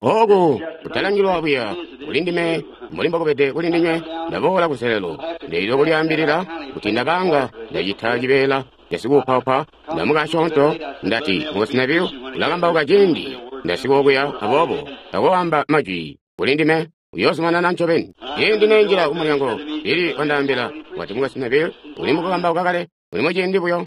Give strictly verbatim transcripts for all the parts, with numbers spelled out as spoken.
Oku kutalangilwa buya kuli ndime mbuli mbokubede kuli ndinywe. Ndaboola kunselelo ndeelede kulyaambilila kuti ndabanga ndacita cibeela casikuupaupa ndamuka asyoonto. Ndati Mukwesu Neville ulakambauka ciindi ndasika okuya, aboobo takoamba majwi kuli ndime, uyoozumanana ncobeni. Ciindi nenjila kumulyango, Billy wandaambila, wati, Mukwesu Neville uli mukukambauka kale, uli muciindi buyo.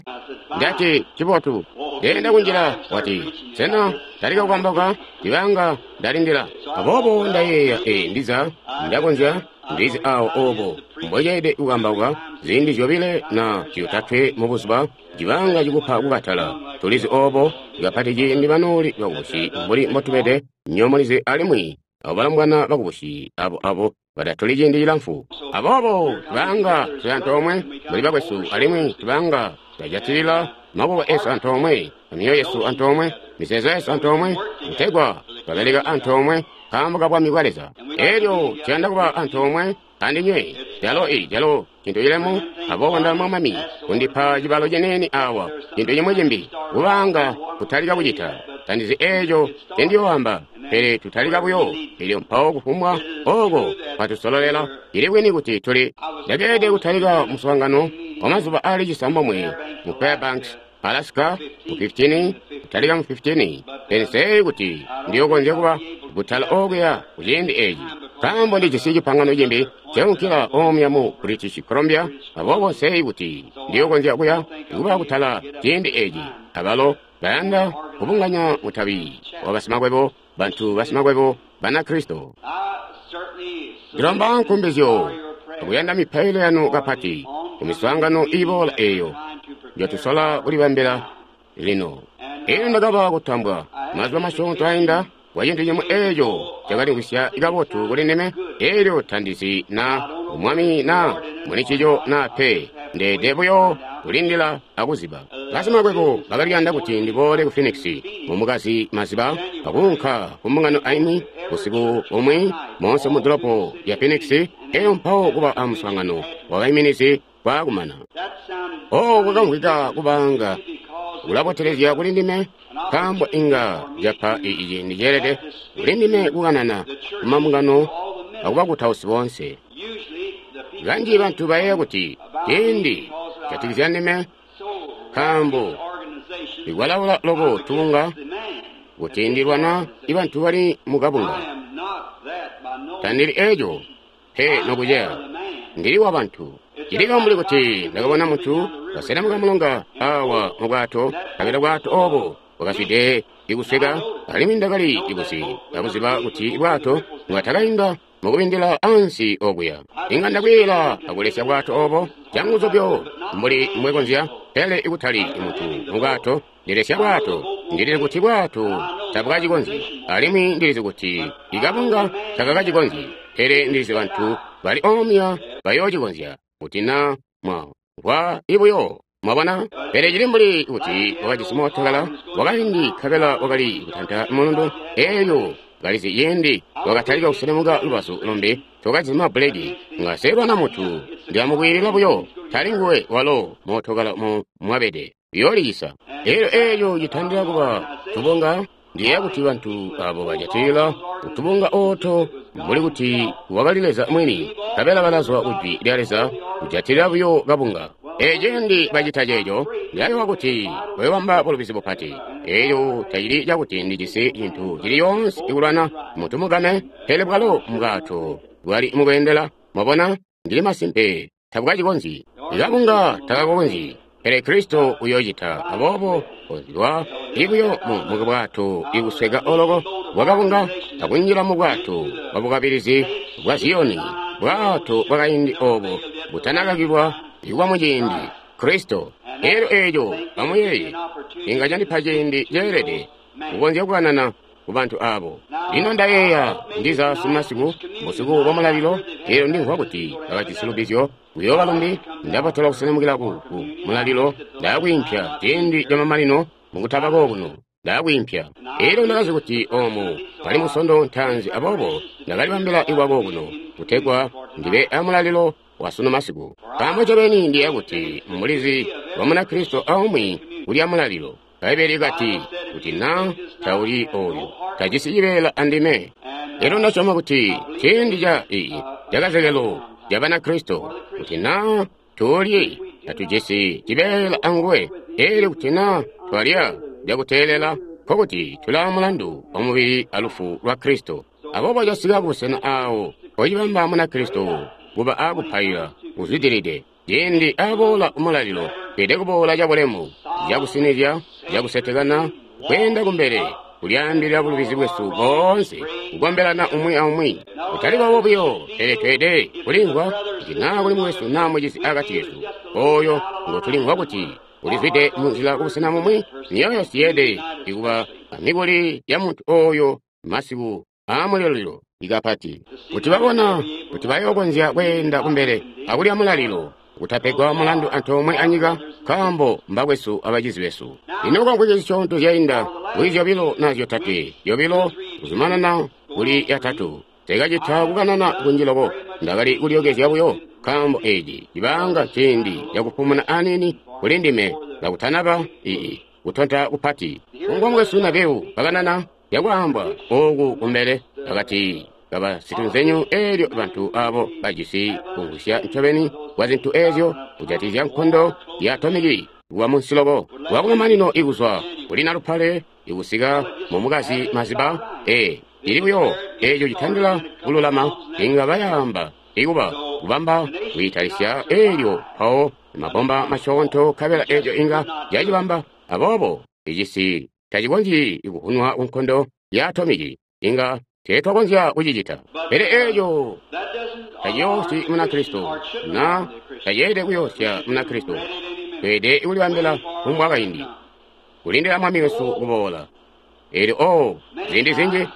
Ndati, Ncibotu. Ndeenda kunjila, wati, Sena talika kukambauka? Ndibanga ndalindila. Aboobo ndayeeya, ee, ndiza ndakonzya ndizi awo obo mbweelede kukambauka ziindi zyobile na zyotatwe mu buzuba, cibanga cikupa kukatala. Tulizi obo kapati ciindi banooli bakubusi mbuli mbotubede, nywebo mulizi, alimwi abo balombwana bakubusi abo abo batatoli ciindi cilamfu. Aboobo tubanga tuli antoomwe mbuli bakwesu, alimwi tubanga twajatilila maboko esu antoomwe, amyoyo yesu antoomwe, mizeezo yesu antoomwe, kutegwa twabeleka antoomwe nkaambo ka Bwami bwa Leza. Elyo tuyanda kuba antoomwe andinywe, calo i calo cintu cilemu. Aboobo ndalomba Mwami kundipa cibalo ciniini awa, cintu cimwi cimbi, kubaanga kutalika kucita. Tandizi eco ncendiyooamba, pele tutalika buyo, elyo mpawo kufumbwa oko kwatusololela. Cili bwini kuti tuli ndakeelede kutalika muswaangano wa mazuba aali cisambomwe mu Fairbanks, Alaska, mu fifitini, kutalika mu fifitini. Pele nseeyi kuti ndiyokonzya kuba kutala okuya ku ciindi eci, nkaambo ndijisi cipangano cimbi ceunkila omuya mu British Columbia. Aboobo nseeyi kuti ndiyokonzya kuya kuba kutala ciindi eci. Abalo bayanda kubunganya mutabi wa basimakwebo, bantu basimakwebo Banakristo. Ndilomba nkumbizyo akuyanda mipailo yanu kapati ku miswaangano iboola eyo njotusola kulibambila lino. Elyo ndakaba kutambwa mazuba masyoonto ainda kwa cintu cimwi eco cakalimvwisya kabotu kuli ndime. Elyo tandizi na Mwami na muli ncico na pe, ndeede buyo kulindila akuziba. Basimakwebo bakali kuyanda kuti ndiboole ku Phoenix mu mukazi maziba akuunka ku mbungano aimwi busiku bumwi moonse mu dolopo lya Phoenix, elyo mpawo kuba a muswaangano wabaiminizi kwaakumana. Oh, kwakamvwika kubaanga kulabotelezya kuli ndime, nkaambo inga capa ciindi ceelede kuli ndime kukanana ku mambungano akubakutausi boonse. Kanji bantu bayeeya kuti ciindi jatikizya ndime, nkaambo ndikwalaula loko tubunga kuti ndilwana ibantu bali mukabunga. Tandili eco pe nokuceya, ndili wa bantu. Cili mbuli kuti ndakabona muntu kaselemuka mulonga awa mu bwato, nkabela bwato obo bwakazwide ikusweka, alimwi ndakali ikuzi akuziba kuti bwato bwatakainda mukubindila ansi okuya. Inga ndakwiila akulesya bwato obo canguzu byo mbuli mbwekonzya, pele ikutali muntu mu bwato. Ndilesya bwato, ndilizi kuti bwato tabwacikonzyi, alimwi ndilizi kuti ikabunga takakacikonzyi, pele ndilizi bantu bali omya bayoocikonzya kuti na mwamvwa ibuyo. Mwabona? Pele cili mbuli kuti wakajisi mootokala wakaindi nkabela wakali kutanta mulundu, elyo kalizi ciindi wakatalika kuselemuka lubazu lumbi, tokajisi mabbuleki. Nga seelwana muntu, ndilamukwiilila buyo, tali nguwe walo mootokala mu mwabede, uyoolicisa. Elyo eco citandila kuba tubunga. Ndiyeeya kuti bantu abo bajatilila kutubunga ooto mbuli kuti wakali Leza mwini, nkabela balazwa ku Jwi lya Leza kujatilila buyo kabunga. Ee, ciindi bacita ceeco, ndilayowa kuti bayobamba bulubizi bupati. Elyo tacili cakuti ndijisi cintu cili coonse ikulwana muntu mugame, pele bwalo mbwato bwali mukweendela. Mwabona, ndili masimpe tabukacikonzyi. Ikabunga takakonzyi, pele Kristo uyoocita. Aboobo kozilwa ibuyo mu bwato ikusweka oloko bwakabunga akunjila mu bwato bwa bukabilizi bwa Ziyoni, bwato bwakaindi obo butanakakilwa ikuba muciindi Kristo. Elyo eco amuyeeye, inga candipa ciindi ceelede kukonzya kukanana ku bantu abo. Lino ndayeeya ndiza sumasiku, busiku bwa mulalilo, elyo ndimvwa kuti bakajisi lubizyo kuyooba lumbi. Ndabotelwa kuselemukila ku, ku mulalilo, ndaakwiimpya ciindi camamanino mukutaba kokuno, ndaakwiimpya. Elyo ndakazi kuti omu kali musondo ntaanzi, aboobo ndakalibambila ikwa kokuno kutegwa ndibe amulalilo wa sunu masiku. Nkaambo ncobeni ndiyeeya kuti mulizi wa Munakristo aumwi kulya mulalilo. Bbaibbele likati, kuti na tauli oyu, tajisi cibeela andime. Elyo ndasyoma kuti ciindi ca iyi cakazekelo ca Banakristo, kuti naa tuulyi tatujisi cibeela anguwe, elyo kuti naa twalya cakuteelela, nkokuti tulaa mulandu wa mubili alufu lwa Kristo. Aboobo casika kubusena aawo mpocibamba Munakristo kuba aakupaila kuzwidilide. Ciindi aboola umulalilo, tweelede kuboola cabulemu, cakusinizya, cakusetekana, kweenda kumbele, kulyaambilila bulubizi bwesu boonse, kukombelana umwi aumwi. Kutali boobo buyo, pele tweelede kulimvwa kuti naa kuli mukwesu naa mucizi akati kesu, oyo ngotulimvwa kuti ulizwide munzila kubusena bumwi, myoyo syeede ikuba amikuli ya muntu oyo masiku aamulalilo ikapati, kuti babona kuti bayookonzya kweenda kumbele akulya mulalilo, kutapegwa mulandu antoomwe anyika, nkaambo mbakwesu abacizi besu. Lino kwamvwiki zisyoonto zyainda, kuli zyobilo na zyotatwe, zyobilo kuzumanana kuli yatatu, nsekacita kukanana kunji loko, ndakali kulyokezya buyo, nkaambo eeci cibaanga ciindi cakupumuna aniini kuli ndime kakutanaba ii kutonta kupati. Kungwa mukwesu Nabeu kakanana yakwaambwa ooku kumbele akati kabasitunzenyu, eelyo bantu abo bajisi kumvwisya ncobeni kwa zintu eezyo kujatikizya nkondo ya atomiki kuwa munsi loko wakumamanino ikuzwa kuli nalupale ikusika mumukazi maziba e ili buyo eeco citandila kululama inga bayaamba ikuba kubamba kwiitalisya eelyo mpawo mabomba masyoonto kabela eeco inga yacibamba. Aboobo icisi tacikonzyi kuvunwa kunkondo ya atomiki, inga teetwakonzya kucicita. Pele eeco taciyoosyi Munakristo, na taceelede kuyoosya Munakristo. Tweelede kulibambila kumbwa kaindi, kulindila Mwami wesu kuboola. Eelyo oh, ziindi zinji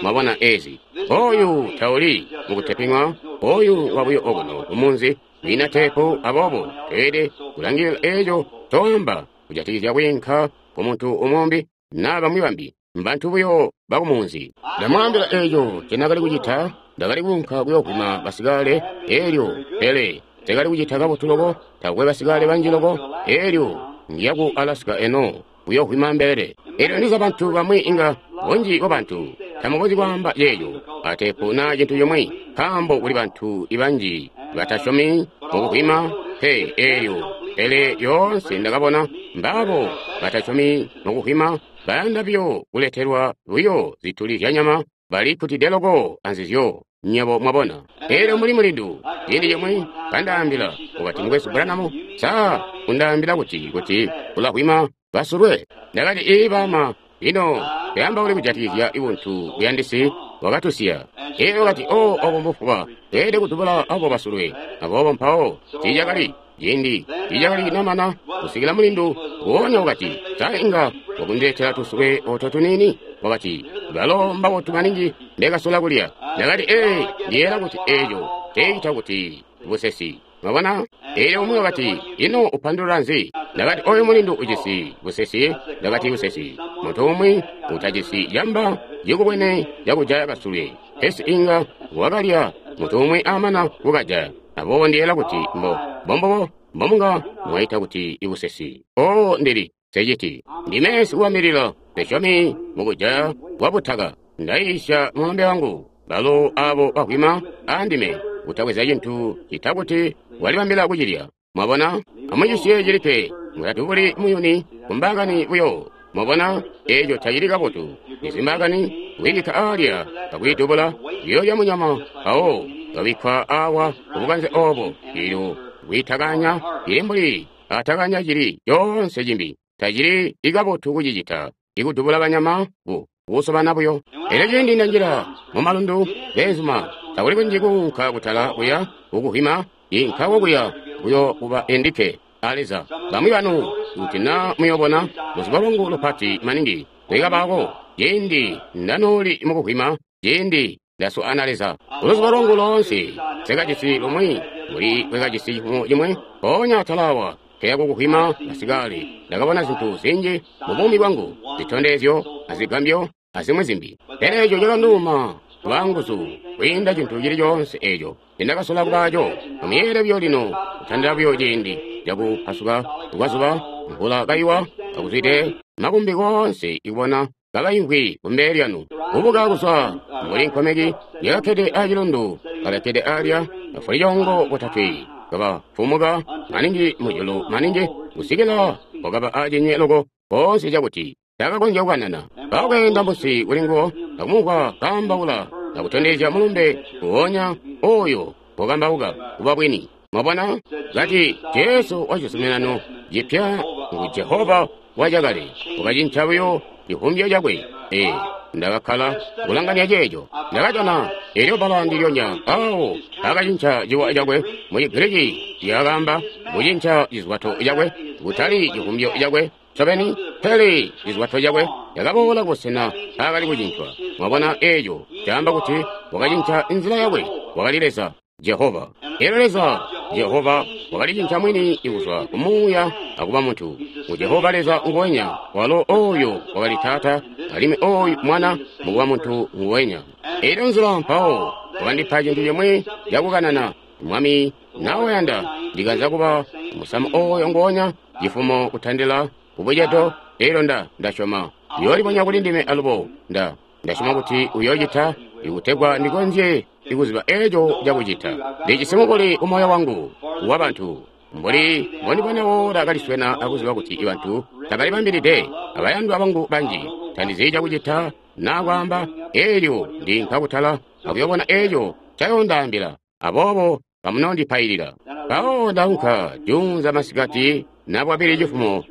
mwabona ezi. Oyu tauli mukuteping'wa, oyu wabuyo okuno kumunzi, kwiina teepu, aboobo tweelede kulangilila eeco toamba kujatikizya kwiinka kumuntu umumbi naa bamwi bambi, mbantu buyo bakumunzi. Ndamwaambila eeco ncenakali kucita, ndakali kuunka kuyoovwima basikale eelyo, pele nsekali kucita kabotu loko, takwe basikale banji loko, eelyo ngiya ku Alaska eno kuyoovwima mbelele. Eelyo ndiza bantu bamwi inga bunji bwabantu tamukonzyi kwaamba ceeco ateepu naa cintu cimwi, nkaambo kuli bantu banji batasyomi mukuvwima pe eelyo. Pele lyoonse ndakabona mbaabo batasyomi mukuvwima bayanda buyo kuletelwa buyo zituli zyanyama, balikkutide loko anzizyo, nywebo mwabona. Eelyo muli mulindu ciindi cimwi kandaambila, wakati, Mukwesu Branham, sa undaambila kuti kuti ulavwima basulwe? Ndakati, ii baama, lino twaambauli kujatikizya buntu buyandisi wakatusiya. Eelyo wakati, oh, obo mbufuba, tweelede kudubula abo basulwe. Aboobo mpawo tiicakali ciindi tiicakali namana kusikila mulindu nguonya wakati, sa inga wakundiletela tusulwe oto tuniini? Wakati, balo mbabotu maningi ndekasola kulya. Ndakati, ee, ndiyeera kuti eeco teecita kuti busesi. Mwabona? Eelyo umwi wakati, ino upandulula nzi? Ndakati, oyu mulindu ujisi busesi. Ndakati, busesi. Muntu umwi utajisi camba cikubwene cakujaya kasulwe, pesi inga wakalya muntu umwi amana kukajaya. Aboobo ndiyeera kuti mbo mbombubo mbomunga mwaita kuti ibusesi. Oo, ndili seciti. Ndime sikuwambilila sesyomi mukujaya kwa butaka. Ndayiisya mulombe wangu, balo abo bavwima andime, kutabweza cintu cita kuti walibambila kucilya. Mwabona? Amucisiye cilikke, mutatubuli muyuni kumbaakani buyo. Mwabona? Eeco tacili kabotu. Izimbaakani kwiibikka aalya kakwiidubula, kuyoolya munyama mpawo kabikkwa awa kubukanze oobo. Eelyo kwiitakanya ili mbuli atakanya cili coonse cimbi. Tacili ikabotu kucicita, ikudubula banyama bu kusobana buyo. Elyo ciindi ndanjila mumalundu, beenzuma, takuli kunji kuunka kutala kuya kukuvwima, inkawo kuya kuyo kuba endikke a Leza. Bamwi banu, kuti naa muyobona luzubo lwangu lupati maningi lwikabaako, ciindi ndanooli mukuvwima, ciindi ndaswaana Leza. Kuluzubo lwangu loonse nsekajisi lumwi mbuli bwekajisi cifumo cimwe, mpoonya atalawa nkeya kukuvwima basikale, ndakabona zintu zinji mu buumi bwangu, zitondezyo azigambyo azimwi zimbi. Pele eco cakanduuma lwanguzu kwiinda cintu cili coonse eco nindakasola kubaaco. Amuyeeye buyo lino, kutandila buyo ciindi cakupasuka kwazuba, mvula kaiwa, kakuzwide makumbi koonse ikubona kabaimvwi kumbele lyanu. Kubuka kuzwa mbuli nkomeki yakakkede acilundu, kabakkede alya bafulicoongo botatwe, kabafumuka maningi mujulu maningi kusikila wakaba acinywe loko koonse cakuti takakonzya kukanana. Bakweenda munsi kuli nguwo akumumvwa kaambaula akutondezya mulumbe nguwonya oyo wakambauka kuba bwini. Mwabona? Kati Jesu wa cizuminano cipya ngu Jehova wacakale, wakacinca buyo civumbyo cakwe. Ee, ndakakkala kulanganya ceeco. Ndakajana elyo bbala ndilyonya awo akacinca ciwa cakwe. Mu Chigiriki lyakaamba kucinca cizwato cakwe, kutali civumbyo cakwe ncobeni, pele cizwato cakwe yakaboola kubusena aakali kucincwa. Mwabona, eeco caamba kuti wakacinca nzila yakwe. Wakali Leza Jehova. Elyo Leza Jehova wakalicinca mwini kuzwa ku Muuya akuba muntu. Ngu Jehova Leza nguwenya, walo oyo wakali Taata, alimwi oyu Mwana mukuba muntu nguwenya. Elyo nzila mpawo wakandipa cintu cimwi cakukanana. Mwami nawayanda ndikanza kuba musamu oyo nguwonya cifumo kutandila kubucedo. Elyo nda ndasyoma uyoolibonya kuli ndime alubo. Nda ndasyoma kuti uyoocita ikutegwa ndikonzye ikuziba eco cakucita. Ndijisi mukuli kumoyo wangu wabantu mbuli mbondibona woola kaliswena akuziba kuti ibantu tabalibambilide. Abayandwa bangu banji tandizi cakucita naa kwaamba. Elyo ndinka kutala akuyobona eco cayondaambila. Aboobo kamunondipailila. Mpawo ndaunka juunza masikati na bwabili cifumo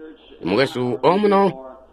mukwesu omuno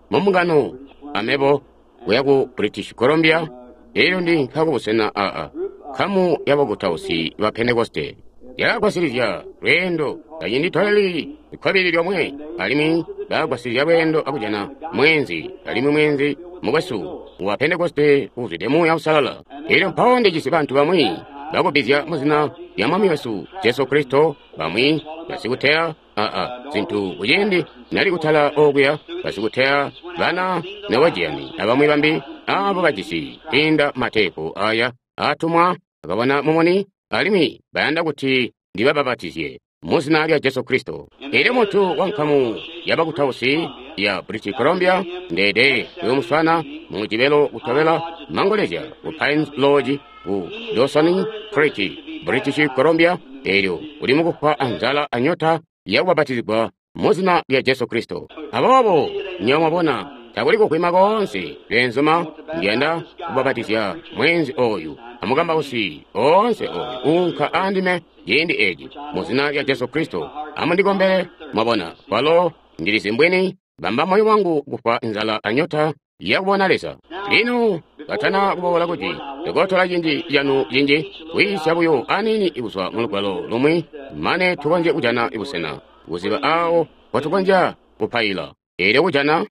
mumbungano amebo kuya ku British Columbia. Elyo ndinka kubusena aa nkamu yabakutausi ba Pentekoste yakagwasilizya lweendo tacinditoleli kkobili lyomwe, alimwi bakagwasilizya lweendo akujana mweenzi, alimwi mweenzi mukwesu wa Pentekoste uuzwide Muuya Uusalala. Elyo mpawo ndijisi bantu bamwi bakubbizya muzina lya Mwami wesu Jesu Kristo, bamwi basikuteya aa zintu kuciindi nali kutala okuya, basikuteya bana Norwegian abamwi bambi abo bajisi kwiinda mateepu aya atumwa akabona mumuni, alimwi bayanda kuti ndibabapatizye muzina lya Jesu Kristo. Elyo muntu wa nkamu yabakutausi ya British Columbia ndede kuyomuswana mu cibelo kutobela mangolezya ku Pines Lodge ku Dawson Creek, British Columbia. Elyo uli mukufwa anzala anyota yakubapatizigwa muzina lya Jesu Kristo. Aboobo nywebo mwabona takuli kukwima koonse beenzuma. Ndiyanda kubapatizya mweenzi oyu amukambausi oonse oyu uunka andime ciindi eci muzina lya Jesu Kristo. Amundikombele. Mwabona, kwalo ndilizi mbwini bamba moyo wangu kufwa nzala anyota yakubona Leza. Lino katana kuboola kuti ndikotola cinji canu cinji kwiisya buyo aniini kuzwa mu lugwalo lumwi mane tukonzye kujana busena kuziba awo mpotukonzya kupaila. Elyo kujana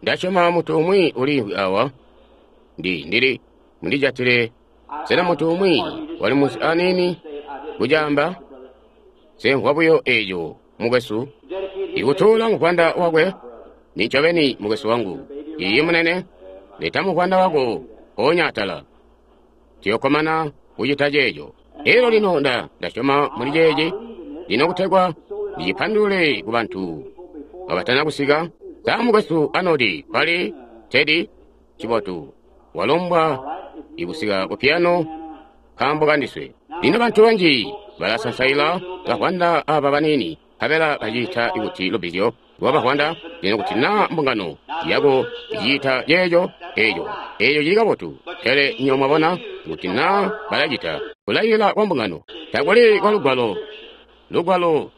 ndasyoma muntu umwi uliimvwi awa. Ndi ndili mundijatile. Sena muntu umwi wali munsi aniini kucaamba? Semvwa buyo eco mukwesu ikutuula muvwanda wakwe. Nincobeni mukwesu wangu. Iiyi munene, leta muvwanda wako mpoonya atala. Tuyokkomana kucita ceeco. Elyo lino nda ndasyoma muli ceeci lino kutegwa ndicipandulule ku bantu kabatana kusika. Sa mukwesu Arnold kwali Teddy cibotu walombwa ikusika ku piano nkaambo kandiswe. Lino bantu banji balasansaila bavwanda aba baniini nkabela baciita kuti lubbizyo lwa bavwanda. Lino kuti naa mbungano yako iciita ceeco, eeco eeco cili kabotu. Pele nywebo mwabona kuti naa balacita kulailila kwa mbungano takuli kwa lugwalo. Lugwalo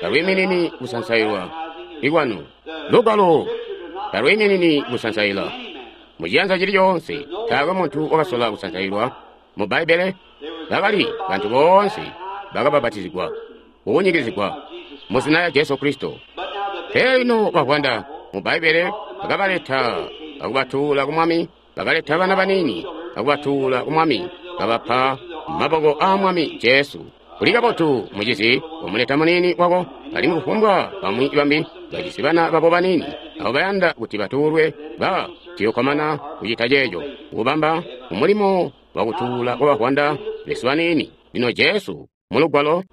talwiiminini kusansailwa ikwanu. Lugwalo talwiiminini kusansaila muciyanza cili coonse. Taakwe muntu wakasola kusansailwa mu Bbaibbele. Bakali bantu boonse bakabapatizigwa kukunyikizigwa muzina lya Jesu Kristo. Pele lino bavwanda mu Bbaibbele bakabaleta akubatuula ku Mwami, bakaleta bana baniini akubatuula ku Mwami, kabapa maboko aa Mwami Jesu. Kuli kabotu mucizi wamuleta muniini wako, alimwi kufumbwa bamwi bambi bajisi bana babo baniini abo bayanda kuti batuulwe, ba tuyokkomana kucita ceeco, kubamba umulimo wakutuula kwa bavwanda besu baniini. Lino Jesu mulugwalo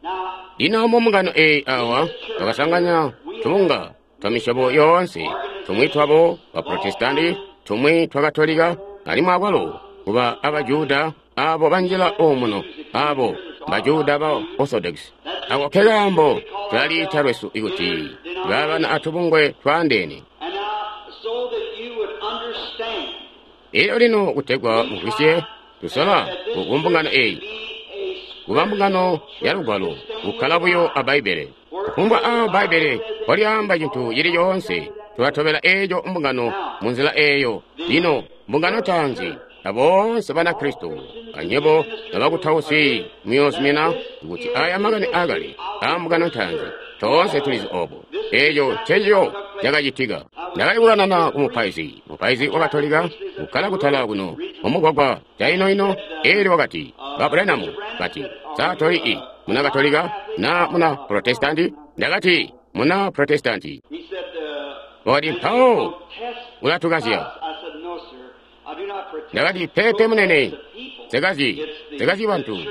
lino mumbungano eyi awa bakasanganya tubunga twa misyobo yoonse Tumwi twabo ba Protestanti, tumwi twa Katolika, alimwi akwalo kuba aba Juda abo banjila omuno, abo ba Juda ba Orthodox. Ako ke kaambo tulaliita lwesu ikuti babana atubungwe twaandeene. And now, so that you would understand, Elyo lino kutegwa mumvwisye, tusola ku mbungano eyi, kuba mbungano ya Lugwalo, kukkala buyo a Bbaibbele. Kufumbwa a Bbaibbele mpolyaamba cintu cili coonse, tulatobela eeco mbungano munzila eeyo. Lino mbungano ntaanzi, aboonse Banakristo, anywebo nabakutausi muyoozumina kuti aya makani akale a mbungano ntaanzi, toonse tulizi obo. Eeco ncencico cakacitika. Ndakali kukanana ku mupaizi, mupaizi wa Katolika, kukkala kutala kuno mumugwagwa caino-ino, eelyo wakati, Ba Branham, kati, sa toli i muna Katolika na muna Protestanti? Ndakati, muna Protestanti. he said, uh, Wakati, mpawo protest ulatukazya. us. I said, no, sir, I do not protest. Ndakati, pepe munene, The people. nsekazyi, It's the nsekazyi bantu. church.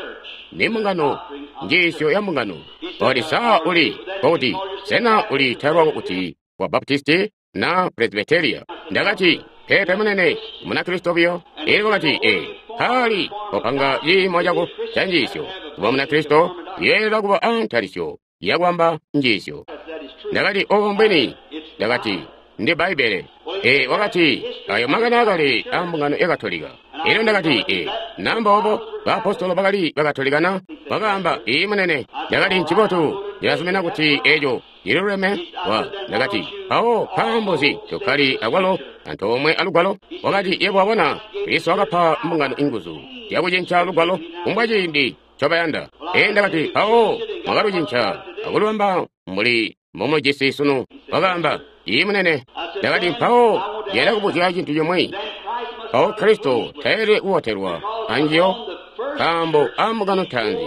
Ni mbungano, njiisyo ya mbungano. Wakati, sa uli, kokuti, sena uli talwako kuti wa Baptisti na Presbyteria? Ndakati, pepe munene, muna Kristo buyo. Elyo wakati, ee, kali wapanga ciimo cako ca njiisyo. Kuba muna Kristo, uyeelela kuba a ntalisyo yakwamba njiisyo. That is true. Ndakati, obo mbwini. Ndakati, ndi Bbaibbele. E, wakati, ayo makani akale a mbungano ya Katolika. Elyo ndakati, e, namba obo, baapostolo bakali bakatolikana, bakaamba, ii munene. Ndakati, ncibotu, ndilazumina kuti eco cililuleme. Wa, ndakati, mpawo nkaambo nzi tokkali akwalo antoomwe alugwalo? Wakati, yebo wabona, Kristo wakapa mbungano inguzu zyakucinca lugwalo kumbwa ciindi ncobayanda. E, ndakati, mpawo mwakalucinca akulubamba mbuli mbomujisi sunu. Wakaamba, ii munene. Ndakati, mpawo ndiyanda kubuzya cintu cimwi. Then Christ must Mpawo Kristo tayelede kubotelwa anjiyo, nkaambo a mbungano ntaanzi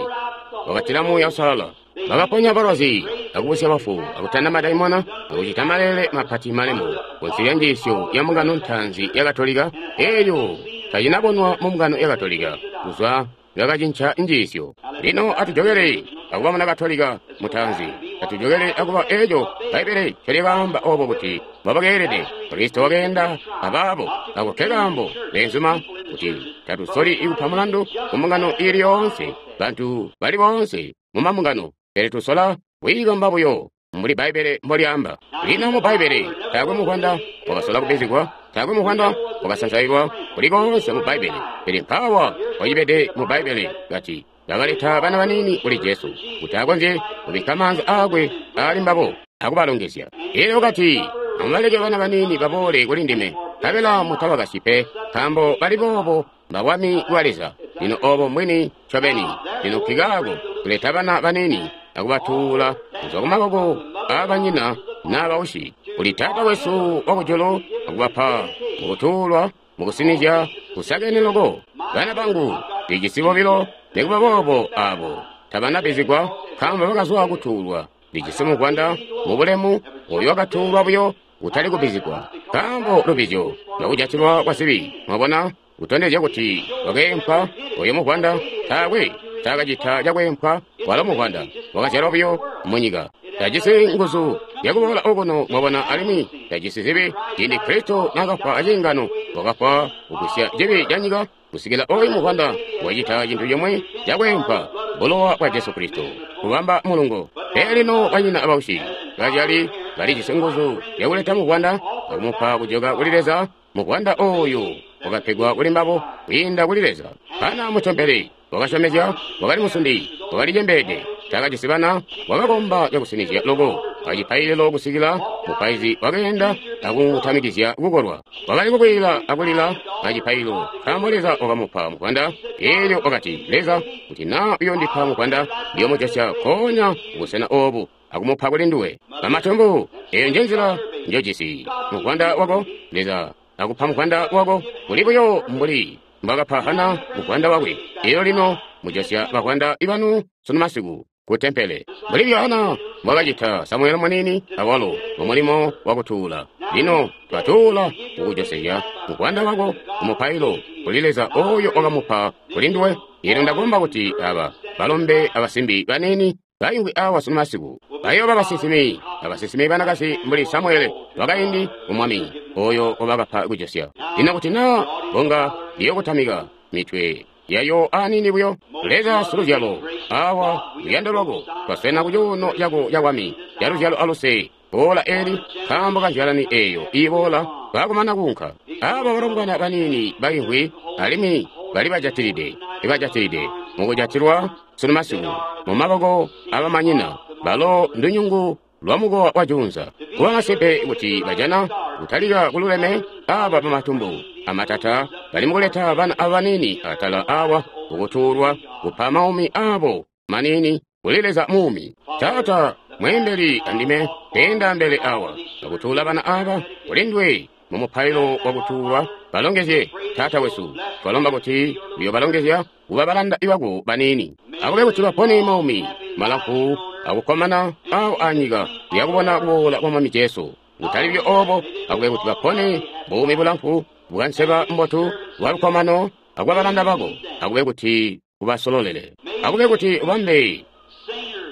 wakatila Muuya Uusalala. Bakaponya balwazi, akubusya bafu, akutanda madaimona, akucita maleele mapati malemu kunsi lya njiisyo ya mbungano ntaanzi ya Katolika. Eeyo tacinabonwa mu mbungano ya Katolika kuzwa lwakacinca njiisyo. Lino atujokele akuba muna Katolika mutaanzi, atujokele akuba eeco Bbaibbele ncolyakaamba obo kuti mbobakeelede. Kristo wakeenda abaabo. Ako ke kaambo, beenzuma, kuti tatusoli kupa mulandu ku mbungano iili yoonse, bantu bali boonse mu mambungano, pele tusola kwiikomba buyo mbuli Bbaibbele mbolyaamba. Lino mu Bbaibbele taakwe muvwanda wakasola kubbizigwa, taakwe muvwanda wakasansailwa kuli koonse mu Bbaibbele, pele mpaawa wacibede mu Bbaibbele kati bakaleta bana baniini kuli Jesu kuti akonzye kubikka maanza aakwe aali mbabo akubalongezya. Elyo kati, amubaleke bana baniini baboole kuli ndime, nkabela mutabakasyi pe, nkaambo bali boobo mbabwami bwa Leza. Lino obo mbwini ncobeni. Lino nkikaako kuleta bana baniini akubatuula kuzwa ku maboko aabanyina naa bausyi kuli Taata wesu wakujulu akubapa mukutuulwa mukusinizya kusakene loko. Bana bangu ndijisi bobilo, nikuba boobo aabo tabanabbizigwa nkaambo bakazwa kutuulwa. Ndijisi muvwanda mubulemu oyo wakatuulwa buyo kutali kubbizigwa, nkaambo lubbizyo lwakujatilwa kwa zibi. Mwabona, kutondezya kuti wakeempwa oyo muvwanda taakwe taakacita cakweempwa, walo muvwanda wakazyalwa buyo munyika. Tajisi nguzu zyakuboola okuno, mwabona, alimwi tajisi zibi. Ciindi Kristo naakafwa aciingano, wakafwa kugwisya cibi ca nyika kusikila oyu muvwanda wacita cintu cimwi cakweempwa, bulowa bwa Jesu Kristo, kubamba mulungo. Pele lino banyina abausyi bazyali balijisi nguzu zyakuleta muvwanda akumupa kujoka kuli Leza. Muvwanda oyu wakapegwa kuli mbabo kwiinda kuli Leza. Hana mutempele wakasyomezya, wakali musundi, wakali cembeede, taakajisi bana, wakakomba cakusinizya loko acipaililo kusikila mupaizi wakeenda akumutamikizya kukolwa. Wakali kukwiila akulila acipaililo nkaambo Leza wakamupa muvwanda. Eelyo wakati, Leza, kuti naa uyoondipa muvwanda, ndiyoomujosya nkoonya kubusena oobu akumupa kuli nduwe. Bamatumbu, eeyo njenzila njojisi muvwanda wako. Leza akupa muvwanda wako kuli buyo mbuli mbwakapa Hana muvwanda wakwe. Eelyo lino mujosya bavwanda banu sunu masiku ku tempele, mbuli Hana mbwakacita Samuele muniini awalo mumulimo wakutuula. Lino twatuula kukujosezya muvwanda wako kumupailo kuli Leza oyo wakamupa kuli nduwe. Eelyo ndakomba kuti aba balombe abasimbi baniini Baimvwi awa sunu masiku bayooba basinsimi abasinsimi banakazi mbuli Samuele wakaindi ku Mwami oyo wabakapa kujosya. Lino kuti naa bunga liyokutamika mitwe yayo aniini buyo. Leza siluzyalo, awa luyando lwako twaswena ku cuuno cako cabwami caluzyalo aluse. Boola eli nkaambo kanzyalani eyo iboola baakumana kuunka. Aba balombwana baniini baimvwi alimwi bali bajatilide, ibajatilide mukujatilwa sunu masiku mumaboko abamanyina balo ndunyungu lwa mukowa wa juunza. Kuba masimpe kuti bajana kutalika kululeme aba bamatumbu amatata bali mukuleta bana abanini atala awa kukutuulwa kupa maumi abo manini kuli Leza muumi. Taata mweembeli andime keenda mbele awa akutuula bana aba kulindwe mu mupailo wakutuulwa. Balongezye Taata wesu, twalomba kuti uyobalongezya kuba balanda bako banini, akube kuti bapone maumi malamfu akukkomana awo anyika yakubona kuboola kwa Mwami Jesu. Kutali byo obo, akube kuti bapone buumi bulamfu bwanseba mbotu bwa lukkomano akuba balanda bako, akube kuti ubasololele, akube kuti ubambe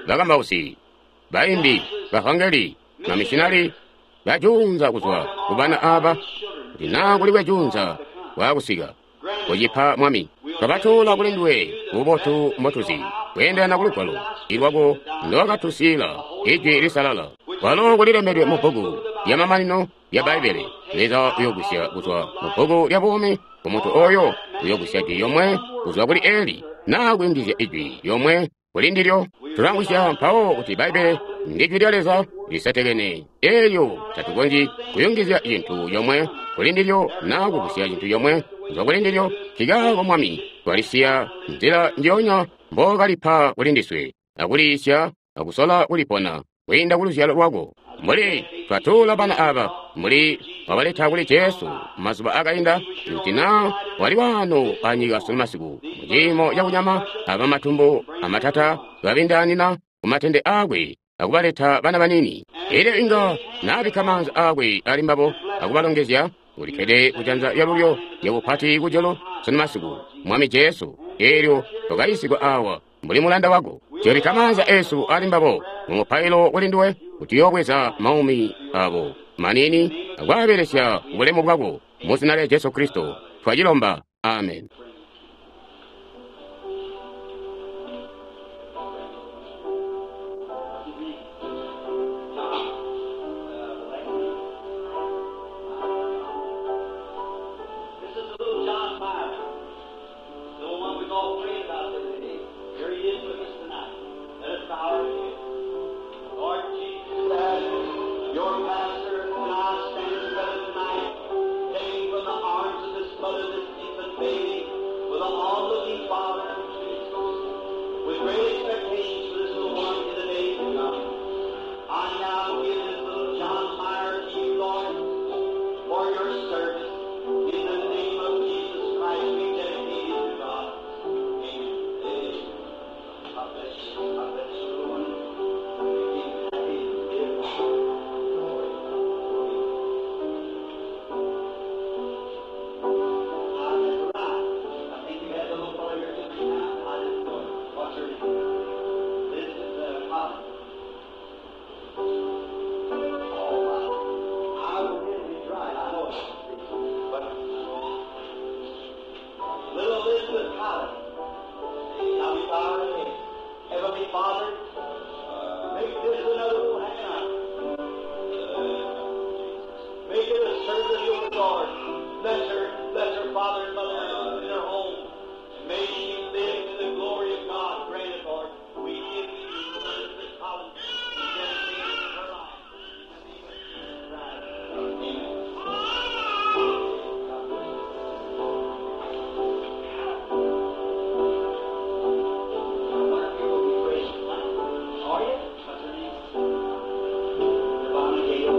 bakambausi, baimbi, bavangeli, mamishinali bajuunza kuzwa kubana aba, kuti naa kulikwe juunza waakusika kucipa Mwami. Twabatuula kuli nduwe bubotu mbotuzi kweendelana ku lugwalo ilwako ndowakatusiila ijwi lisalala kwalo kulilembedwe mu bbuku lyamamanino lya Bbaibbele. Leza uyogwisya kuzwa mu bbuku lya buumi ku muntu oyo uyogwisya jwi lyomwe kuzwa kuli Eli naa kuyungizya ijwi lyomwe kuli ndilyo. Tulamvwisya mpawo kuti Bbaibbele ndi jwi lya Leza lisetekene elyo tatukonzyi kuyungizya cintu comwe kuli ndilyo naa kugwisya cintu comwe kuzwa kuli ndilyo. Nkikaako Mwami twalisiya nzila njoonya mbookalipa kuli ndiswe akuliisya akusola kulipona kwiinda ku luzyalo lwako. Mbuli twatuula bana aba, mbuli wabaleta kuli Jesu mazuba akainda, kuti naa wali waano anyika sunu masiku muciimo cakunyama aba matumbu amatata babindaanina kumatende aakwe akubaleta bana banini, elyo inga naabikka maanza aakwe ali mbabo akubalongezya. Ulikkede kujanza lyalulyo lyabupati kujulu sunu masiku, Mwami Jesu, elyo twakayiisigwa awa mbuli mulanda wako. Tuyobikka maanza esu ali mbabo mu mupailo kuli nduwe kuti uyoobweza maumi abo manini akwaabelesya bulemu bwako mu zina lya Jesu Kristo twacilomba. Amen. This is little John Meyer, the one we've all prayed about today. Here he is with us tonight. Let us bow our heads. Lord Jesus, as your pastor and I stand together tonight, taking from the arms of this mother, this infant baby, with an onlooking father, with great expectations for this little one in the days to come. I now give this little John Meyer to you, Lord, for your service. In the name of Jesus Christ, we dedicate it to God. Amen. Amen. God bless you. God bless you, Lord. Make him happy and live. Glory to God. Ah, that's right. I think you had the little fellow here just now. I didn't know it. What's her name? This is uh, Colin. Oh, my. I will get it right. I know it. But little Elizabeth Collins, now we bow our heads. Heavenly Father, make this another little Hannah. Make it a servant of your Lord. Bless her, bless her father and mother in her home. And may she live to the glory of God. Grant it, Lord. We give you Elizabeth Collins. We dedicate her life. In the name of Jesus Christ. Amen. God bless you. I wonder if you will be praying tonight. Are you? What's her name? Devonna Gale.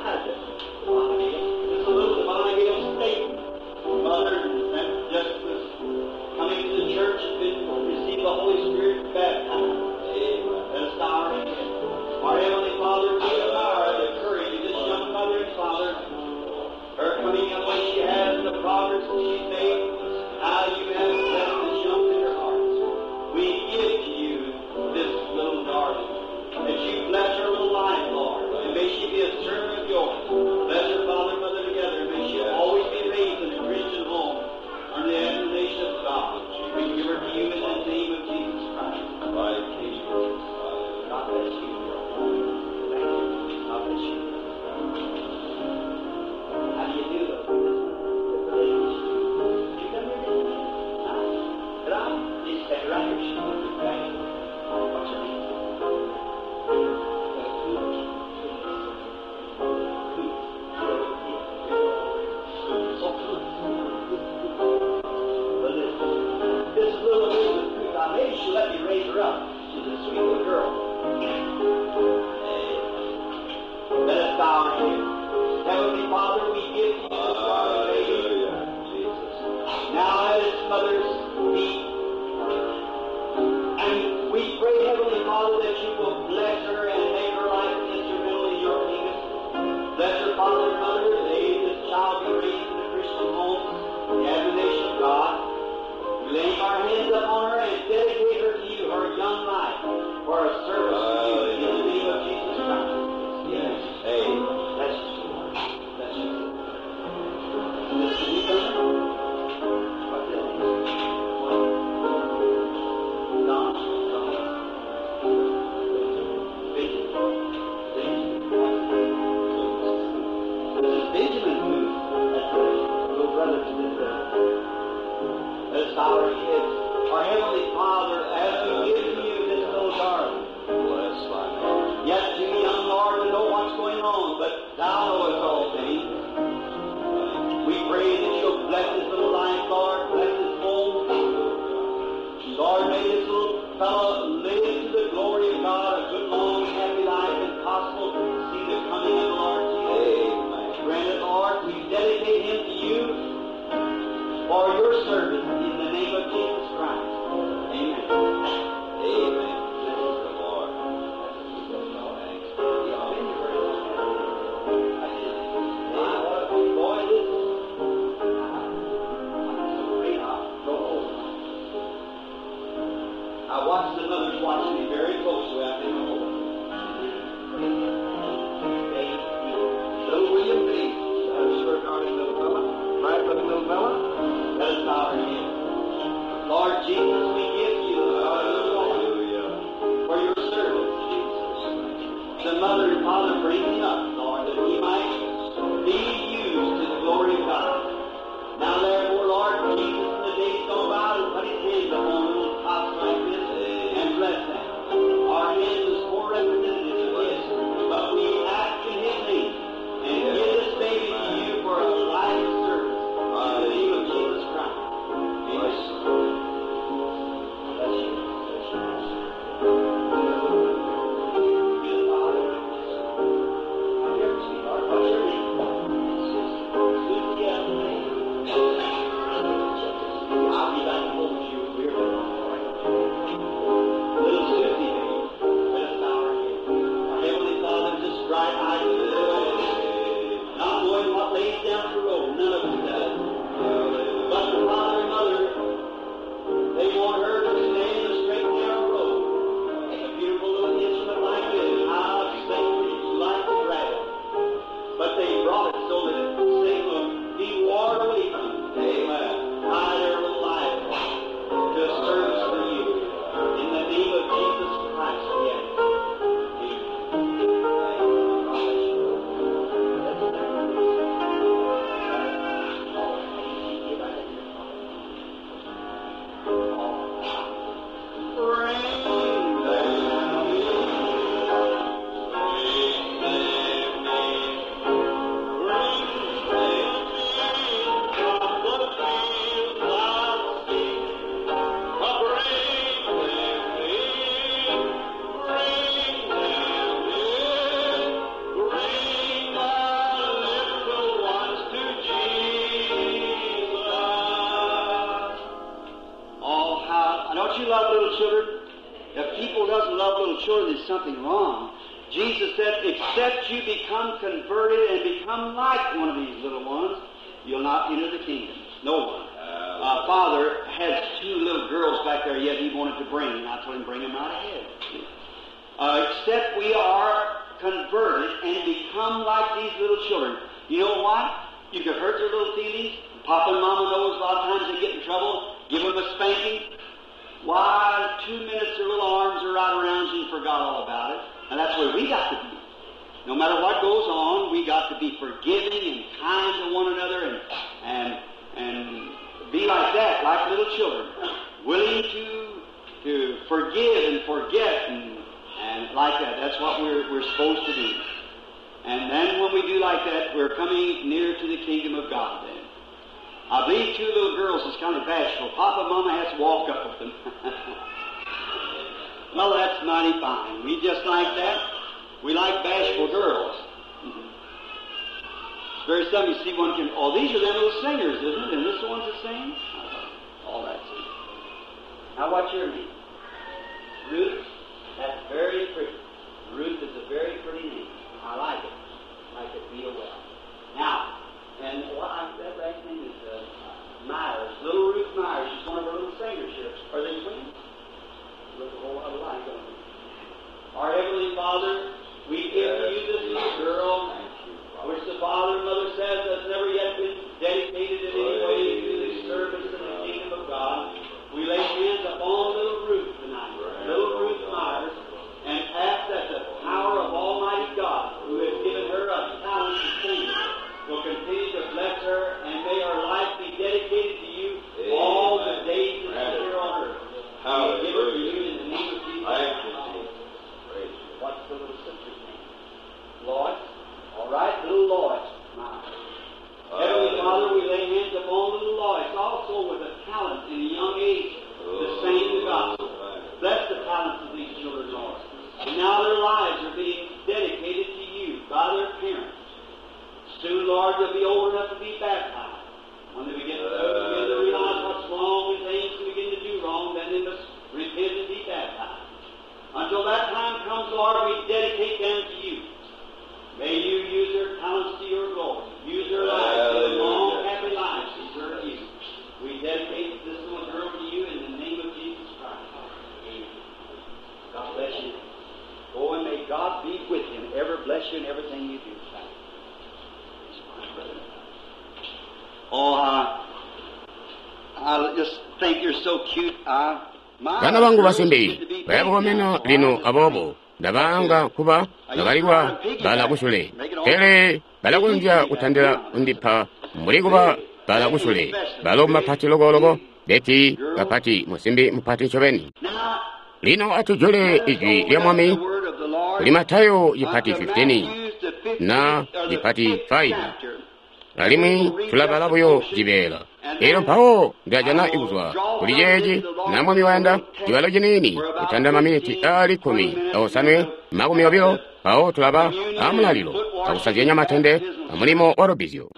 Hi, Devonna Gale. This is a little Devonna Gale State. Mother and just was coming to the church and been received the Holy Spirit and baptized. Let us bow our heads. Our Heavenly Father, we admire the courage of this young mother and father. Her coming up like she has and the progress that she's made, how you have blessed this young tender heart. We looking little fella. Let us bow our heads. Lord Jesus, we give you our Hallelujah. for your service, Jesus. The mother and father bring him up, Lord, that he might be used to the glory of God. Now therefore, Lord Jesus, in the days gone by, to put his hands upon little tots like this and bless them. Our hands is poor representatives of his, but we ask in his name and give this baby to you for a life of service. In the name of Jesus Christ. Amen. Bless you. Bless you. Bless you. Not knowing what lays down the road, none of us does. But the father and mother, they want her to stay in the straight and narrow road. A beautiful little instrument like this, how Satan would like to grab it. But they brought it so that Satan would be warned away from it. Amen. Tie their little life to a service for you. In the name of Jesus Christ, yes. Oh, how don't you love little children? If people doesn't love little children, there's something wrong. Jesus said, except you become converted and become like one of these little ones, you'll not enter the kingdom. No one. Uh, father has two little girls back there yet he wanted to bring, and I told him, bring them right ahead. Uh, except we are converted and become like these little children. You know what? You could hurt their little feelings. Papa and Mama knows a lot of times they get in trouble. Give them a spanking. Why, two minutes their little arms are right around you and forgot all about it. And that's where we got to be. No matter what goes on, we got to be forgiving and kind to one another and, and, and be like that, like little children. Willing to, to forgive and forget and, and like that. That's what we're, we're supposed to do. And then when we do like that, we're coming near to the kingdom of God then. I believe two little girls is kind of bashful. Papa and Mama has to walk up with them. Well, that's mighty fine. We just like that. We like bashful girls. It's very seldom you see one can, oh, these are them little singers, isn't it? And this one's the same? All that's it. Now, what's your name? Ruth? That's very pretty. Ruth is a very pretty name. I like it. I like it real well. Now, and what I, that last name is uh, Myers. Little Ruth Myers. She's one of our little singers here. Are they twins? Look a whole lot alike, don't they? Our Heavenly Father, we give to you this little girl, which the father and mother says has never yet been dedicated in any way to the service of the kingdom of God. We lay hands upon little Ruth tonight, little Ruth Myers, and ask that the power of Almighty God, who has given her a talent to sing, will continue to bless her, and may her life be dedicated to you all the days that she's here on earth. We give it to you in the name of Jesus. Thank you, Jesus. Praise you. What's the little sister's name? Lois. All right, little Lois. Myers. Heavenly Father, we lay hands upon little Lois, also with a talent in a young age to sing the gospel. Bless the talents of these children, Lord. And now their lives are being dedicated to you by their parents. Soon, Lord, they'll be old enough to be baptized. When they begin to, begin to realize what's wrong and things and begin to do wrong, then they must repent and be baptized. Until that time comes, Lord, we dedicate them to you. May you use their talents to your glory. Use their lives, their long, happy lives to serve you. We dedicate this little girl to you in the name of Jesus Christ. Amen. God bless you. Go and may God be with you and ever bless you in everything you do. Thank you. Oh, I, I just think you're so cute. I, my Bana bangu girls basimbi need to be baya kukomena big now. lino abobo ndabaanga kuba bakalikwa bala kusule pele balakonzya kutandila kundipa mbuli kuba bala kusule balo mapati lokoloko beti kapati musimbi mupati ncobeni. Now, Lino atujule ijwi lya Mwami the word of the Lord kuli Matayo cipati unto fifteen Matthew, the fifteenth, na or the cipati fifth five chapter. alimwi tulabala buyo cibeela. Elyo mpawo ndajana ikuzwa kuli ceeci na Mwami wayanda cibalo ciniini kutanda maminiti aali kkumi aosanwe makumi obilo mpawo tulaba amulalilo akusazyanya matende amulimo wa lubbizyo.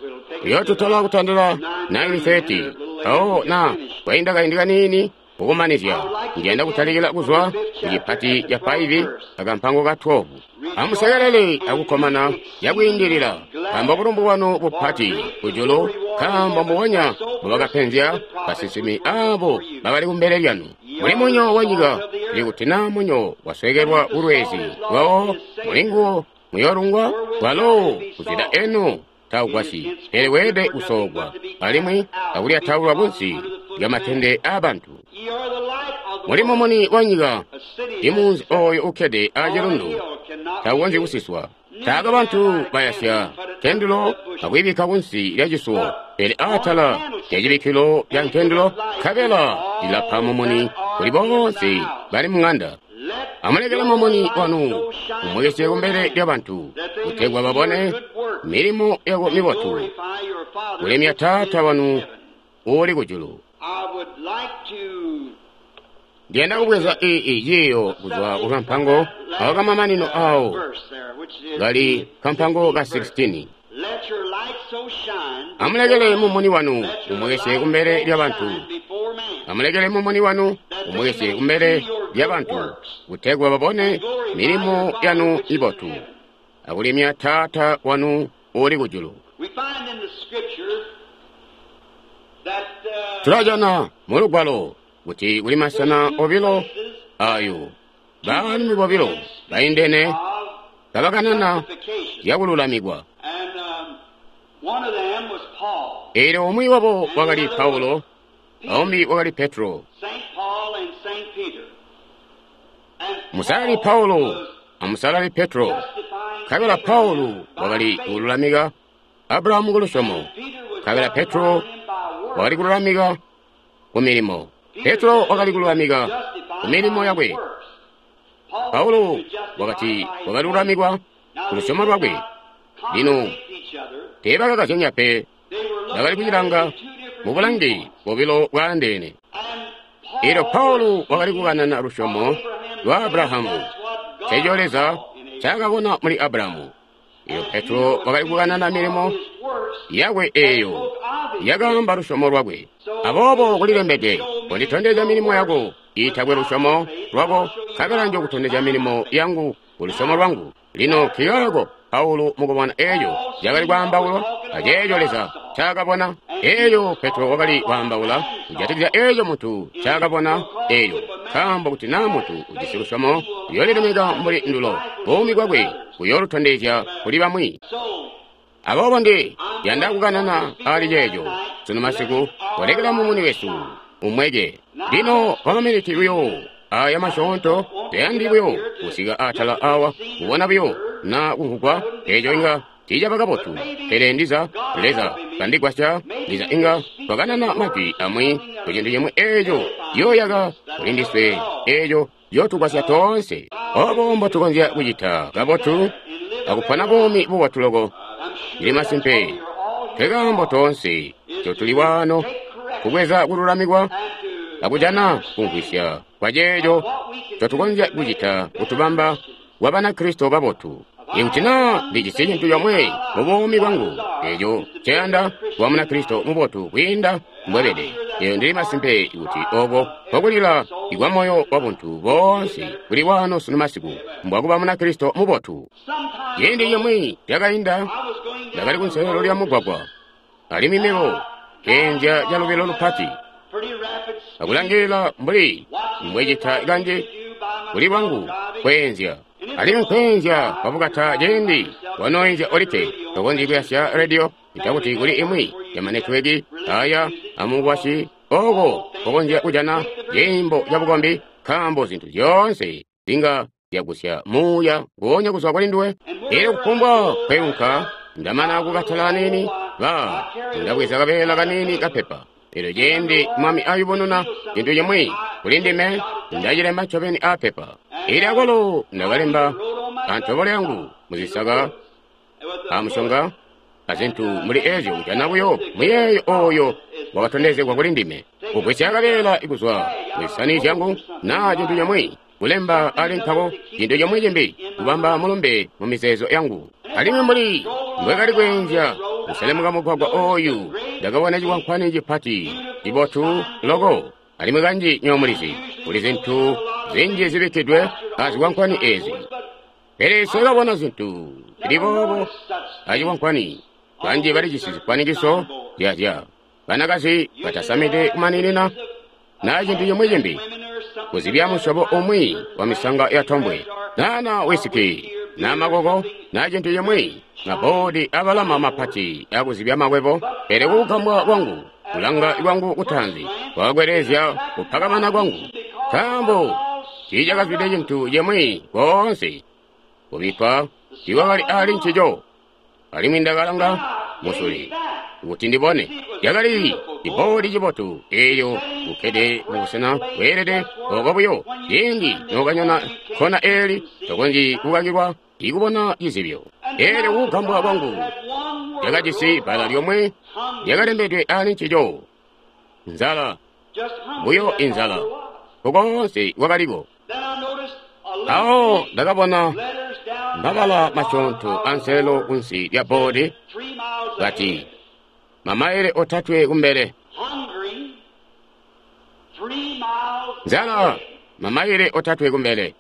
Uyotutola kutandila nine thirty mpawo na kwainda kaindi kaniini kukumanizya ndiyanda kutalikila kuzwa ku cipati ca five akampango ka twelve. Amusekelele akukkomana cakwiindilila nkaambo bulumbu bwanu bupati kujulu, nkaambo mbubonya mbubakapenzya basinsimi abo bakali kumbele lyanu. Muli munyo wanyika, pele kuti naa munyo waswekelwa kulwezi lwawo mulinguwo muyoolungwa walo kuzida eno taugwasyi, pele weelede kusoogwa alimwi akulyataulwa kunsi lyamatende aabantu. Ye are the light of the Muli world. mumuni wanyika, A city imunzi oyo ukkede acilundu on a hill cannot taukonzyi be kusiswa. Taaka bantu bayasya nkendulo akuyibikka kunsi lya cisuwo, pele atala lya cibikkilo lya nkendulo, nkabela lilapa mumuni kuli boonse bali muŋanda. Let Amulekele your mumuni light wanu so shine umwekesye before kumbele men, lya bantu, that they may kutegwa see your babone good works milimo yako and mibotu, glorify your Father kulemya which is Taata in wanu heaven. uuli kujulu. I would like to Ndiyanda kubweza iyi ciiyo kuzwa ku kampango awo kamamanino awo verse there, which is kali the kampango ka sixteenth verse. sixteen. Let your light so shine Amulekele mumuni wanu Let your umwekesye light kumbele so lya bantu. shine before men, Amulekele mumuni wanu umwekesye kumbele lya bantu, kutegwa babone and glorify milimo your Father yanu which is in mibotu, heaven. akulemya Taata wanu uuli kujulu. We find in the scripture that uh, Tulajana mu lugwalo kuti kuli masena there's two obilo places, ayo two baalumi different bobilo men baindene of kabakanana justification. zyaakululamikwa. And um, one of them was Paul, Eelyo umwi wabo and the wakali other was Paulo, Peter, aumbi wakali Petro. Saint Paul and Saint Peter. And Musalali Paul Paulo was amusalali Petro. justifying Nkabela Abraham Paulo by wakali faith, kululamika Abrahamu ku lusyomo, and Peter was nkabela Petro justifying him by works. wakali kululamika ku milimo. Peter Petro said that wakali he was kululamika ku justified milimo by his yakwe. works. Paul said Paulo he was justified wakati by his faith. wakalilulamikwa Now ku they lusyomo did lwakwe. not Lino contradict each other. teebakakazyanya pe, They were bakali looking at it kucilanga in two different mu bulangi viewpoints. bobilo bwaandeene. And Eelyo Paul was Paulo wakali speaking kukanana of lusyomo Abraham's lwa faith. Abrahamu, That's what God nceeco Leza saw in Abraham. ncaakabona muli Abrahamu. Eelyo And Petro Peter was wakali speaking kukanana of milimo his works yakwe that eeyo spoke of his faith. yakaamba lusyomo lwakwe. So it Aboobo is written, kulilembedwe, show me konditondezya your milimo works yako iitakwe without lusyomo your faith, and lwako, I'll show you nkabela my works njokutondezya by my milimo faith. yangu ku lusyomo Now, lwangu. Lino that nkikaako word Paulo mukubona eeco Paul cakali seen was kwaambaulwa talking about aceeco God Leza saw. ncaakabona. And Peter Eeyo was Petro talking wakali about what kwaambaula man saw. kujatikizya eeco muntu In ncaakabona because eeyo if a man nkaambo kuti naa has muntu ujisi faith, lusyomo he will uyoolilemeka have mbuli his ndulo life will buumi show to bwakwe others. buyoolutondezya kuli bamwi. So Aboobo ndi I'm yanda going to kukanana speak ali on that ceeco night, sunu masiku letting our kolekela mumuni light wesu shine. umweke. Now Lino let's kwa maminiti read buyo this. aya I just masyoonto don't want to tayandi get up buyo here to kusika just atala to be awa seen kubona and buyo heard. na kumvugwa That wouldn't be eeco inga fine. tiicaba But kabotu. maybe Pele ndiza God Leza helping me, kandigwasya maybe ndiza we inga could speak twakanana some majwi words to amwi something ku that'll cintu cimwi eeco edify yooyaka us, that'll kuli help ndiswe us all. eeco yootugwasya Uh, toonse. how Obo we could mbotukonzya uh, kucita do kabotu better and live a akupona better buumi life. bubotu loko. I'm Ndili sure that's what masimpe we are all here nkekaambo for, toonse is totuli to waano take correction kubweza kululamikwa and to akujana get an understanding kumvwisya kwa of ceeco what we can do ncotukonzya to make kucita better kutubamba Christians. wa Banakristo babotu. If I Ikuti had naa one ndijisi thing cintu in comwe my mu life buumi that I bwangu desire eeco is to be a nceyanda better kuba Christian than I Munakristo am. mubotu kwiinda And I'm mbwebede. sure that's Eyo the ndili heart masimpe kuti cry oko of every kokulila soul ikwa here moyo wa tonight buntu is to be a boonse better kuli Christian. waano sunu masiku mbwakuba Munakristo mubotu. Some time Ciindi ago, cimwi cakainda I was going ndakali down the kunselelo lya road mugwagwa alimwi and mebo I keenzya driving calubilo along at lupati a pretty rapid speed, akulangilila mbuli watching as mbwecita I used kanji to do by kuli myself bwangu driving, kweenzya. Alimwi nkweenzya kwabukata ciindi wanoenzya olikke, tokonzyi kuyasya rediyo itakuti kuli imwi ya manetiweki aya amukwasyi oko kokonzya kujana ciimbo cabukombi, nkaambo zintu zyoonse zinga zyagusya muuya nguonya kuzwa kuli nduwe. Elyo kufumbwa kweunka ndamana kukatala aniini, ba ndabweza kabeela kaniini kapepa. Elyo ciindi Mwami ayubununa cintu cimwi kuli ndime, ndacilemba ncobeni aapepa. Elyo akwalo ndakalemba antobolo yangu muzisaka amusyonga azintu muli ezyo, kujana buyo muyeeyo oyo wakatondezegwa kuli ndime. Kugwisya kabeela kuzwa muzisani zyangu naa cintu cimwi, kulemba ali nkako cintu cimwi cimbi, kubamba mulumbe mu mizeezo yangu. Alimwi mbuli mbwekali kweenzya kuselemuka mugwagwa oyu, ndakabona cikwankwani cipati cibotu loko. Alimwi kanji nyomulizi kuli zintu zinji zibikkidwe azikwankwani ezi, pele nsekabona zintu zili boobo acikwankwani. Banji balijisi zikwanikiso zyazya banakazi batasamide kumaninina naa cintu cimwi cimbi, kuzibya musyobo umwi wa misanga ya tombwe, naa na wisiki, naa makoko, naa cintu cimwi, maboodi abalama mapati akuzibya makwebo. Pele kukugambwa kwangu, kulanga kwangu kutaanzi kwakakwelezya kupakamana kwangu, nkaambo tiicakazwide cintu cimwi koonse kubikkwa tiikwakali ali ncico. Alimwi ndakalanga musule kuti ndibone, yakali ciboodi cibotu eelyo kukkede mubusena bweelede oko buyo. Ciindi nokanyona kkona eeli, tokonzyi kukakilwa ikubona cizibyo. Eelyo kukugambwa kwangu lyakajisi bbala lyomwe lyakalembedwe ali ncico: nzala, buyo inzala, koonse kwakaliko. Awo ndakabona mabala masyoonto anselelo kunsi lya boodi kati, mamaile otatwe kumbele. Nzala, mamaile otatwe kumbele.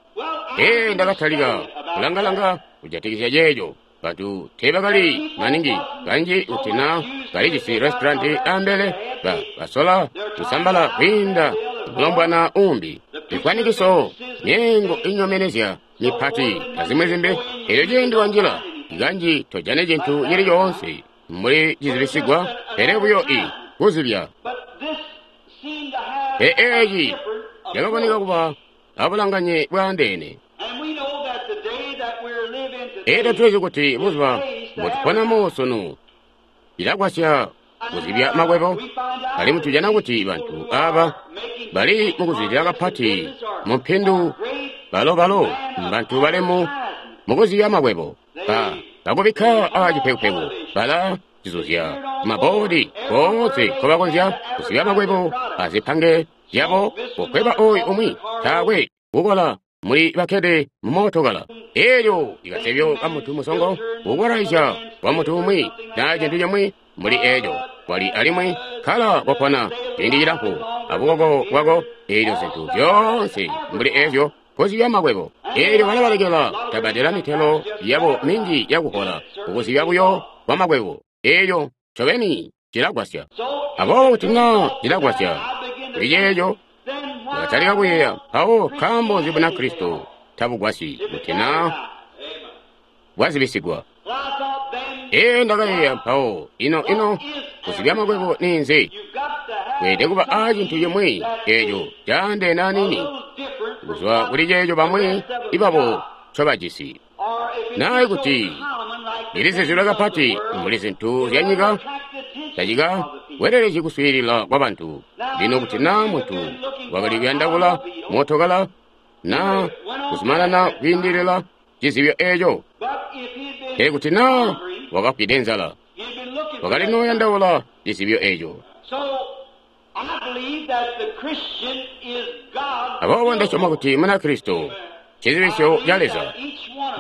Ee, ndakatalika kulangalanga kujatikizya ceeco. Bantu teebakali maningi kanji kuti na balijisi restauranti ambele, ba basola kusambala kwiinda mulombwana umbi. Zikwanikiso, myeengo inyomenezya mipati azimwi zimbi. Elyo ciindi wanjila kanji tojane cintu cili coonse mbuli cizibisigwa, pele buyo i kuzibya. Pele eeci cakaboneka kuba abulanganye bwaandeene. Elyo tulizi kuti buzuba mbotuponamo sunu cilagwasya kuzibya makwebo, alimwi tujana kuti bantu aba bali mukuzibya kapati mumpindu balo-balo mbantu balemu mukuzibya makwebo. Ba bakubikka aacipekupeku, bala cizuzya maboodi koonse nkobakonzya kuzibya makwebo azipange zyabo. Kukweba oyu umwi taakwe kukola muli bakkede mumootokala. Elyo ikasebyo ka muntu musongo kukwalaisya kwa muntu umwi naa cintu cimwi mbuli eeco kwali, alimwi kkala kopona ciindi cilamfu abukoko bwako. Eelyo zintu zyoonse mbuli eezyo kuzibya makwebo. Eelyo balabalekela tabadela mitelo yabo minji yakuhola kukuzibya buyo kwa makwebo. Eelyo ncobeni cilagwasya. Aboobo kuti naa cilagwasya kuli ceeco, ndakatalika kuyeeya mpawo nkaambo nzi Bunakristo tabugwasyi kuti naa bwazibisigwa. Ee, ndakayeeya mpawo, ino ino kuzibya makwebo ninzi? Kweelede kuba a cintu cimwi eeco caandeene aniini kuzwa kuli ceeco bamwi ibabo ncobajisi. Naa ikuti lilizizilwe kapati mbuli zintu zyanyika, tacika welelezyi kuswiilila kwa bantu. Lino kuti naa muntu wakali kuyandaula mootokala naa kuzumanana kwiindilila cizibyo eeco, pele kuti naa wakafwide nzala, wakali nooyandaula cizibyo eeco. Aboobo ndasyoma kuti Munakristo ncizibisyo ca Leza.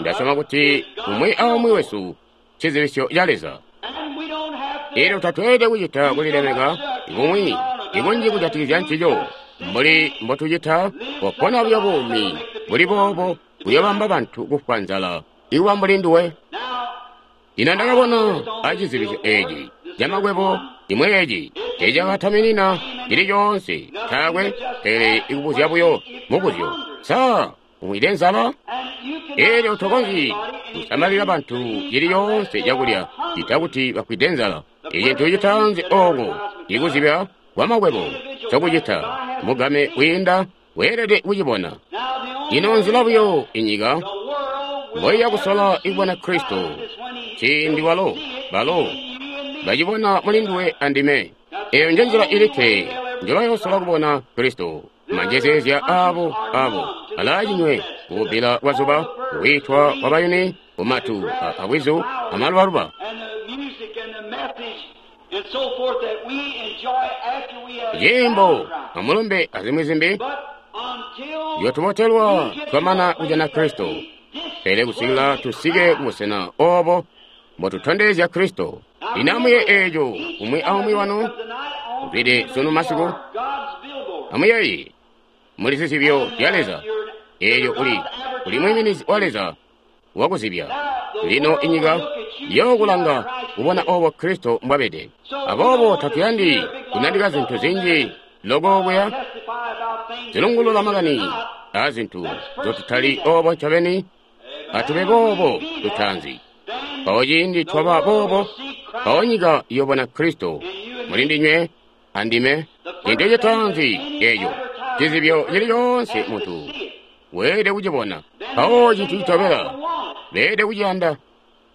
Ndasyoma kuti umwi aumwi wesu ncizibisyo ca Leza. Elyo tatweelede kucita kulilemeka kumwi ikunji kujatikizya ncico mbuli mbotucita kopona buyo buumi buli boobo buyobamba bantu kufwa nzala ikuba mbuli nduwe. Lino ndakabona acizibisyo eeci camakwebo cimwi eeci teecakataminina cili coonse taakwe, pele ikubuzya buyo mubuzyo: sa Umwide nzala? Elyo tokonzyi kusamalila bantu cili yoonse cakulya cita kuti bafwide nzala. Icintu citaanzi ooko ikuzibya kwamakwebo cokucita mugame kwiinda weelede kucibona. Ino nzila buyo inyika mboiya kusola ikubona Kristo ciindi walo balo bacibona muli nduwe andime. Eyo nje nzila ilikke njobayosola kubona Kristo. Manjezeezya abo abo alaacinywe kububbila kwazuba, kukwitwa kwa bayuni, kumatu abwizu amalubaluba. Nyimbo amulumbe azimwi zimbi yotubotelwa twamana kujana Kristo, pele kusikila tusike kubusena obo mbotutondezya Kristo. Lino amuye eeco umwi aumwi wanu uzwide sunu masiku. Amuyeeye muli zizibyo zya Leza. Eelyo uli uli mwiiminizi wa Leza wakuzibya. Lino inyika yokulanga kubona obo Kristo mbwabede. Aboobo tatuyandi kunandika zintu zinji loko kuya zilungulula makani a zintu zotutali obo ncobeni. Atube boobo tutaanzi. Mpawo ciindi twaba boobo, mpawo nyika iyobona Kristo muli ndinywe andime. Cintu citaanzi eeco cizibyo cili coonse muntu weelede kucibona. Mpawo cintu citobela beelede kuciyanda.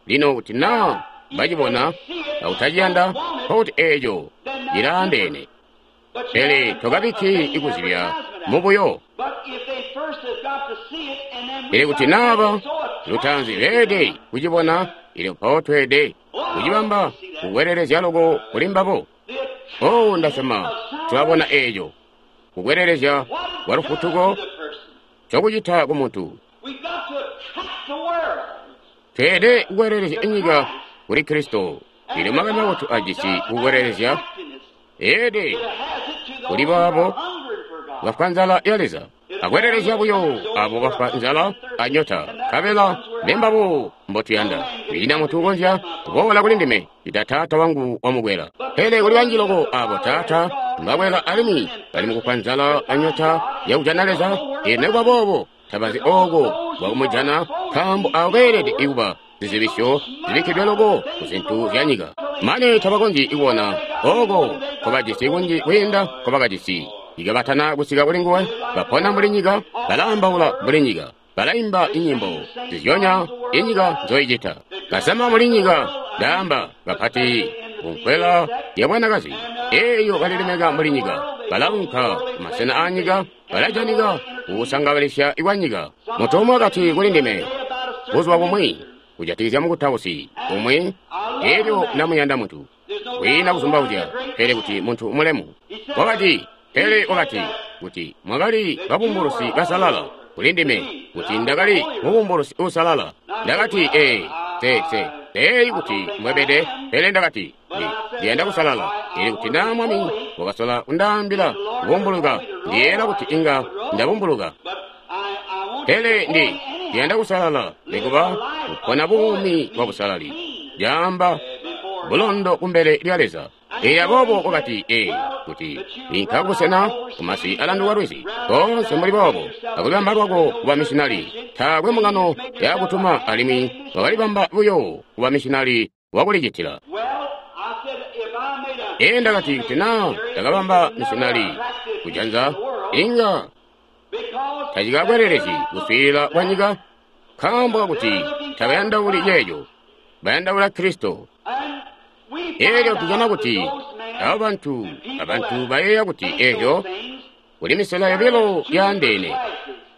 Lino kuti naa bacibona akutaciyanda, nkokuti eeco cilaandeene. Pele tokabikki ikuzibya mubuyo. Pele kuti naaba lutaanzi beelede kucibona, ilyo mpawo tweelede kucibamba kukwelelezya loko kuli mbabo. Oh, ndasyoma tulabona eeco kukwelelezya kwa lufutuko cokucita ku muntu. Tweelede kukwelelezya inyika kuli Kristo. Lino makani mabotu ajisi kukwelelezya eede kuli baabo bafwa nzala ya Leza. Akwelelezya buyo abo bafwa nzala anyota, nkabela mbembabo mbotuyanda. Kwiina muntu ukonzya kuboola kuli ndime ita Taata wangu wamukwela. Pele kuli banji loko abo Taata mbakwela alimwi bali mukufwa nzala anyota yakujana Leza. Ino nikuba boobo tabazi ooko bwakumujana, nkaambo aabo beelede ikuba zizibisyo zibikkidwe loko ku zintu zya nyika. Mane tabakonzyi kubona ooko nkobajisi kunji kwiinda nkobakajisi. Ikabatana kusika kuli nguwe, bapona mbuli nyika, balaambaula mbuli nyika, balaimba inyimbo zizyonya inyika nzoicita. Basama mbuli nyika, ndaamba bapati kunkwela ya bwanakazi eeyo balilemeka mbuli nyika, balaunka kumasena aanyika, balajanika kukusangabalisya kwa nyika. Muntu umwi wakati kuli ndime buzuba bumwi kujatikizya mukutausi umwi, eelyo ndamuyanda muntu kwiina kuzumbauzya, pele kuti muntu mulemu. Wakati, pele wakati kuti mwakali babumbulusi basalala kuli ndime, kuti ndakali mubumbulusi uusalala. Ndakati, ee, se se teeyi kuti mbwebede, pele ndakati ndi ndiyanda kusalala. Ili kuti naa Mwami wakasola kundaambila kubumbuluka, ndiyeera kuti inga ndabumbuluka. Pele ndi ndiyanda kusalala, nikuba kupona buumi bwa busalali, lyaamba bulondo kumbele lya Leza. Ee, aboobo wakati, ee, kuti inka kubusena kumasi alanduka lwizi koonse mbuli boobo, akulibamba lwako kuba misionari. Taakwe mbungano yakutuma, alimwi wakalibamba buyo kuba misionari wakulicitila. Ee, ndakati kuti naa ndakabamba misionari kujanza, inga tacikakwelelezyi kuswiilila kwa nyika, nkaambo kakuti tabayandauli ceeco, bayandaula Kristo. Eelyo tujana kuti abo bantu abantu bayeeya kuti eeco kuli misela yobilo yaandeene.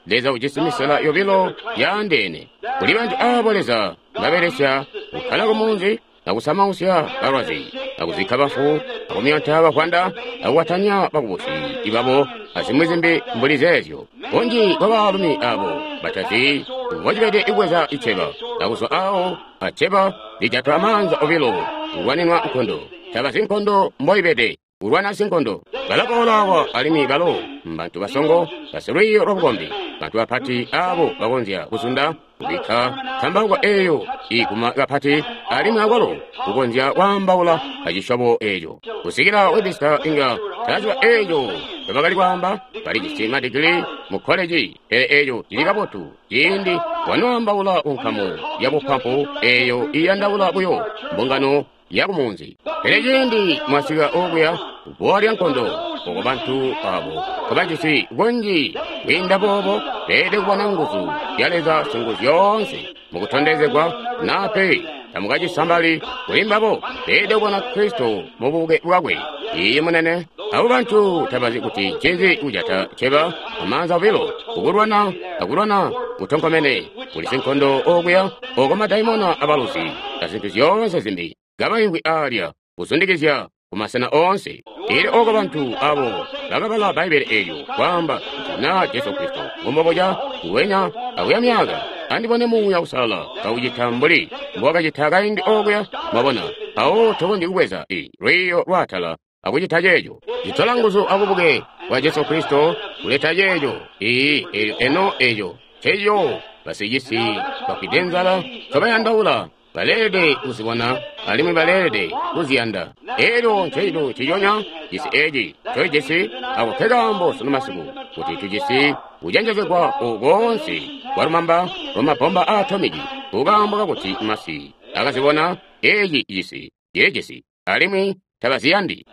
Leza ujisi misela yobilo yaandeene. Kuli bantu aabo Leza mbabelesya kukkala kumunzi akusamausya balwazi, akuzikka bafu, akumyonta bafwanda, akuwatanya bakubusi ibabo, azimwi zimbi mbuli zeezyo. Bunji bwa baalumi abo batazi mbocibede ikubweza iceba, akuzwa awo aceba lijatwa amaanza obilo kulwaninwa nkondo. Tabazi nkondo mboibede, kulwana sinkondo. Balaboola awa alimwi balo mbantu basongo, basilwiiyo lwabukombi, bantu bapati abo bakonzya kuzunda kubikka ntambauko eeyo iguma kapati, alimwi akwalo kukonzya kwaambaula acisyobo eeco. Kusikila Webster inga taziba eeco ncobakali kwaamba, Bali jisi madigili mu koleji, pele eco cili kabotu. Ciindi wanoambaula ku nkamu ya bupampu eyo iyandaula buyo mbungano ya kumunzi. Pele ciindi mwasika okuya bbowa lya nkondo, oko bantu abo kabajisi kunji kwiinda boobo, beelede kubona nguzu zya Leza Singuzyoonse mukutondezegwa, naa pe tamukacisambali kuli mbabo. Beelede kubona Kristo mu bubuke bwakwe. Iiyi, munene. Abo bantu tabazi kuti ncinzi kujata ceba amaanza obilo, kukulwana akulwana kutonkomene. Kuli sinkondo okuya, oko madaimona abaluzi azintu zyoonse zimbi kabaimvwi alya kuzundikizya kumasena oonse. Elyo oko bantu abo bakabala Bbaibbele eelyo kwaamba kuti naa Jesu Kristo ngumboboca nguwenya akuya myaka, andibone Muuya Uusalala kaucita mbuli mbowakacita kaindi okuya. Mwabona, mpawo tokonzyi kubweza i lwiiyo lwaatala akucita ceeco. Citola nguzu abubuke bwa Jesu Kristo kuleta ceeco. Iiyi, elyo eno eco nceco basicisi bafwide nzala ncobayandaula. Baleelede kuzibona alimwi baleelede kuziyanda. Elyo ncecintu nciconya cisi eci ncocijisi, ako nkekaambo sunu masiku kuti tujisi kucenjezegwa oku koonse kwa lumamba lwa mabomba a atomiki, kukaambo kakuti masi akazibona eci cisi cilijisi alimwi tabaziyandi.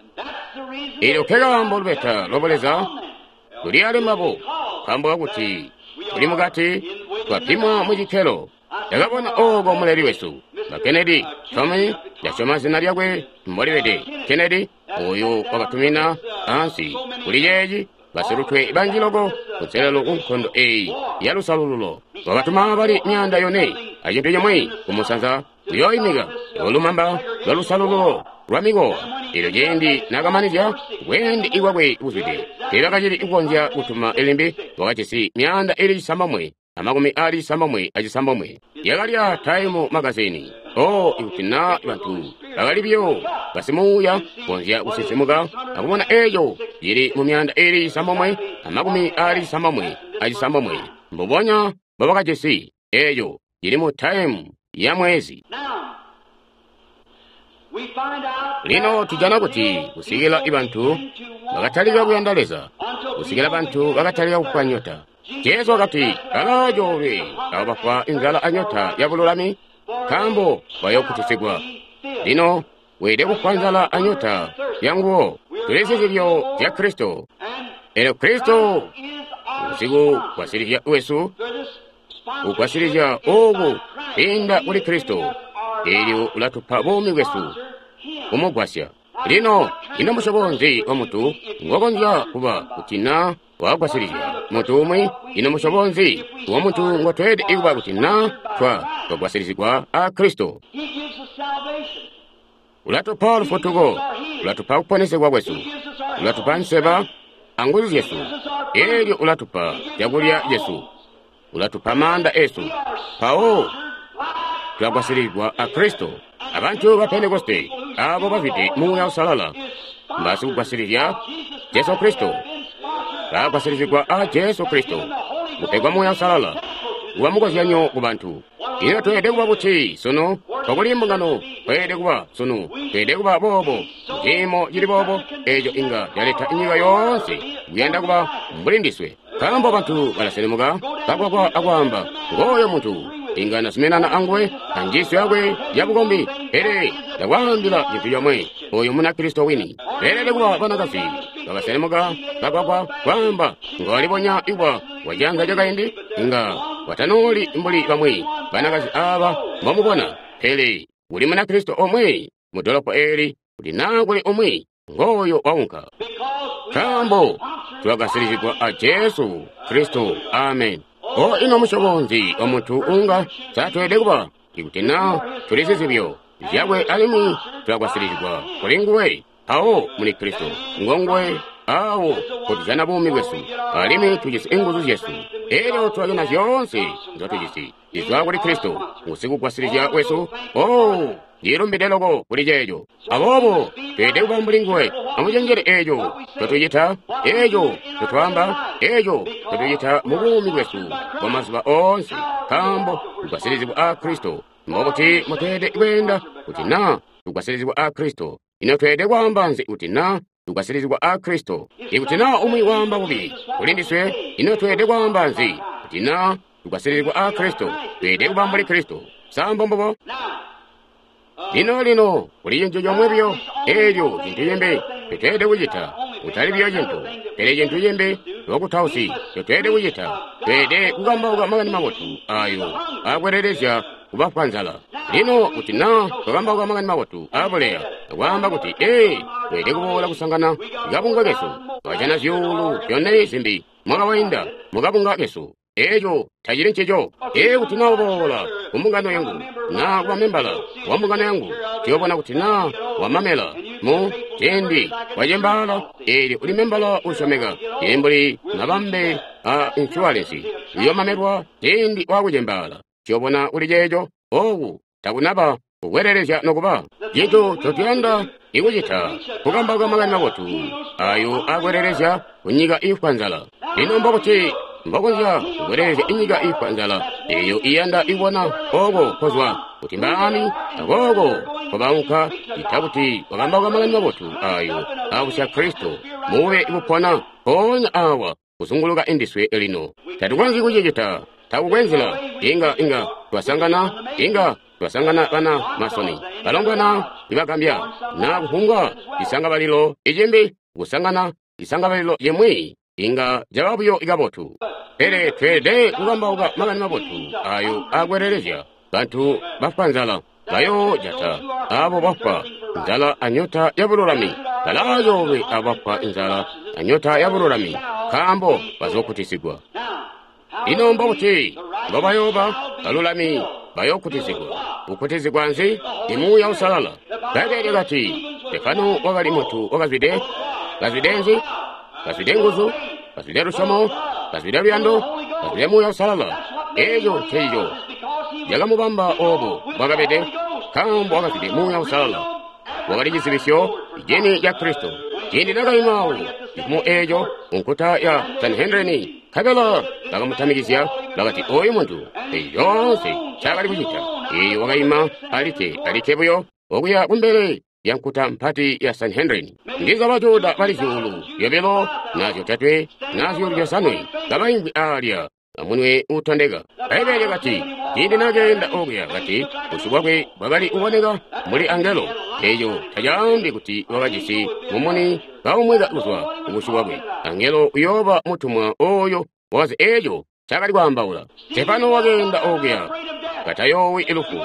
Elyo nkekaambo lubeta lwa Buleza luli ali mbabo, nkaambo kakuti tuli mukati, twapimwa mu cikkelo. Ndakabona oko muleli wesu, ba Kennedy, Tommy, ndasyoma zina lyakwe mbolibede, Kennedy, oyo wakatumina ansi kuli ceeci basilutwe banji loko kunselelo ku nkondo eyi ya lusalululo. Wakatuma bali myaanda yone acintu cimwi kumusanza kuyooimika lumamba lwa lusalululo lwa mikowa. Elyo ciindi nakamanizya bweende bwakwe buzwide, teebakacili kukonzya kutuma limbi. Wakajisi myaanda ili cisambomwe amakumi ali cisambomwe acisambomwe. Yakali ya Time magazini. Oh, ikuti na bantu bakali biyo basimuuya konzya kusinsimuka akubona eco cili mu myaanda ili cisambomwe amakumi ali cisambomwe acisambomwe, mbubonya mbobakajisi eco cili mu Time ya mwezi. Lino tujana kuti kusikila bantu bakatalika kuyanda Leza, kusikila bantu bakatalika kufwa nyota. Jesu wakati, balaacoolwe abo bafwa inzala anyota ya bululami, nkaambo bayookutisigwa. Lino weelede kufwa nzala anyota ya nguwo. Tuli zizibyo zya Kristo. Elyo Kristo ngusikugwasilizya wesu, kugwasilizya oku kwiinda kuli Kristo. Elyo ulatupa buumi bwesu kumugwasya. Lino ino musyobo nzi wa muntu ngokonzya kuba kuti na wagwasilizya muntu umwi? Ino musyobo nzi wa muntu ngotweelede kuba kuti na twa twagwasilizigwa a Kristo? Ulatupa lufutuko, ulatupa kuponesegwa kwesu, ulatupa nseba anguzu zyesu, elyo ulatupa cakulya cesu, ulatupa maanda esu. Mpawo tulagwasilizigwa a Kristo. Abantu ba Pentekoste abo bafwide Muuya Uusalala mbasikugwasilizya Jesu Kristo, bagwasilizigwa a Jesu Kristo, kupegwa Muuya Uusalala kuba mukozyanyo ku bantu. Ino tweelede kuba buti sunu? Twakuli mbungano tweelede kuba sunu, tweelede kuba boobo, ciimo cili boobo, eco inga caleta nyika yoonse kuyanda kuba mbuli ndiswe. Nkaambo bantu balaselemuka kagwagwa akwaamba, ngooyo muntu inga nazuminana anguwe anjiisyo yakwe ya bukombi, pele ndakwaambila cintu comwe, oyo Munakristo wini. Beelede kuba banakazi bakaselemuka kagwagwa kwaamba, ngolibonya kuba wacianza cakaindi, inga watanooli mbuli bamwi banakazi aba mbomubona, pele kuli Munakristo omwe mu dolopo eli, kuti naa kuli umwi ngooyo waunka. Nkaambo tulagwasilizigwa a Jesu Kristo. Amen. O ino musyobo nzi wa muntu unga satweelede kuba ikuti naa tuli zizibyo zyakwe alimwi tulagwasilizigwa kuli nguwe? Mpawo muli Kristo ngonguwe awo kotujana buumi bwesu, alimwi tujisi inguzu zyesu. Elyo tulajana zyoonse nzotujisi zizwa kuli Kristo ngusikugwasilizya wesu. Oh, ndilumbide loko kuli ceeco. Aboobo tweelede kuba mbuli nguwe. Amucenjele eeco ncotucita, eeco ncotwaamba, eeco ncotucita mu buumi bwesu bwa mazuba oonse, nkaambo tugwasilizigwa a Kristo. Mbobuti mutweelede kweenda kuti naa tugwasilizigwa a Kristo? Ino tweelede kwaamba nzi kuti naa tugwasilizigwa a Kristo. Ikuti naa umwi waamba bubi kuli ndiswe, ino tweelede kwaamba nzi? Kuti naa tugwasilizigwa a Kristo, tweelede kuba mbuli Kristo. Sa mbombubo? Lino lino kuli cintu comwe buyo, eelyo cintu cimbi ncotweelede kucita, kutali buyo cintu, pele cintu cimbi lwakutausi ncotweelede kucita, tweelede kukambauka makani mabotu ayo akwelelezya kubafwa nzala. Lino kuti naa twakambauka makani mabotu aabuleya akwaamba kuti, ee, tweelede kuboola kusangana kabunga kesu, twajana zyuulu zyone zimbi mwaka wainda mukabunga kesu. Eeco tacili ncico. Ee, kuti naa uboola kumbungano yangu naa kuba membala wa mbungano yangu, tuyoobona kuti naa wamamela mu ciindi wacembaala, eelyo uli membala uusyomeka, cili mbuli mabambe a inshuwalensi, uyoomamelwa ciindi waakucembaala. Tuyoobona kuli ceeco. Ooku takunaba kukwelelezya nokuba cintu ncotuyanda ikucita kukambauka makani mabotu ayo akwelelezya kunyika iifwa nzala. Lino mbokuti mbokonzya kukwelelezya inyika iifwa nzala eyo iyanda ibona oko kozwa kuti mbaani akooko kobaunka, ita kuti wakambauka makani mabotu ayo abusya Kristo mube bupona mpoonya awa kuzunguluka indiswe lino. Tatukonzyi kucicita, takukwe nzila. Inga inga twasangana, inga twasangana bana masoni balongwana ibagambya na kufumbwa isangabalilo icimbi, kusangana isangabalilo limwi inga caba buyo ikabotu. Pele tweelede kukambauka makani mabotu ayo akwelelezya bantu bafwa nzala, bayoojata abo bafwa nzala anyota ya bululami. Balaayoolwe abo bafwa nzala anyota ya bululami, nkaambo bazookutisigwa. Ino mbobuti mbobayooba balulami bayookutizigwa? Kukutizigwa nzi? I Muuya Uusalala. Bbaibbele lyakati Stefano wakali muntu wakazwide, kazwide nzi? Kazwide nguzu, kazwide lusyomo, kazwide luyando, kazwide Muuya Uusalala. Eeco ncencico cakamubamba oobo bwakabede, nkaambo wakazwide Muuya Uusalala. Wakali cizibisyo cini ca Kristo. Ciindi nakaima awo cifumo eeco kunkuta ya Sanhedrini, nkabela bakamutamikizya, bakati ooyu muntu eeci coonse ncaakali kucita. Eeyo wakaima alikke, alikke buyo okuya kumbele ya nkuta mpati ya Sanhedrini. Ndiza Bajuda bali zyuulu zyobilo na zyotatwe na zyuulu zyosanwe kabaimvwi aalya amunwe uutondeka. Bbaibbele lyakati ciindi nakeenda okuya, kati busyu bwakwe bwakali kuboneka mbuli angelo. Eeco tacaambi kuti wakajisi mumuni kaumweka kuzwa kubusyu bwakwe. Angelo uyooba mutumwa ooyo wakazi eeco ncaakali kwaambaula. Stefano wakeenda okuya katayoowi lufu,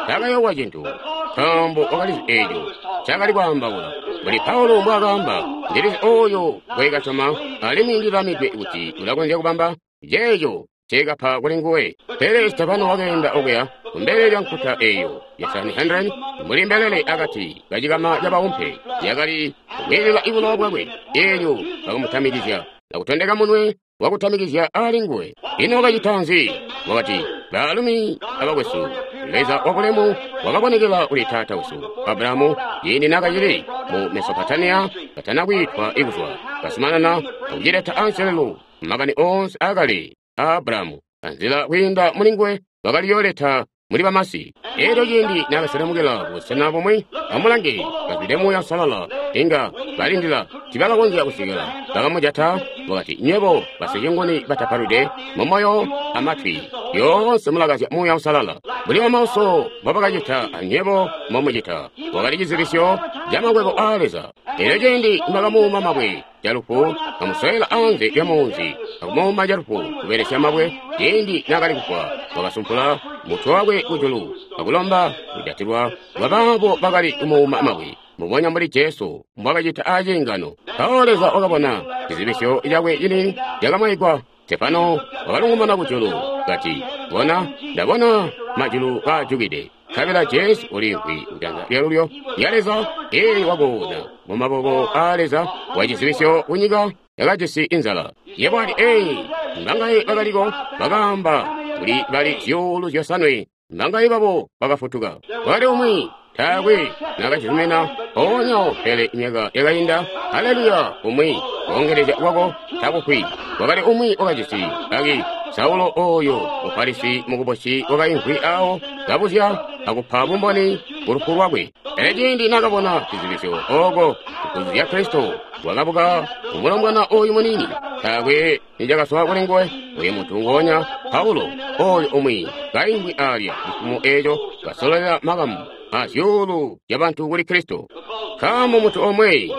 taakayoowa cintu, nkaambo wakalizi eeco ncaakali kwaambaula. Mbuli Paulo mbwaakaamba, ndilizi ooyo ngweekasyoma, alimwi ndilamidwe kuti ulakonzya kubamba ceeco nceekapa kuli nguwe. Pele Stefano wakeenda okuya kumbele lya nkuta eeyo ya Sanhedrin mbuli mbelele akati kacikama cabaumpe yakali kukwiilila ibulowa bwakwe. Eelyo bakamutamikizya akutondeka munwe wakutamikizya ali nguwe. Ino wakacita nzi? Wakati, baalumi abakwesu, Leza wabulemu wakabonekela kuli taata wesu Abrahamu ciindi naakacili mu Mesopotamiya katana kwiitwa ikuzwa, kazumanana akucileta anselelo makani oonse aakale a Abrahamu anzila kwiinda mulinguwe bakaliyooleta muli bamasi. Eelyo ciindi naakaselemukila kubusena bumwi, amulange, kazwide Muuya Uusalala, inga balindila tibakakonzya kusikila bakamujata. Wakati, nywebo basicinguni batapalwide mumoyo amatwi, lyoonse mulakazya Muuya Uusalala. Mbuli bamauso mbobakacita anywebo mbomucita. Wakali cizibisyo camakwebo aa Leza. Eelyo ciindi nibakamuuma mabwe calufu, bamusowela anze lyamunzi akumuuma calufu kubelesya mabwe, ciindi naakali kufwa, wakasumpula mutwe wakwe kujulu akulomba kujatilwa kwabaabo bakali kumuuma mabwe, mbubonya mbuli Jesu mbwakacita aciingano. Mpawo Leza wakabona cizibisyo cakwe cini cakamwaigwa. Stefano wakalungumana kujulu kati, bona, ndabona majulu kaajukide, nkabela Jesu uliimvwi kujanza lyalulyo lya Leza. Eelyo wakoona mumaboko aa Leza wa cizibisyo kunyika yakajisi inzala. Yebo ati, ee, mbangaye bakaliko bakaamba kuli bali zyuulu zyosanwe, mbangaye babo bakafutuka. Kwakali umwi taakwe naakacizumina mpoonya, pele myaka yakainda, haleluya, umwi koongelezya kwako takufwi. Kwakali umwi wakajisi aki Saulo ooyo Mufarisi mukubusi wakaimvwi awo kabuzya akupa bumboni ku lufu lwakwe. Pele ciindi nakabona cizibisyo oko nguzu zya Kristo, wakabuka umulombwana oyu muniini. Taakwe nicakazwa kuli nguwe. Oyu muntu nguonya Paulo, oyu umwi kaimvwi alya cifumo eco, kasololela makamu a zyuulu zya bantu kuli Kristo. Nkaambo muntu omwe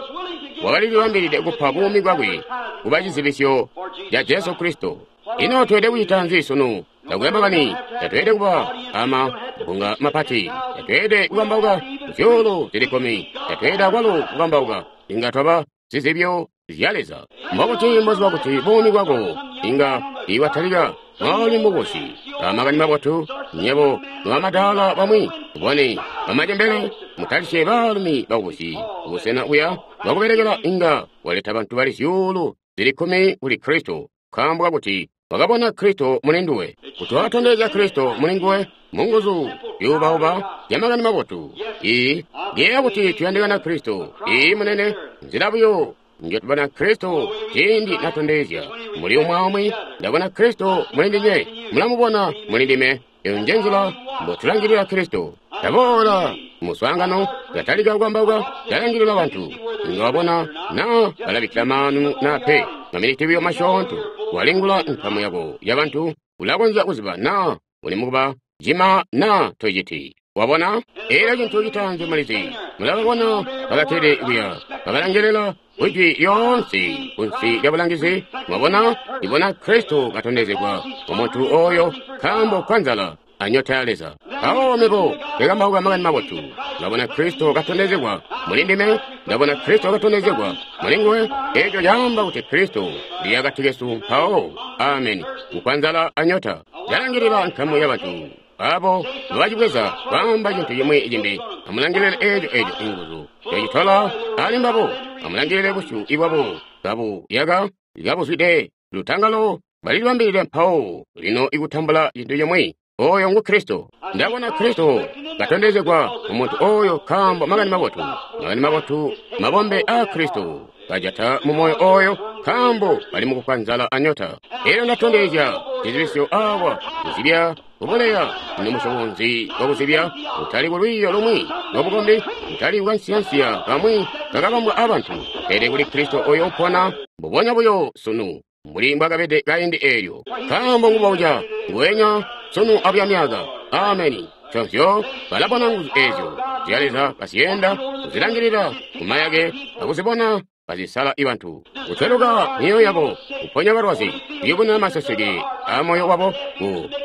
wakalilibambilide kupa buumi bwakwe kuba cizibisyo ca Jesu Kristo. Ino tweelede kucita nzi sunu? Takwe makani, tatweelede kuba amabunga mapati, tatweelede kukambauka zyuulu zili kkumi, tatweelede akwalo kukambauka. Inga twaba zizibyo zya Leza. Mbobuti mboziba kuti buumi bwako inga iwatalika mwali mubusi? Amakani mabotu, nyebo nobamadaala bamwi, bone bamacembele, mutalisye baalumi bakubusi kubusena buya bwakubelekela inga waleta bantu bali zyuulu zili kkumi kuli Kristo, nkaambo kakuti wakabona Kristo muli nduwe. Kuti wakatondezya Kristo muli nguwe munguzu zyuubauba zya makani mabotu. Iyi ngiyeeya kuti tuyandikana Kristo. Iyi munene, nzila buyo njotubona Kristo ciindi natondezya muli umwi aumwi. Ndabona Kristo muli ndinywe, mulamubona muli ndime. Eyo nje nzila mbotulangilila Kristo. Taboola muswaangano, tatalika kukambauka, talangilila bantu. Inga wabona naa balabikkila maanu naa pe. Maminiti buyo masyoonto, walingula nkamu yako ya bantu, ulakonzya kuziba naa uli mukuba cima naa tociti. Wabona? Elyo cintu citaanzi mulizi, mulababona bakatede kuya, bakalangilila kwijwi lyoonse kunsi lya bulangizi. Mwabona? Ibona Kristo katondezegwa mu muntu oyo nkaambo kwa nzala anyota ya Leza. Mpawo mebo ndikambauka makani mabotu, ndabona Kristo katondezegwa muli ndime, ndabona Kristo katondezegwa muli nguwe. Eco caamba kuti Kristo ndi akati kesu mpawo. Ameni. Kukwa nzala anyota, ndalangilila nkamu ya bantu abo nobacibweza kwaamba cintu cimwi cimbi. Amulangilile eco eco inguzu cacitola ali mbabo. Amulangilile busyu bwabo kabu yaka kabuzwide lutangalo, balilibambilile mpawo lino ikutambula cintu cimwi. Oyo ngu Kristo. Ndabona Kristo katondezegwa mu muntu oyo nkaambo makani mabotu, makani mabotu mabombe a Kristo kajata mu moyo oyo nkaambo bali mukufwa nzala anyota. Elyo ndatondezya cizibisyo awa kuzibya kuboleya. Ino musyobo nzi wakuzibya? Kutali kulwiiyo lumwi lwabukombi, kutali kukansiyansiya kamwi kakabambwa abantu, pele kuli Kristo oyo upona mbubonya buyo sunu mbuli mbwakabede kaindi eelyo. Nkaambo ngubauca nguwenya sunu abuya myaka. Ameni. Nconzyo balabona nguzu ezyo zya Leza kazyenda, kuzilangilila kumayake akuzibona kazisala ibantu, kutweluka myoyo yabo, kuponya balwazi, kuyubununa maseseke a moyo wabo,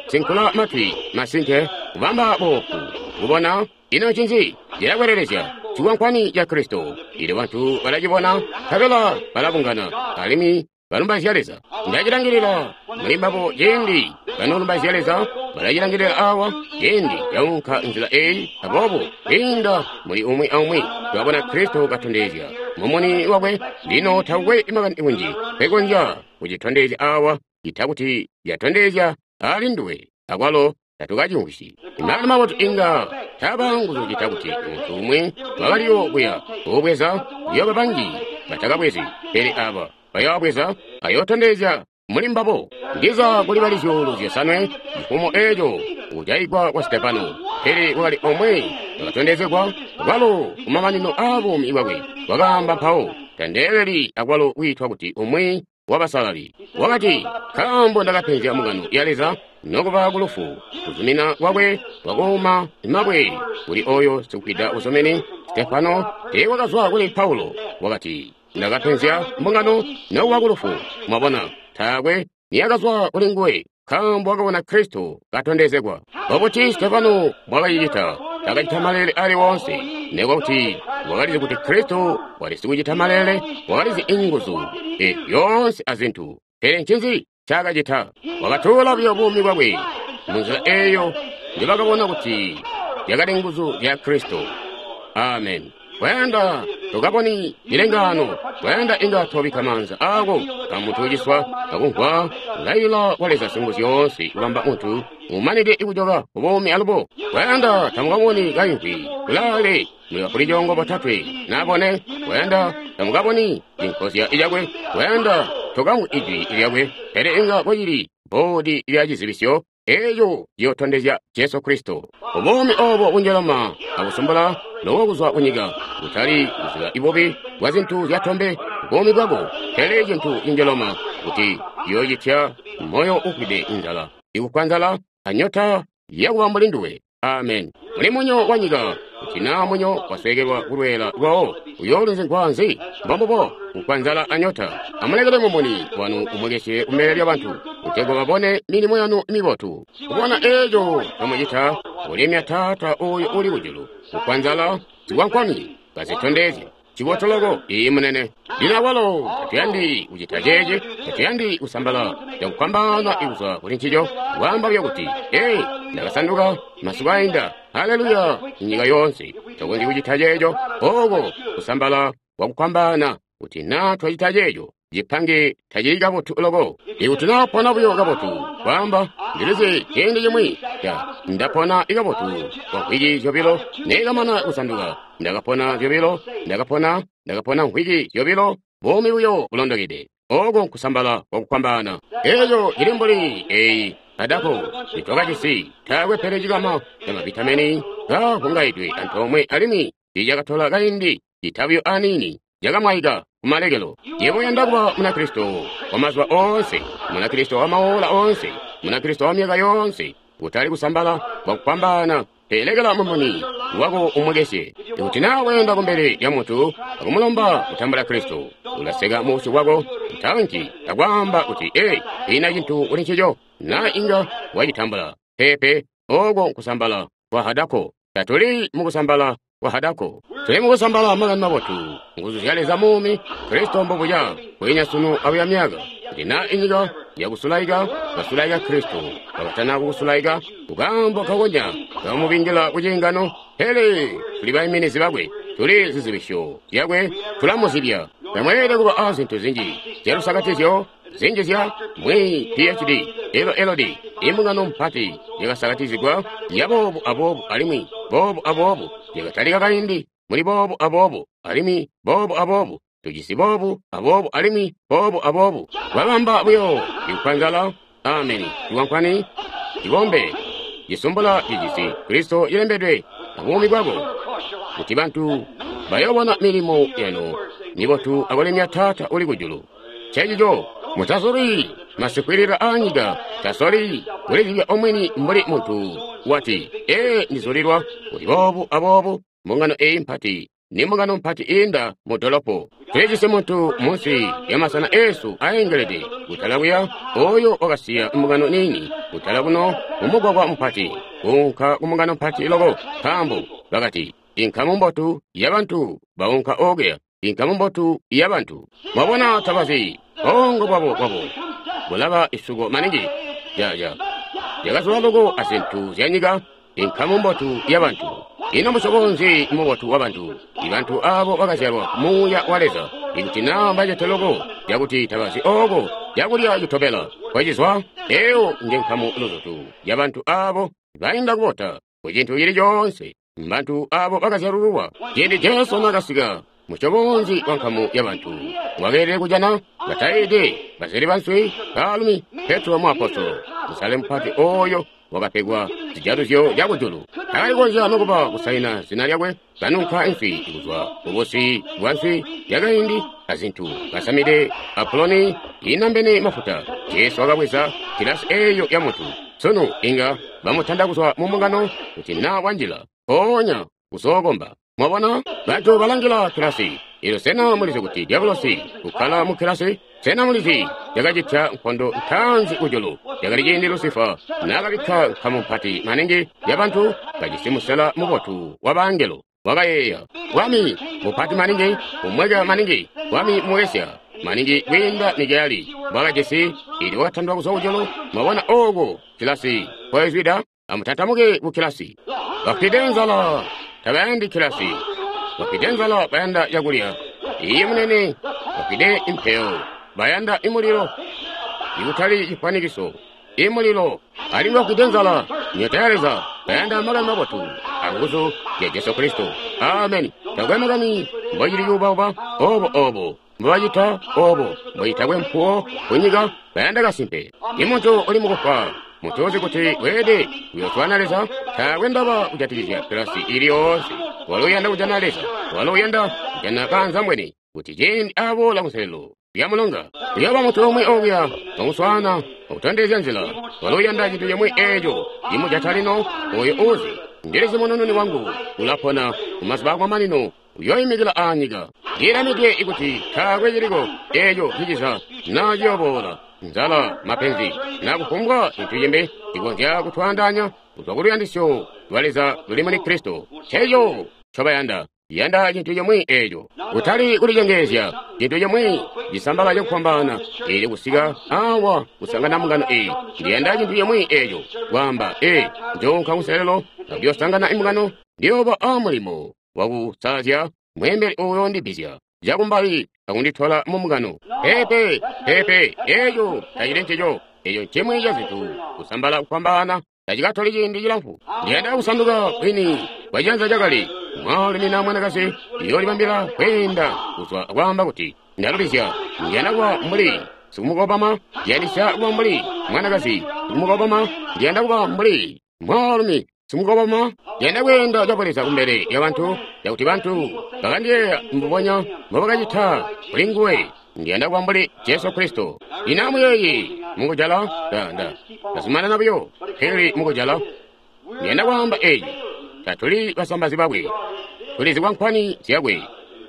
kusinkula matwi masinke, kubamba boofu kubona. Ino ncinzi cilakwelelezya? Cikwankwani ca Kristo. Ilyo bantu balacibona, nkabela balabungana alimwi balumbaizya Leza. Ndacilangilila muli mbabo ciindi banolumbaizya Leza, balacilangilila awa ciindi caunka nzila eyi. Aboobo kwiinda muli umwi aumwi twabona Kristo katondezya mumuni wakwe. Lino takwe makani kunji pekonzya kucitondezya awa cita kuti yatondezya ali nduwe, akwalo tatukacimvwisyi. Makani mabotu inga taba nguzu cita kuti muntu umwi wakaliyo kuya kubweza, kuyoba banji batakabwezi, pele aba bayoobweza ayootondezya muli mbabo. Ndiza kuli bali zyuulu zyosanwe cifumo eco kujaigwa kwa Stefano, pele kwakali omwe wakatondezegwa kwalo kumamanino aa buumi bwakwe. Wakaamba mpawo, tandeeleli akwalo kwiitwa kuti umwi wabasalali. Wakati, nkaambo ndakapenzya mbungano ya Leza nokuba kulufu. Kuzumina kwakwe kwakuuma mabwe kuli oyo sikwida uzumini Stefano teekwakazwa kuli Paulo. Wakati, ndakapenzya mbungano nokuba kulufu. Mwabona, taakwe niyakazwa kuli nguwe, nkaambo wakabona Kristo katondezegwa. Mbobuti Stefano mbwakacicita? Takacita malele ali woonse, nekuba kuti wakalizi kuti Kristo wali sikucita malele, wakalizi inguzu e yoonse azintu. Pele ncinzi ncaakacita? Wakatuula buyo buumi bwakwe munzila eyo njibakabona kuti yakali nguzu zya Kristo. Amen. Kwayanda tukaboni milengano, kwayanda inga twabikka maanza ako kamuntu uciswa akumvwa kulailila kwa Leza Singuzyoonse kubamba muntu umanide kujoka kubuumi alubo. Kwayanda tamukaboni kaimvwi kulaale muli bafulicoongo botatwe nabone. Kwayanda tamukaboni cinkozya cakwe. Kwayanda tokamvwi ijwi lyakwe, pele inga kwacili bboodi lya cizibisyo Eeyo ciyotondezya Jesu Kristo. Ubuumi obo bunjelama akusumbula loko kuzwa kunyika, kutali kuziba ibubi bwa zintu zyatombe buumi bwako, pele cintu cinjeloma kuti ciyocitya moyo ufwide inzala, ikufwa nzala anyota yakuba mbuli nduwe. Amen. Muli munyo wa nyika, kuti naa munyo wasweekelwa kulweela lwawo, uyoolunzigwa nzi? Mbombubo, kufwa nzala anyota. Amulekele mumuni wanu umwekesye kumbele lyabantu, kutegwa babone milimo yanu mibotu. Kubona eeco ncomucita, kulemya Taata ooyo uli kujulu. Kufwa nzala zikwankwani kazitondezya cibotu loko. Iyi munene. Lino awalo tatuyandi kucita ceeci, tatuyandi kusambala cakufwambaana kuzwa kuli ncico, kwaamba buyo kuti, ee, ndakasanduka masiku ainda, haleluya, nyika yoonse. Takonzyi kucita ceeco, ooko kusambala kwakufwambaana. Kuti naa twacita ceeco, cipange tacili kabotu loko. Ikuti naa pona buyo kabotu, kwaamba, ndilizi ciindi cimwi, ya, ndapona ikabotu kwa mvwiki zyobilo, nekamana kusanduka, ndakapona zyobilo, ndakapona, ndakapona mvwiki zyobilo, buumi buyo bulondokede. Oko nkusambala kwakufwambaana. Eeco cili mbuli eyi kadako nitwakajisi, taakwe pele cikama ca mavitamini kavungaidwe antoomwe alimwi tiicakatola kaindi citabuyo aniini cakamwaika kumalekelo. Yebo uyanda kuba Munakristo wa mazuba oonse, Munakristo wa maola oonse, Munakristo wa myaka yoonse, kutali kusambala kwakufwambaana. Pelekela mumuni wako umwekesye. Ikuti naa weenda kumbele lya muntu akumulomba kutambula Kristo, ulaseka muusyu bwako ntanji akwaamba kuti, ee, ina cintu kuli ncico, naa inga wacitambula. Peepe, oko nkusambala kwa hadako. Tatuli mukusambala kwa hadako. Tuli mukusambala makani mabotu, nguzu zya Leza muumi, Kristo mbobuca, kwiinya sunu abuya myaka. Kuti naa inyika yakusulaika, basulaika Kristo, bakatana kukusulaika, kukaambo kakonya kamubingila kuciingano, pele tuli baiminizi bakwe, tuli zizibisyo zyakwe, tulamuzibya. Tamweelede kuba a zintu zinji zyalusakatizyo, zinji zya mwi P H D, L L D, imbungano mpati yakasakatizigwa ya boobu aboobu alimwi boobu aboobu, yakatalika kaindi muli boobu aboobu alimwi boobu aboobu, tujisi boobu aboobu alimwi boobu aboobu. Babamba buyo ikufwa nzala, ameni, cikwankwani, cibombe, cisumbula cijisi Kristo cilembedwe abuumi bwako, kuti bantu bayoobona milimo yanu mibotu akulemya Taata uli kujulu. Ncencico, mutasoli masikwilila aanyika, tasoli kulizibya omweni mbuli muntu wati, ee, ndizulilwa kuti boobu aboobu, mbungano eyi mpati, ni mbungano mpati iinda mu dolopo. Tulijisi muntu munsi ya masana eesu aengelede kutala kuya, oyo wakasiya mbungano niini kutala kuno mumugwagwa mupati, kuunka ku mbungano mpati loko, nkaambo bakati, inkamu mbotu yabantu baunka okuya, inkamu mbotu yabantu. Mwabona tabazi, bongo bwabo bwabo bulaba isuko maningi, ya ya yakazula loko azintu zyanyika, inkamu mbotu yabantu. Ino musyobo nzi mubotu wabantu? Ibantu abo bakazyalwa muuya wa Leza. Ikuti naa mbacete loko yakuti tabazi oko cakulya citobela kwacizwa, eyo nje nkamu luzutu yabantu abo bainda kubota ku cintu cili coonse. Mbantu abo bakazyalululwa. Ciindi Jesu naakasika, musyobo nzi wa nkamu yabantu wakeelede kujana? Bataide, bazeli banswi, baalumi, Petro muapostolo, musale mupati oyo wakapegwa zijaluzyo zyakujulu. Takali kukonzya nokuba kusaina zina lyakwe, kanunka inswi kuzwa kubusi bwa nswi yakaindi azintu, kasamide apuloni inambene mafuta. Jesu wakabweza kilasi eyo ya muntu. Sunu inga bamutanda kuzwa mu mbungano kuti naa wanjila mpoonya kuzookomba. Mwabona, bantu balangila kilasi. Ilo sena mulizi kuti diabolosi ukkala mu kilasi? Sena mulizi yakacitya nkondo ntaanzi kujulu? Yakali ciindi Lusifa naakabikka nkamu mpati maningi yabantu kajisi musela mubotu wa bangelo. Wakayeeya, bwami mupati maningi, umweka maningi, bwami muwesya maningi kwiinda Mikayeli bwakajisi, ili wakatandwa kuzwa kujulu. Mwabona ooko kilasi nkoizwida? Amutantamuke ku kilasi. Bafwide nzala tabayandi kilasi. Bafwide nzala bayanda cakulya. Iye munene, bafwide impeyo bayanda imulilo, ikutali cifwanikiso, imulilo. Alimwi bafwide nzala nyota ya Leza bayanda makani mabotu anguzu zya Jesu Kristo. Ameni. Takwe makani mbocili cuubauba obo obo mbobacita obo mbocitakwe mpuwo kunyika, bayanda kasimpe. Imuntu uli mukufwa Muntu kuti weelede kuyoswaana Leza, taakwe ndaba kujatikizya kilasi ili yoonse. Walo uyanda kujana Leza. Walo uyanda kujana kaanzambwene kuti ciindi aboola kunselelo lya mulonga, kuyooba muntu omwe okuya wamuswaana akutondezya nzila. Walo uyanda cintu cimwi eeco cimujata lino, oyo uuzi, Ndilizi munununi wangu ulapona kumazuba akumamanino, uyoimikila aanyika. Ndilamidwe ikuti taakwe ciliko eeco ciciza naa ciyooboola, nzala, mapenzi, naa kufumbwa cintu cimbi cikonzya kutwaandaanya kuzwa ku luyandisyo lwa Leza luli muli Kristo. Nceeco ncobayanda. Yanda cintu cimwi eeco, kutali kulicengeezya, cintu cimwi cisambala cakufwambaana eelyo kusika awa kusangana mbungano eyi. Ndiyanda cintu cimwi eeco, kwaamba, ee, njoonka kunselelo akuyosangana imbungano, ndiyooba aamulimo wakusalazya mweembeli uyo ndibbizya cakumbali akunditola mu mbungano. Peepe, peepe, eeco tacili ncico. Eeco ncimwi ca zintu kusambala kufwambaana tacikatoli ciindi cilamfu. Ndiyanda kusanduka kwini kwa ciyanza cakale. Mwaalumi na mwanakazi uyoolibambila kweenda kuzwa akwaamba kuti, Ndalubizya, ndiyanda kuba mbuli sikumukobama, ndiyandisya kuba mbuli mwanakazi sikumukobama, ndiyanda kuba mbuli mwaalumi sikumukobama, ndiyanda kweenda cabuleza kumbele lyabantu, cakuti bantu bakandiyeeya mbubonya mbobakacita kuli nguwe. Ndiyanda kuba mbuli Jesu Kristo. Lino amuyeeye mukujala, nda, nda, ndazumanana buyo, pele mukujala, ndiyanda kwaamba eeci. Tatuli basambazi bakwe, tuli zikwankwani zyakwe.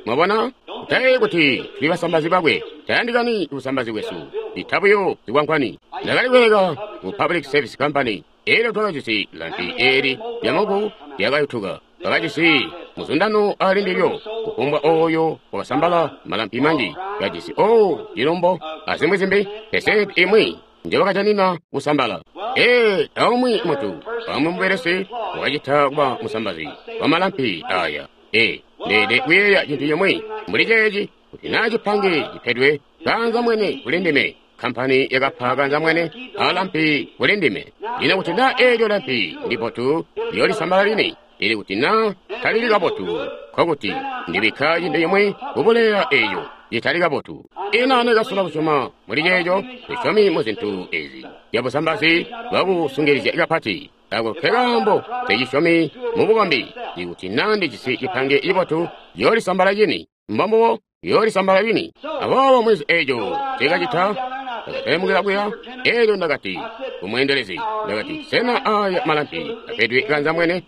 Mwabona? Kutayeeyi kuti tuli basambazi bakwe, tayandikani busambazi bwesu, ita buyo zikwankwani. Ndakali kubeleka ku Public Service Company, elyo twakajisi lampi eeli lyamuku lyakayutuka. Twakajisi muzundano ali ndilyo, kufumbwa oyo wakasambala malampi manji, kajisi oo cilumbo azimwi zimbi, pesenti imwi njebakajanina kusambala. Ee, aumwi muntu, aumwi mubelesi wakacita kuba musambazi wa malampi aya. Ee, ndeede kuyeeya cintu cimwi mbuli ceeci, kuti naa cipange cipedwe kaanzambwene kuli ndime, kampani yakapa kaanzambwene alampi kuli ndime. Lino kuti naa eelyo lampi ndibotu, liyoolisambala lini, ili kuti naa talili kabotu, nkokuti ndibikka cintu cimwi kubuleya eeco citali kabotu. Ino nekasola kusyoma muli ceeco, tusyomi mu zintu ezi zyabusambazi bwakusungilizya kapati. Ako nkekaambo tecisyomi mu bukombi. Ikuti naa ndijisi cipange cibotu, yoolisambala cini. Mbombubo, yoolisambala lini. Aboobo mwezi eeco nceekacita, ndakatelemukila kuya, eelyo ndakati kumweendelezi, ndakati, sena aya malampi apedwe kaanzambwene?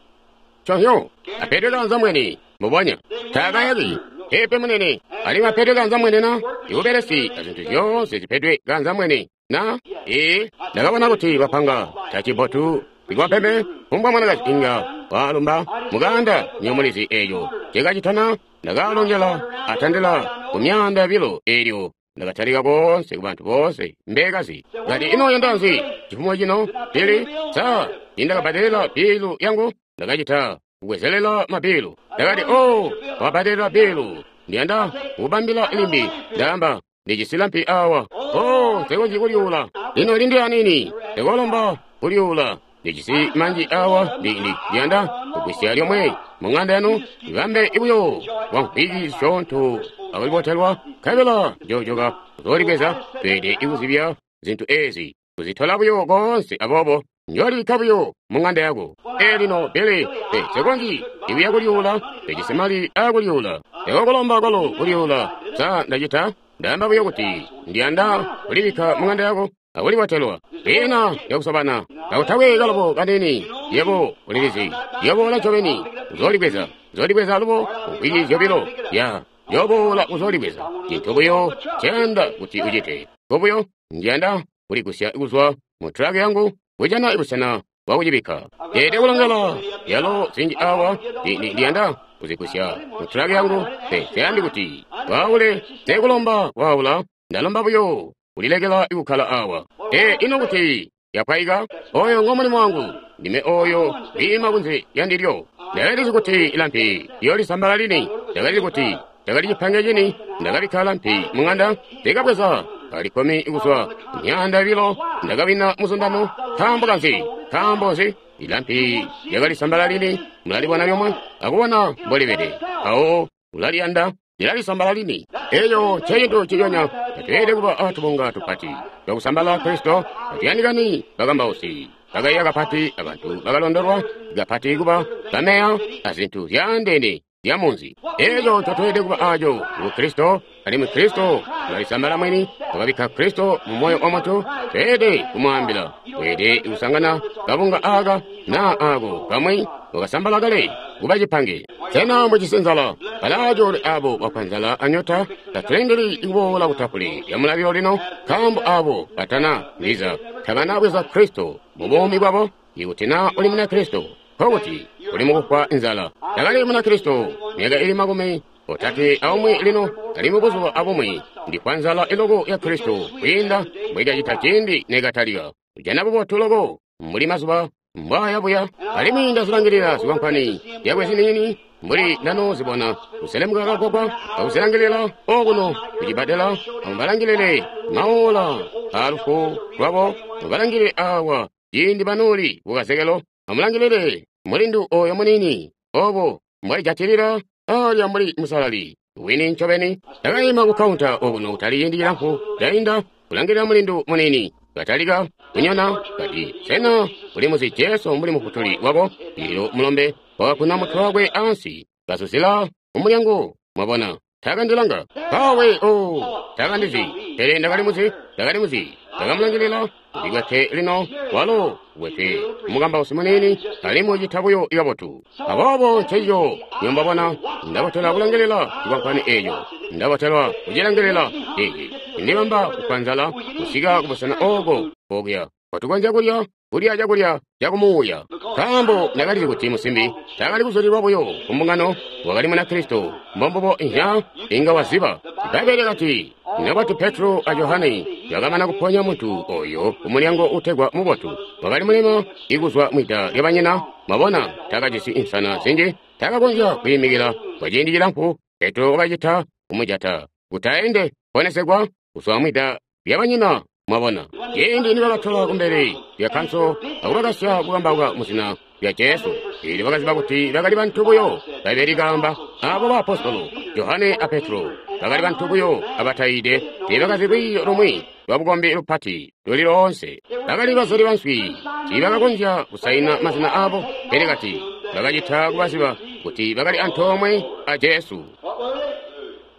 Nconzyo, apedwe kaanzambwene, mbubonya. Taakayaki, peepe munene, alimwi apedwe kaanzambwene na? Ibubelesi azintu zyoonse zipedwe kaanzambwene na? Ee, ndakabona kuti bapanga tacibotu ikwapembe, kufumbwa mwanakazi inga walumba mukaanda nyomulizi eeco nceekacita na? Ndakaalongela atandila ku myaanda yobilo eelyo ndakatalika koonse kubantu boonse mbekazi. Kati, ino uyanda nzi cifumo cino, Billy? Sa nindakabbadelela bilu yangu? Ndakacita kubwezelela mabilu. Ndakati, oh, wabbadelela bilu, ndiyanda kukubambila limbi. Ndaamba, ndijisi lampi awa. Oh, nsekonzyi kulyuula. Lino lindi aniini, ndekolomba kulyuula. Ndijisi manji awa, ndi, ndi, ndiyanda kugwisya lyomwe mu ng'anda yanu, ibambe buyo kwa mvwiki zisyoonto akulibotelwa, nkabela njoojoka kuzoolibweza. Tweelede kuzibya zintu ezi, kuzitola buyo koonse, aboobo njoolibikka buyo mu ng'anda yako. Ee lino, Billy, ee, nsekonzyi ibuya kulyuula, ndijisi mali aakulyuula. Ndekokulomba kwalo kulyuula. Sa ndacita? Ndaamba buyo kuti ndiyanda kulibikka mu ng'anda yako akulibotelwa. Ina yakusobana kakutakwe kalobo kanini, yebo ulilizi, yoboola ncobeni uzoolibweza, uzoolibweza alubo mvwiki zyobilo, ya yoboola uzoolibweza. Cintu buyo nceyanda kuti ucite, nkobuyo ndiyanda kuligusya kuzwa mu tulaki yangu kujana busena bwakucibikka. Ndeelede kulongela yalo zinji awa, ndiyanda kuzigusya mu tulaki yangu. Pe nseyandi kuti waule, nsekulomba kwaula, ndalomba buyo kulilekela kukkala awa. Ee, ino kuti yapwayika? Oyo ngo mulimo wangu, ndime oyo wiima kunze lyandilyo. Ndakalizi kuti lampi liyoolisambala lini, ndakalizi kuti ndakali cipange cini. Ndakabikka lampi mu ng'anda, ndikabweza kali kkumi kuzwa myaanda yobilo, ndakawina muzundano. Nkaambo kanzi? Nkaambo nzi? Ilampi lyakalisambala lini, mulalibona lyomwe akubona mbolibede, mpawo ulaliyanda. Lilalisambala lini. Eco ncecintu nciconya. Tatweelede kuba atubunga tupati twakusambala Kristo. Tatuyandikani bakambausi bakaiya kapati, abantu bakalondolwa kapati kuba bameya azintu zyaandeene zya munzi. Eco ncotweelede kuba aco ngu Kristo, alimwi Kristo ulalisambala mwini. Wakabikka Kristo mu moyo wa muntu. Tweelede kumwaambila, weelede kusangana kabunga aka naa ako kamwi wakasambala kale kuba cipange. Sena mujisi nzala? Balaacoolwe abo bafwa nzala anyota. Tatulindili kuboola kutafule lya mulalilo lino, nkaambo abo batana ndiza tabana bweza Kristo mu buumi bwabo. Ikuti naa uli muna Kristo, nkokuti uli mukufwa nzala. Takali muna Kristo myaka ili makumi otatwe aumwi lino, alimwi buzuba abumwi ndifwa nzala iloko ya Kristo kwiinda mbwikacita ciindi nekatalika. Kujana bubotu loko mbuli mazuba mbwaayabuya, alimwi ndazilangilila zikwankwani zyakwe ziniini mbuli ndanoozibona kuselemuka kagwagwa akuzilangilila okuno kucibbadela. Amubalangilile maola aalufu lwabo, mubalangilile awa ciindi banooli kukazekelo. Amulangilile mulindu oyo muniini obo mbwalijatilila alya mbuli musalali wini ncobeni. Ndakaima ku kaunta okuno kutali ciindi cilamfu cainda, kulangilila mulindu muniini katalika kunyona, kati, "Sena uli muzi Jesu mbuli mufutuli wako?" Elyo mulombe wakakuna mutwe wakwe ansi, kazuzila kumulyango. Mwabona, takandilanga kawe. O, takandizi, pele ndakali muzi, ndakali muzi. Ndakamulangilila. Ndikwete lino, walo wete mukambausi muniini, alimwi ucita buyo kabotu. Aboobo ncencico nyombabona ndabotelwa kulangilila cikwankwani eeco, ndabotelwa kucilangilila eeci. Ndibamba kufwa nzala kusika kubusena ooko okuya kotukonzya kulya kulya cakulya cakumuuya, nkaambo ndakalizi kuti musimbi taakali kuzulilwa buyo ku mbungano, wakali muna Kristo. Mbombubo inhya inga waziba. Bbaibbele kati, nobati Petro a Johane bakamana kuponya muntu oyo kumulyango utegwa Mubotu, wakali mulema ikuzwa mwida lyabanyina. Mwabona, takajisi insana zinji, takakonzya kwiimikila kwa ciindi cilamfu. Petro wakacita kumujata kuti aende ponesegwa kuzwa mwida lyabanyina. Mwabona, ciindi nibakatola kumbele lya kanso akubakasya kukambauka muzina lya Jesu, eelyo bakaziba kuti bakali bantu buyo. Bbaibbele likaamba abo baapostolo Johane a Petro bakali bantu buyo abatayiide, teebakazi lwiiyo lumwi lwa bukombi lupati luli loonse. Bakali bazeli banswi, tiibakakonzya kusaina mazina abo, pele kati bakacita kubaziba kuti bakali antoomwe a Jesu.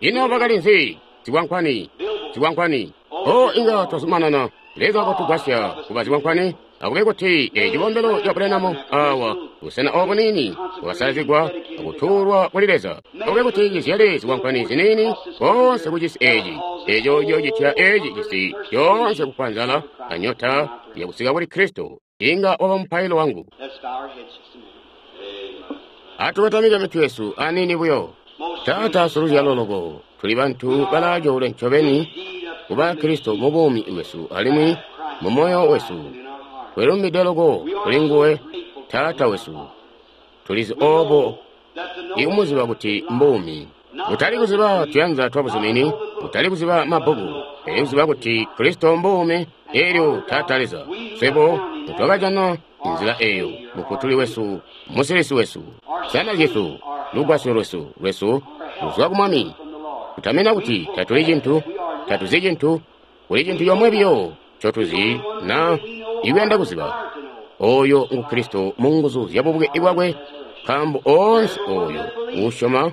Ino bakali nzi? Zikwankwani, zikwankwani. O, inga twazumanana. Leza kotugwasya kuba zikwankwani. Akube kuti eci cikombelo ca Branham awa, busena obu buniini bwakasalazigwa akutuulwa kuli Leza, akube kuti cizyale zikwankwani ziniini koonse ku cisi eci, eco ciyoocitya eci cisi coonse kufwa nzala anyota yakusika kuli Kristo. Inga waba mupailo wangu. Let's bow our heads just a minute. Atukotamike mitwe yesu aniini buyo. Taata siluzyalo loko, tuli bantu balaacoolwe ncobeni kuba Kristo mu buumi bwesu alimwi mu moyo wesu. Twelumbide loko kuli nguwe Taata wesu. Tulizi obo ikumuziba kuti mbuumi. Kutali kuziba tuyanza twa buzumini, kutali kuziba mabbuku, pele kuziba kuti Kristo mbuumi. Elyo Taata Leza, swebo twakajana nzila eyo, mufutuli wesu, musilisi wesu, sana lyesu, lugwasyo lwesu lwesu luzwa ku Mwami. Kutamina kuti tatuli cintu, tatuzi cintu, kuli cintu comwe biyo ncotuzi na ikuyanda kuziba, oyo ngu Kristo mu nguzu zya bubuke bwakwe, nkaambo oonse oyo uusyoma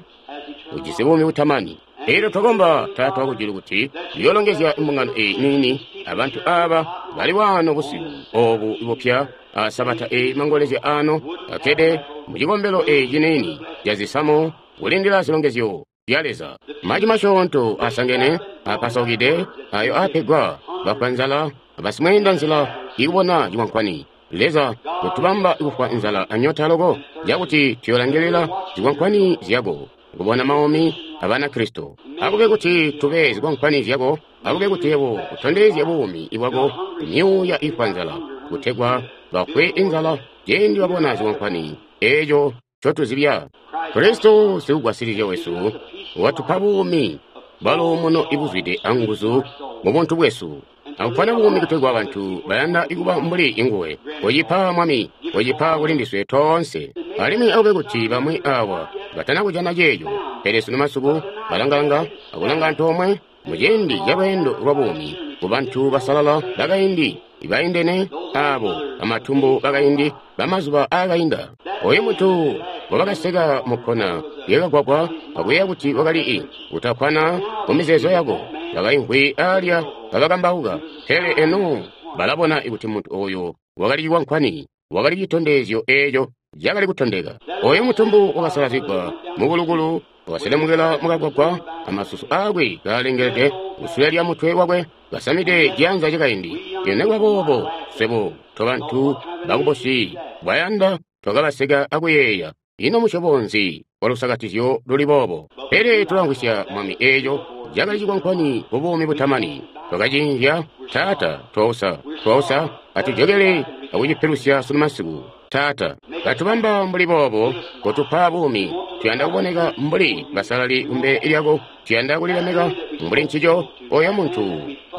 ujisi buumi butamani. Elyo twakomba, Taata wakujulu, kuti uyoolongezya imbungano eyi niini abantu aba bali waano busiku obu bupya a sabata eyi mangolezya ano, akkede mu cikombelo eeci ciniini ca zisamu kulindila zilongezyo zya Leza. Maji masyoonto asangene apasaukide ayo apegwa bafwa nzala abasimweenda nzila ikubona cikwankwani. Leza kutubamba kufwa nzala anyota loko cakuti tuyolangilila zikwankwani zyako kubona maumi abana Kristo. Akube kuti tube zikwankwani zyako, akube kuti yebo utondezye buumi bwako myuuya ifwa nzala, kutegwa bafwe inzala ciindi babona zikwankwani eeco ncotuzibya. Kristo sikugwasilizya wesu watupa buumi bwaluumuno ibuzwide anguzu mu buntu bwesu, akupana buumi kutegwa bantu bayanda kuba mbuli inguwe. Kocipa, Mwami, kocipa kuli ndiswe toonse. Alimwi akube kuti bamwi awa batana kujana ceeco. Pele sunu masiku balangalanga akulanga antoomwe muciindi ca lweendo lwa buumi ku bantu basalala bakaindi ibaindene abo bamatumbu bakaindi bamazuba aakainda. Oyu muntu ngobakaseka mukkona lyakagwagwa akuyeeya kuti wakali i kutakkwana mu mizeezo yako, bakaimvwi alya kabakambauka. Pele eno balabona kuti muntu oyo wakali cikwankwani, wakali citondezyo eeco cakali kutondeka. Oyo mutumbu wakasalazigwa mukulukulu wakaselemukila mukagwagwa, amasusu aakwe kaalengelede kusule lya mutwe wakwe, kasamide ciyanza cakaindi. Lino nikuba boobo swebo tobantu bakubusi bwayanda twakabaseka akuyeeya, ino musyobo nzi walusakatizyo luli boobo? Pele tulamvwisya Mwami eeco cakali cikwankwani ku buumi butamani. Twakacinzya, Taata, twausa, twausa, atujokele akucipilusya sunu masiku. Taata, katubamba mbuli boobo, kotupa buumi. Tuyanda kuboneka mbuli basalali kumbele lyako. Tuyanda kulilemeka mbuli ncico. Oyo muntu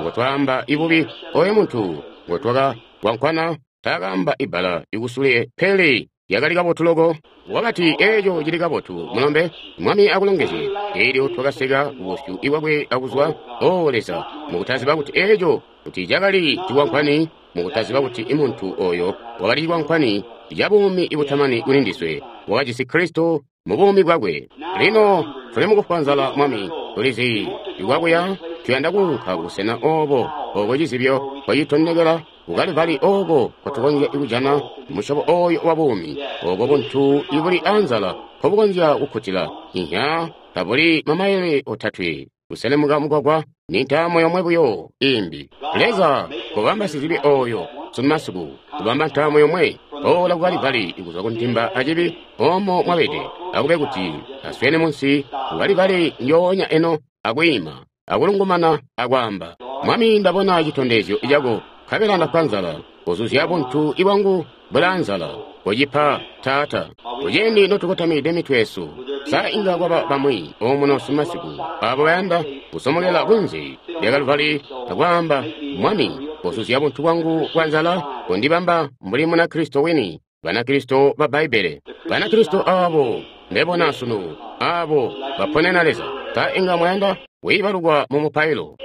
ngotwaamba ibubi, oyo muntu ngotwakakwankwana, taakaamba ibbala ikusule, pele lyakali kabotu loko. Wakati, eeco cili kabotu, mulombe, Mwami akulongezye. Elyo twakaseka kubusyu bwakwe akuzwa. O Leza, mukutaziba kuti eeco kuti cakali cikwankwani, mukutaziba kuti muntu oyo wakali cikwankwani ca buumi butamani kuli ndiswe, wakajisi Kristo mu buumi bwakwe. Lino tuli mukufwa nzala, Mwami, tulizi ikwakuya. Tuyanda kuunka kubusena obo oko cizibyo kwacitondekela ku Kalivali, oko kotukonzya kujana musyobo oyo wa buumi, oko buntu ibuli anzala nkobukonzya kukkutila. Inya tabuli mamayele otatwe kuselemuka mugwagwa, ni ntaamo yomwe buyo imbi. Leza, kobamba sizibi oyo sunu masiku, kubamba ntaamo yomwe boola ku Kalivali kuzwa ku ntimba acibi omo mwabede, akube kuti aswene munsi ku Kalivali njoonya eno, akwiima akulungumana akwaamba, Mwami, ndabona citondezyo cako, nkabela ndafwa nzala. Kozuzya buntu ibwangu bulaa nzala. Kocipa, Taata. Kuciindi notukotamide mitwe yesu, sa inga kwaba bamwi omuno sunu masiku abo bayanda kusomokela kunze lya Kalivali akwaamba, Mwami, kozuzya buntu bwangu bwa nzala, kondibamba mbuli Munakristo wini, Banakristo ba Bbaibbele, Banakristo abo mbebona sunu, abo baponena Leza. Sa inga mwayanda wiibalukwa mu mupailo?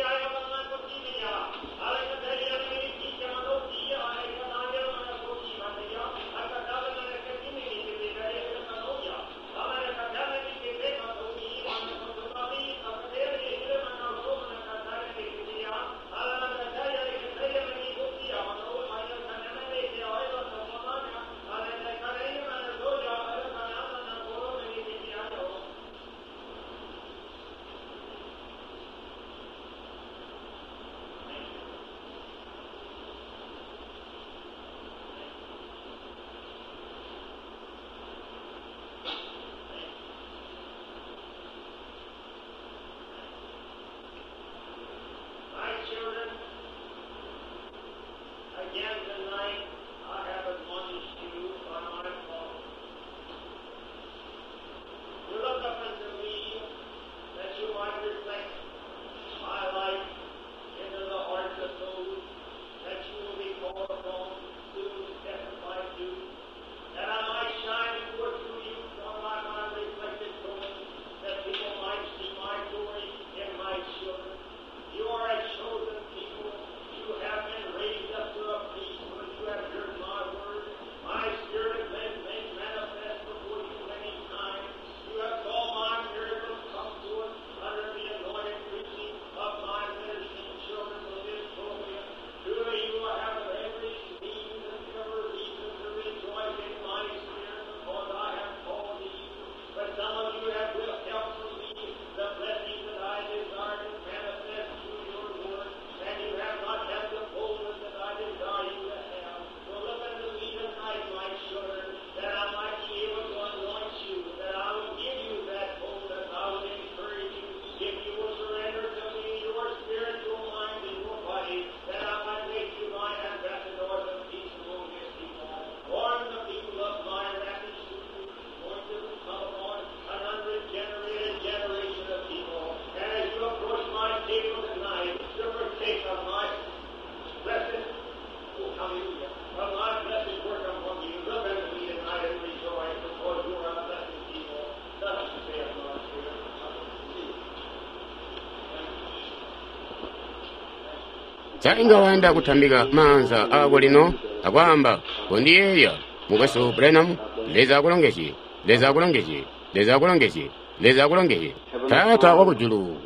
Sa inga wayanda kutambika maanza aako lino akwaamba, kondiyeeya, Mukwesu Branham? Leza akulongezye, Leza akulongezye, Leza akulongezye, Leza akulongezye. Taata wakujulu,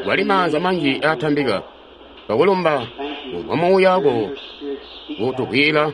kwali maanza manji aatambika, twakulumba kumvwa muuya wako kutukwila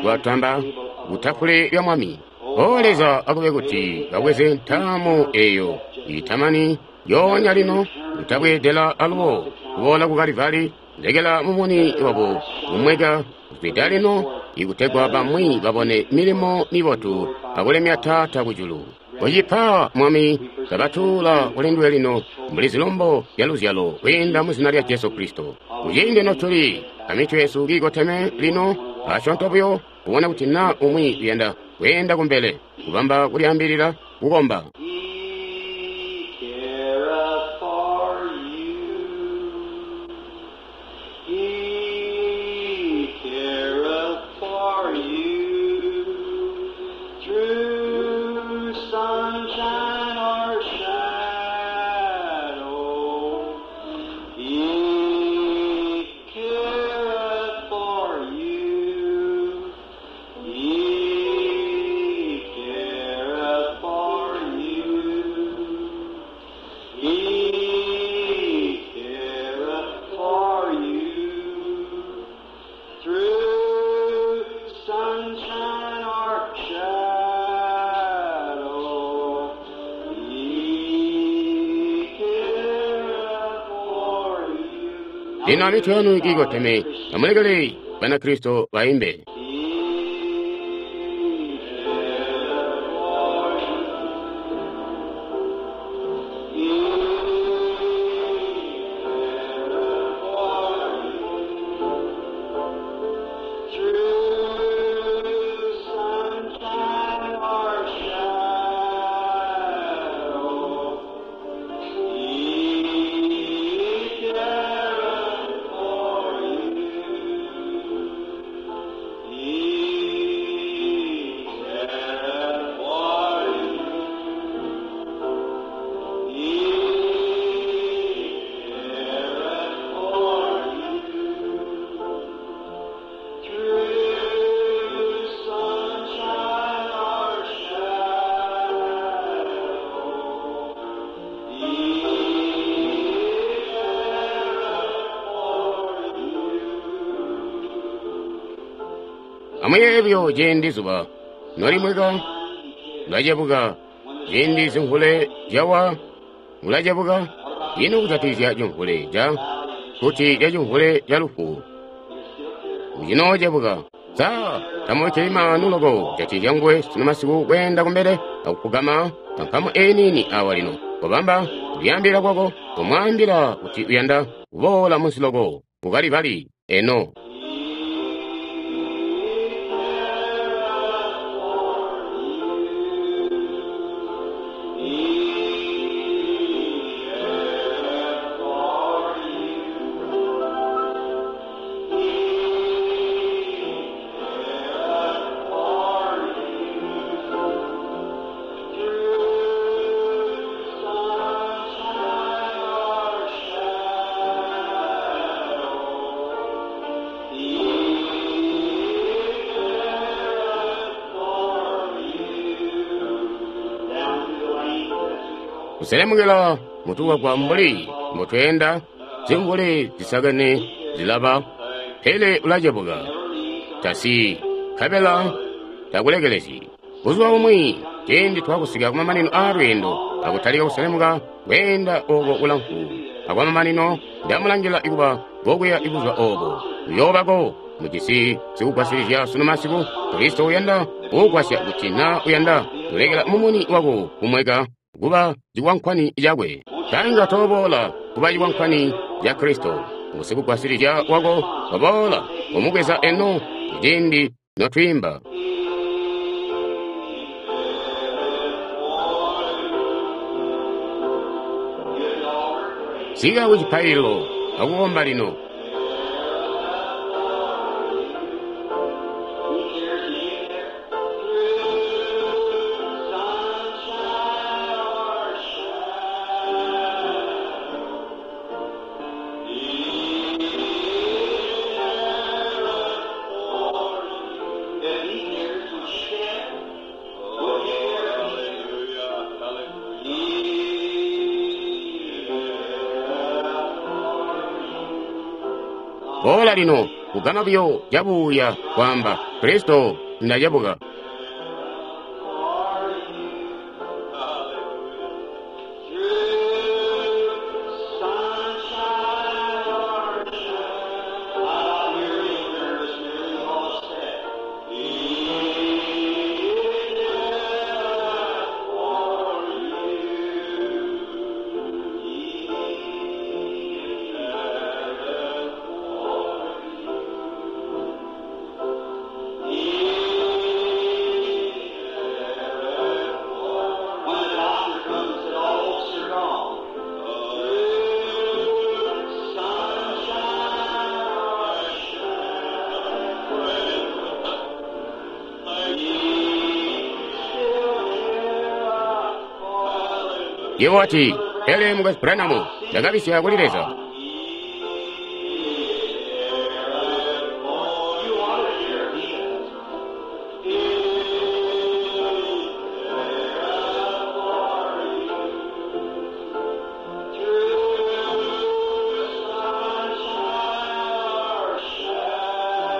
twatamba kutafule lya Mwami. O Leza, akube kuti babweze ntaamu eyo itamani yoonya lino, kutabweedela alubo kuboola ku Kalivali, lekela mumuni wabo kumweka kuzwida lino, ikutegwa bamwi babone milimo mibotu akulemya Taata kujulu. Kucipa, Mwami, kabatuula kuli nduwe lino mbuli zilumbo zya luzyalo kwiinda mu zina lya Jesu Kristo. Kuciindi notuli amitwe yesu kiikoteme lino, asyoonto buyo kubona kuti na umwi uyanda kweenda kumbele, kubamba kulyaambilila kukomba. He careth for you. He careth for you. Through sunshine or shadow, He careth for you. He careth for you. He careth for you. Through sunshine or shadow, He careth for you. Lino amitwe yanu kiikoteme, amulekele Banakristo baimbe. He careth for you. He careth for you. Through sunshine or shadow, He careth for you. He careth for you. He careth for you. Through sunshine or shadow, He careth for you. Amuyeebyo ciindi zuba nolimweka ulacebuka, ciindi zimvule zyawa ulacebuka. Ino kujatikizya cimvule ca kuti ca cimvule ca lufu ucinoocebuka. Sa tamubikkili maanu loko kujatikizya nguwe sunu masiku kweenda kumbele akufugama pankamu eyi niini awa lino, kobamba kulyaambilila kwako, komwaambila kuti uyanda kuboola munsi loko ku Kalivali eno. Kuselemukila mutuwagwa mbuli mbutweenda, zimvule zisakene zilaba, pele ulacebuka, tasiyi, nkabela takulekelezyi. Buzuba bumwi ciindi twakusika kumamanino aa lweendo akutalika kuselemuka kweenda oko kulamfu, akwamamanino ndamulangila kuba kokuya ibuzuba obo uyoobako mujisi sikugwasilizya sunu masiku. Kristo uyanda kukugwasya kuti na uyanda kulekela mumuni wako kumweka kuba cikwankwani cakwe. Tanga toboola kuba cikwankwani ca Kristo ngusikugwasilizya wako, waboola kumubweza eno kuciindi notwiimba. Sika ku cipaililo akukomba lino. He Boola lino, kugama buyo cabuuya kwaamba, Kristo, Nda cebuka. When the doctor comes, that all hopes are gone. Through sunshine or Yebo wati, pele Mukwesu Branham, ndakabisya kuli Leza. You ought to hear he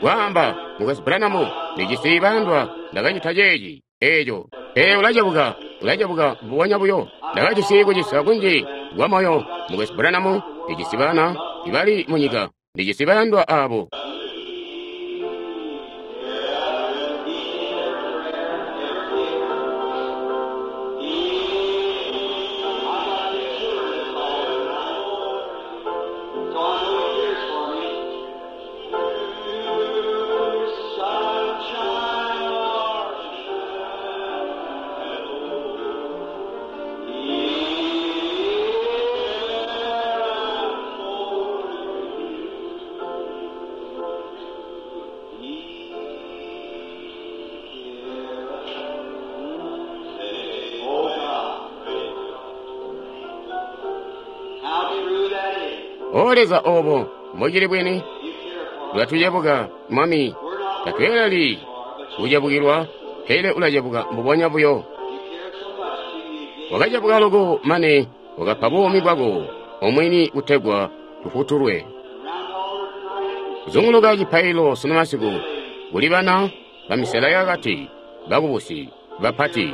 Kwaamba, Mukwesu Branham, ndijisi bandwa, ndakacita ceeci, eeco. Pele ulacebuka, ulacebuka mbubonya buyo. Ndakajisi kucisa kunji kwa moyo, Mukwesu Branham, ndijisi bana ibali munyika, ndijisi bayandwa abo. So I know he cares for me. Sunshine or Oh God. How true that is. O Leza obo, mbocili bwini, You care for us. ulatucebuka, Mwami, We're not tatweeleli worthy for, but you kucebukilwa, pele ulacebuka mbubonya buyo. You cared so much to you gave Wakacebuka loko mane wakapa buumi bwako omwini kutegwa tufutulwe. round all the tonight. Kuzunguluka cipaililo sunu masiku kuli bana bamisela yakati, bakubusi, bapati.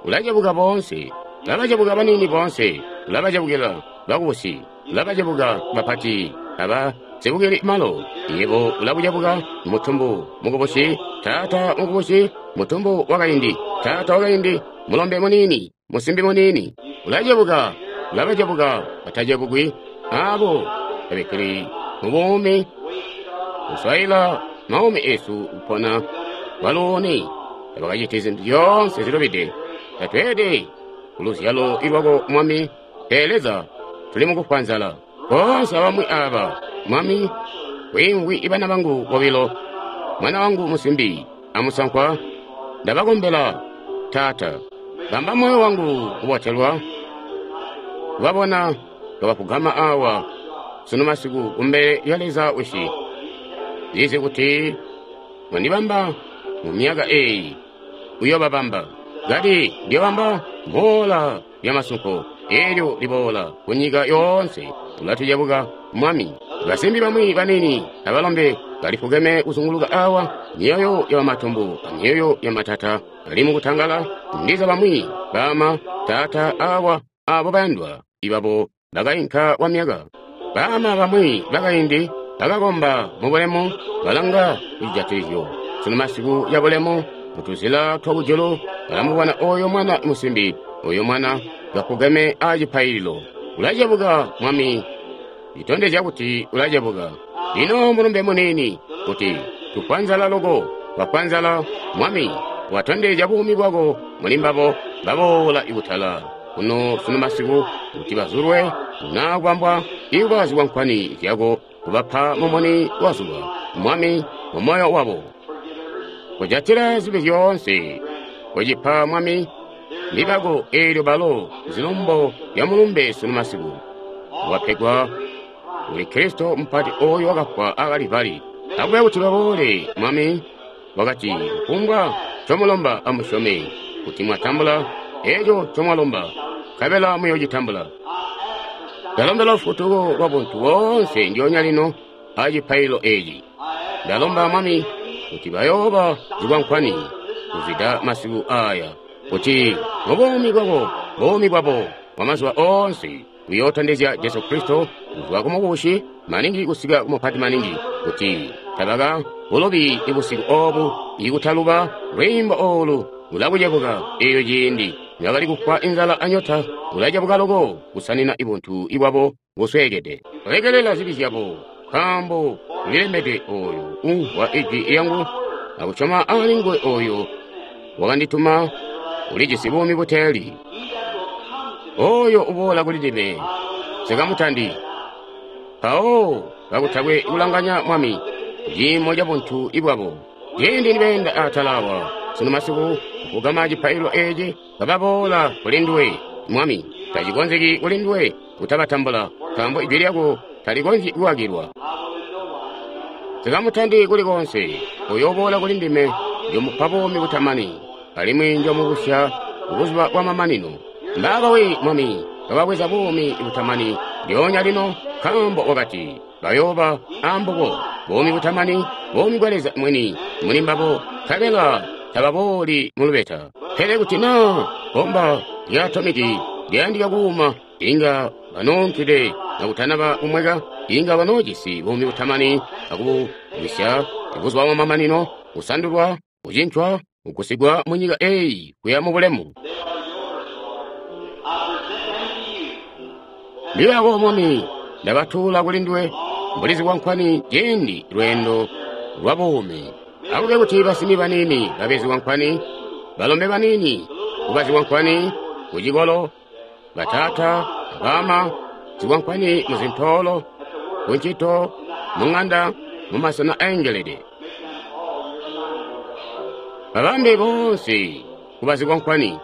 Ulacebuka boonse, ulabacebuka baniini boonse, ulabacebukila bakubusi, ulabacebuka bapati, aba zebukili malo. Yebo ulakucebuka mutumbu mukubusi, taata mukubusi, mutumbu wakaindi, taata wakaindi, mulombe muniini, musimbi muniini. Ulacebuka, ulabacebuka batacebukwi, abo tabikkili mubuumi kuswaila maumi esu kupona kwalooni tabakacita zintu zyoonse zilubide tatweede kuluzyalo ilwako Mwami. Pele Leza tuli mukufwa nzala boonse abamwi aba Mwami kwiimvwi ibana bangu bobilo mwana wangu musimbi amusankwa ndabakombela taata bamba moyo wangu kubotelwa kubabona kabafugama awa sunu masiku kumbele lya Leza wisi zizi kuti mwandibamba mu myaka eyi uyobabamba ngati ndiyobamba boola lya masunko eelyo liboola ku nyika yoonse ulatucebuka Mwami. Basimbi bamwi banini abalombe balifukeme kuzunguluka awa myoyo ya bamatumbu amyoyo ya matata bali mukutangala ndiza bamwi bama tata awa abo bayandwa ibabo bakainka kwa myaka. Bama bamwi bakaindi bakakomba mubulemu balanga kucijatilizyo sunu masiku ya bulemu mutuzila twa kujulu balamubona oyo mwana musimbi oyo mwana gafugeme acipaililo. Ulacebuka Mwami, itondezya kuti ulacebuka. Lino mulumbe muniini kuti tufwa nzala loko, bafwa nzala Mwami, watondezya buumi bwako muli mbabo baboola ikutala kuno sunu masiku kuti bazulwe na kubambwa ikuba zikwankwani zyako kubapa mumuni wa zuba Mwami mu moyo wabo kujatila zibi zyoonse kucipa Mwami libako eelyo balo zilumbo lya mulumbe sunu masiku wapegwa kuli Kristo mupati oyo wakafwa a Kalivali. Akube kuti baboole Mwami Wakati, kufumbwa ncomulomba amusyome kuti mwatambula eco ncomwalomba, nkabela muyoocitambula. Ndalombela lufutuko lwa buntu boonse ndyoonya lino acipaililo eeci. Ndalomba Mwami kuti bayooba zikwankwani kuzwida masiku aya, kuti mubuumi bwabo, buumi bwabo bwamazuba oonse buyootondezya Jesu Kristo kuzwa kumukubusi maningi kusika kumupati maningi, kuti tabaka bulubi busiku oobu ikutaluba lwiimbo oolu lulakucebuka eeyo ciindi nibakali kufwa inzala anyota, ulacebuka loko kusanina ibuntu ibwabo busweekede. Lekelela zibi zyabo, nkaambo ulilembedwe ooyo umvwa ijwi lyangu akusyoma alinguwe ooyo wakandituma ulijisi buumi buteeli. Ooyo uboola kuli ndime nsikamutandi. Mpawo kakutakwe kulanganya Mwami ciimo cabuntu ibwabo. Ciindi nibeenda atala awa sunu masiku kugama cipaililo eeci, kababoola kuli nduwe Mwami, tacikonzeki kuli nduwe kutabatambula, nkaambo ijwi lyako talikonzyi kukakilwa. Nsikamutandi kuli koonse. Oyo uboola kuli ndime njomupa buumi butamani, alimwi njomubusya kubuzuba bwamamanino. Mbaaba we Mwami, kababweza buumi butamani ndyoonya lino, nkaambo wakati bayooba ambubo buumi butamani, buumi bwa Leza mwini muli mbabo, nkabela tababooli mulubeta. Pele kuti naa bbomba lya atomiki lyayandika kuuma, inga banoonkide kakutanaba kumweka, inga banoojisi buumi butamani akubugwisya buzuba bwamamanino, kusandulwa, kucincwa, kugusigwa munyika eeyi kuya mubulemu. Mbibako Mwami, ndabatuula kuli nduwe mbuli zikwankwani ciindi lweendo lwa buumi. Akube kuti basimi baniini babe zikwankwani, balombe baniini kuba zikwankwani kucikolo, bataata, baama, zikwankwani muzintoolo, kuncito, muŋanda, mumasena aengelede. Babambe boonse kuba zikwankwani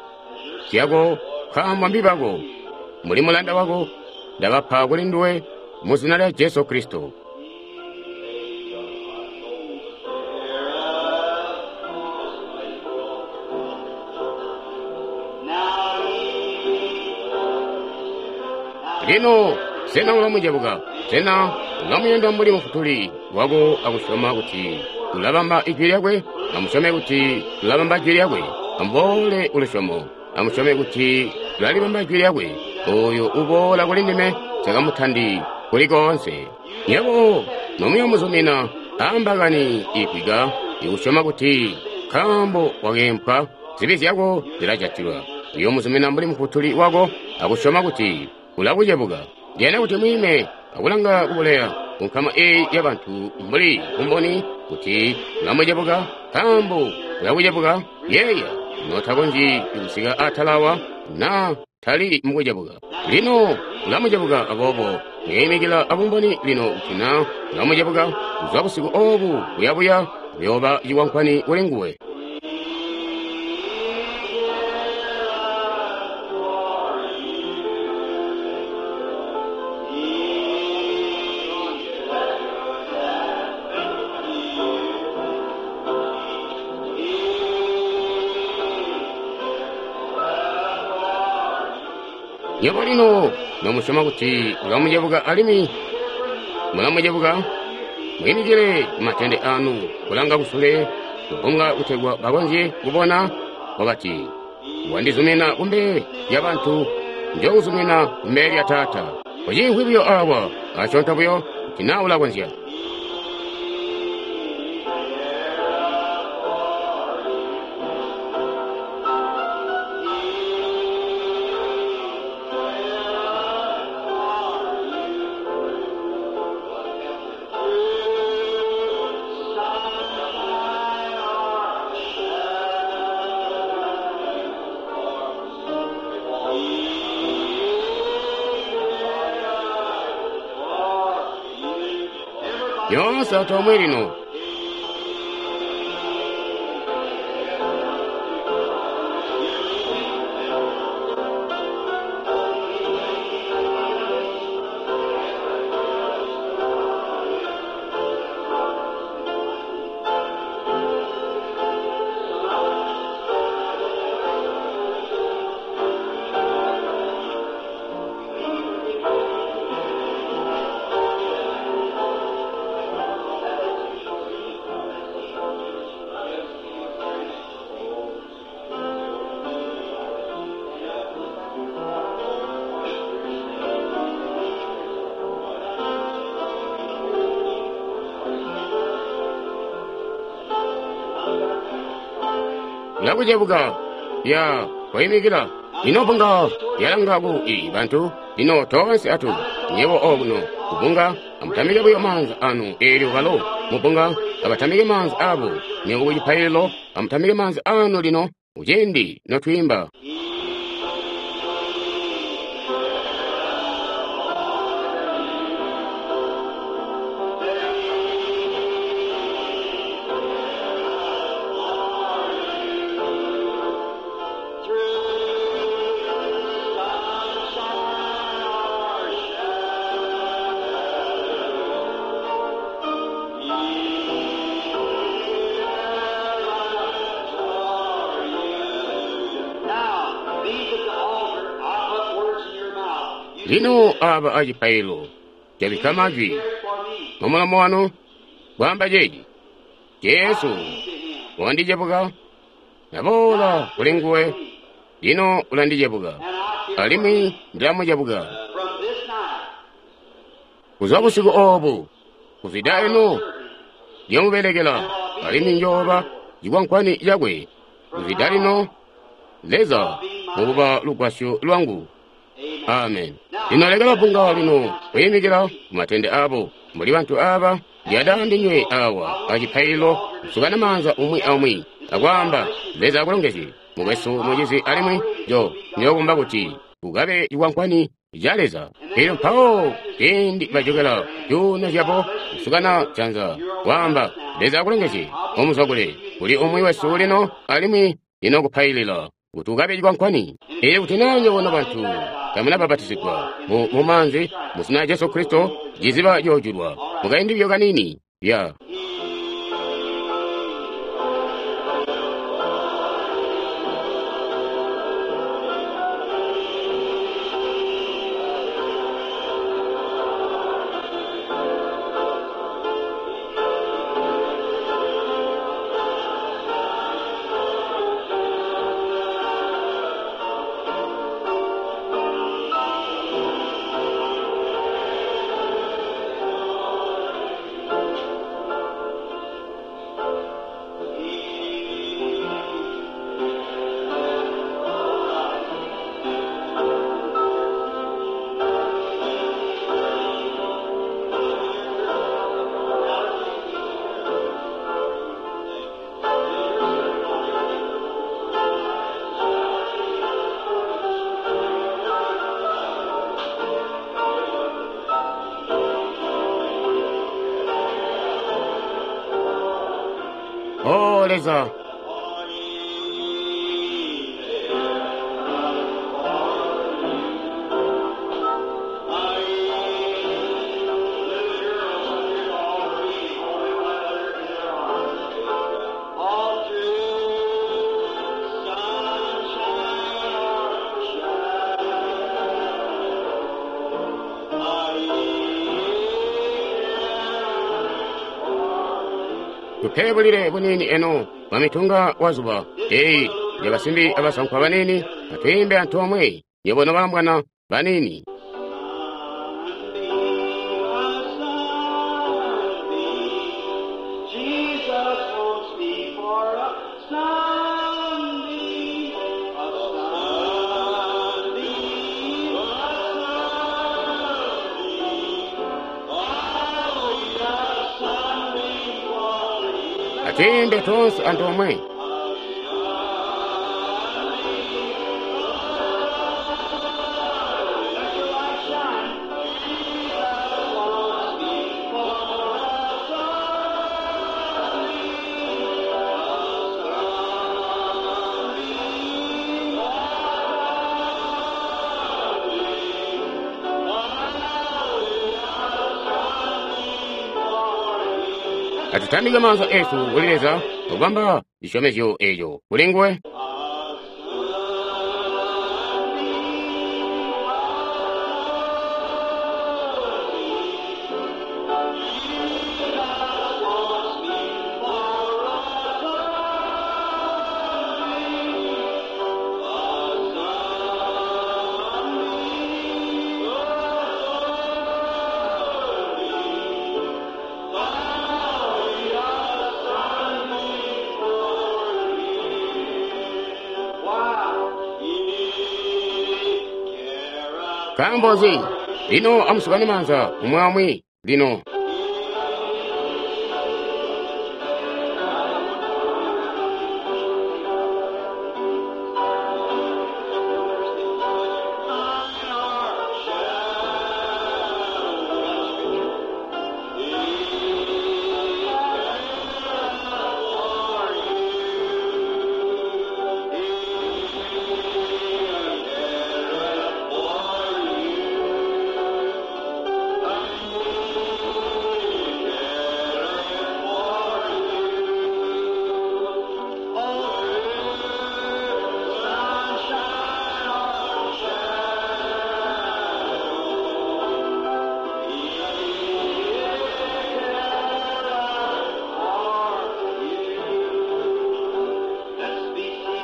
zyako, nkaambo mbibako, muli mulanda wako, ndabapa kuli nduwe mu zina lya Jesu Kristo. Lino sena ulamucebuka? Sena ulamuyanda mbuli mufutuli wako akusyoma kuti ulabamba ijwi lyakwe? Amusyome kuti ulabamba ijwi lyakwe. Amuboole kulusyomo. Amusyome kuti ulalibamba ijwi lyakwe. Oyo uboola kuli ndime nsikamutandi kuli koonse. Nywebo nomuyomuzumina ambakani igwika ikusyoma kuti nkaambo wakeempwa zibi zyako zilajatilwa. Uyomuzumina mbuli mufutuli wako akusyoma kuti ulakucebuka. Ndiyanda kuti mwiime akulanga kubuleya kunkama eeyi yabantu mbuli bumboni kuti ulamucebuka, nkaambo ulakucebuka. Yeeya notakonzyi kusika atala awa naa tali mukucebuka. Lino ulamucebuka, aboobo mwiimikila abumboni lino kuti naa ulamucebuka, kuzwa busiku oobu kuyabuya uyooba cikwankwani kuli nguwe. Nywebo lino nomusyoma kuti ulamucebuka alimwi mulamucebuka, mwiimikile kumatende aanu kulanga kusule kubunga kutegwa bakonzye kubona. Wakati, wandizumina kumbele lyabantu, njookuzumina kumbele lya Taata. Uciimvwi buyo awa asyoonto buyo kuti naa ulakonzya. Yoonse antoomwe lino. Ulakucebuka. Ya, koimikila. Lino bbunga lyalanga ku i bantu. Lino toonse atu nyebo okuno kubbunga amutamike buyo maanza anu. Eelyo balo mubbunga abatamike maanza abo. Nywebo ku cipaililo amutamike maanza anu lino kuciindi notwiimba. Now, these at the altar, I put words in your mouth. You Lino aba acipaililo jabikka majwi hear it for me. mumulomo wanu kwaamba ceeci. Jesu To him. wandicebuka, naboola kuli nguwe, lino ulandicebuka, And I care alimwi ndilamucebuka. from this night. Kuzwa busiku oobu, kuzwida eno ndiyomubelekela, alimwi njooba cikwankwani cakwe. Kuzwida lino, Leza mukuba lugwasyo lwangu. Amen. Lino lekela bbunga lino kuyimikila kumatende abo. Mbuli bantu aba, ndiyanda ndinywe awa acipaililo kusukana maanza umwi aumwi akwaamba Leza akulongezye mukwesu mucizi, alimwi njo ndiyokumba kuti kukabe cikwankwani ca Leza. Elyo mpawo ciindi bajokela zyuuno zyabo kusukana janza kwaamba Leza akulongezye omuzwakule kuli umwi wesu lino, alimwi lino kupailila kuti ukabe cikwankwani. Elyo kuti naa nywebo nobantu tamunabapatizigwa mu, mu maanzi mu zina lya Jesu Kristo, ciziba coojulwa mukaindi buyo kaniini ya. O Leza, All through sunshine or shadow, tupebulile buniini eno mwamitunga wa zuba. Eyi nyabasimbi abasankwa banini, atwiimbe antoomwe nywebo nobambwana banini. Jesus wants me for a sunbeam, a sunbeam, a sunbeam. Oh, a sunbeam for me. Atwiimbe tonse antoomwe. Let your light shine. Jesus wants me for a sunbeam, a Atutambike maanza esu kuli Leza akubamba cisyomezyo eco kuli nguwe. Nkaambo nzi? Lino amusukane maanza umwi aumwi lino.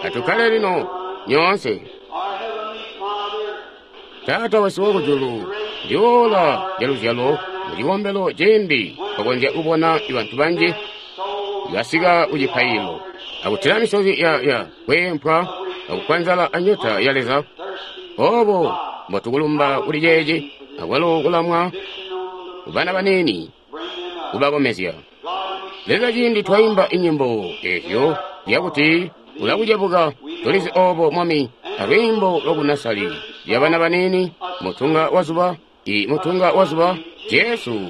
Atukkale lino nyoonse. Our Heavenly Father, Taata wesu wakujulu, ndiola lya luzyalo mu cikombelo cimbi twakonzya kubona bantu banji basika ku cipaililo akutila misozi ya ya kweempwa akukwanzala anyota ya Leza. Obo mbotukulumba kuli ceeci akwalo kulamwa kubana baniini kubakomezya. Leza ciindi twaimba inyimbo ezyo zyakuti ulakucebuka tulizi obo Mwami alwiimbo lwakunasali lya bana baniini mutunga wa zuba i mutunga wa zuba Jesu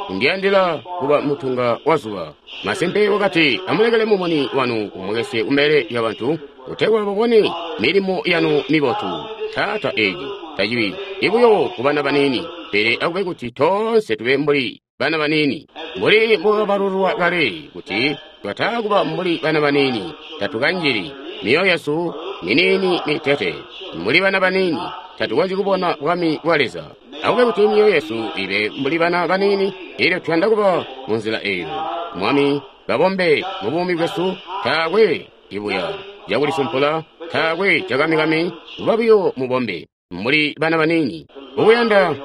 undiyandila kuba mutunga wa zuba. Masimpe wakati amulekele mumuni wanu umwekesye kumbele lya bantu kutegwa babone milimo yanu mibotu. Taata eeci tacibi ibuyo kubana baniini pele akube kuti toonse tube mbuli bana baniini mbuli mbukabalulwa kale kuti twataakuba mbuli bana baniini tatukanjili myoyo yesu miniini mitete mbuli bana baniini tatukonzyi kubona bwami bwa Leza. Akube kuti myoyo yesu ibe mbuli bana baniini elyo tuyanda kuba mu nzila eyo. Mwami babombe mu buumi bwesu taakwe ibuya cakulisumpula taakwe cakamikami kuba buyo mubombe mbuli bana baniini ukuyanda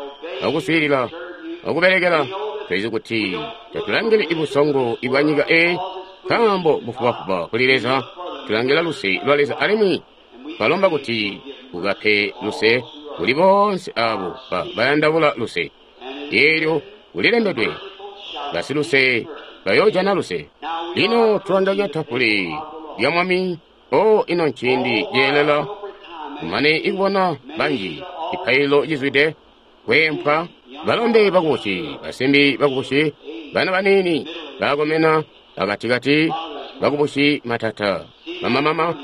akuswiilila akubelekela. Tulizi kuti tatulangili ibusongo ibwa nyika eyi nkaambo bufubafuba kuli Leza. Tulangila luse lwa Leza alimwi twalomba kuti ukape luse kuli boonse abo ba bayandabula luse. Eelyo kulilembedwe basiluse bayoojana luse. Lino tulandanya tafule lya Mwami. O ino nciindi ceelela kumane ikubona banji cipaililo cizwide kweempwa balombe bakubusi basimbi bakubusi bana baniini bakomena akatikati bakubusi matata bamamama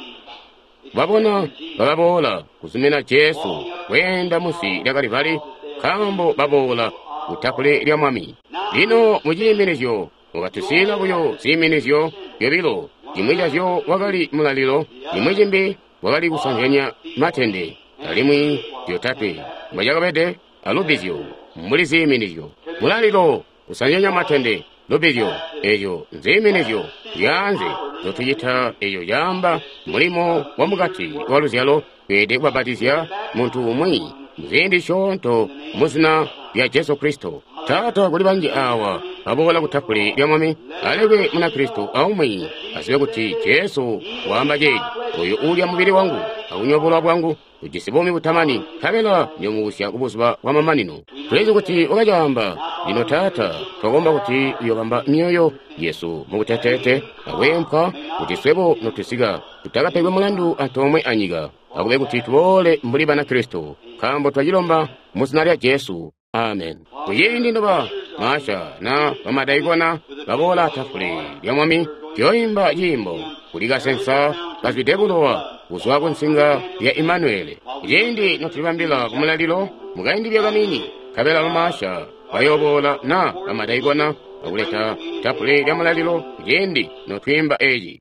babona bababoola kuzumina Jesu kweenda munsi lya Kalivali nkaambo baboola kutafule lya Mwami. Lino muciiminizyo wakatusiila buyo ziiminizyo zyobilo, cimwi cazyo wakali mulalilo, cimwi cimbi wakali kusanzyanya matende, alimwi zyotatwe mbwacakabede alubbizyo mbuli ziiminizyo. Mulalilo kusanzyanya matende, lubbizyo eezyo nziiminizyo zyaanze nzotucita eeyo caamba mulimo wamukati wa luzyalo. Tweelede kubapatizya muntu umwi muziindi zisyoonto muzina lya Jesu Kristo. Taata kuli banji awa baboola kutafule lya Mwami alekwe Munakristo aumwi azibe kuti Jesu waamba ceeci: oyo uulya mubili wangu akunywa bulowa bwangu ujisi buumi butamani, nkabela ndiyoomubusya kubuzuba bwa mamanino. Tulizi kuti wakacaamba. Lino Taata, twakomba kuti uyobamba myoyo yesu mukuteteete akweempwa kuti swebo notusika tutakapegwe mulandu antoomwe anyika. Akube kuti tuboole mbuli Banakristo, nkaambo twacilomba muzina lya Jesu. Amen. Kuciindi noba maasha na bamadaikona baboola tafule lya Mwami, tuyoimba ciimbo kuli kasensa kazwide bulowa kuzwa ku nsinga ya Imanuele. Kuciindi notulibambila ku mulalilo mukaindi buyo kaniini, nkabela bamaasha bayooboola na bamadaikona akuleta tafule lya mulalilo kuciindi notwiimba eeci.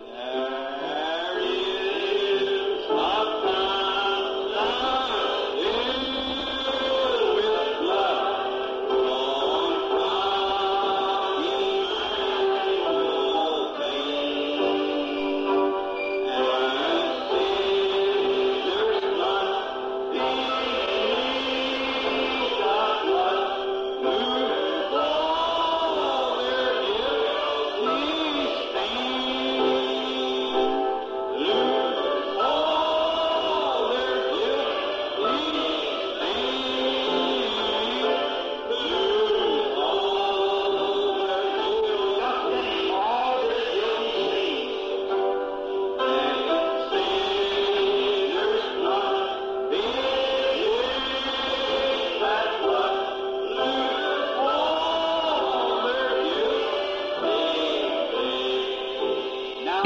Thank you.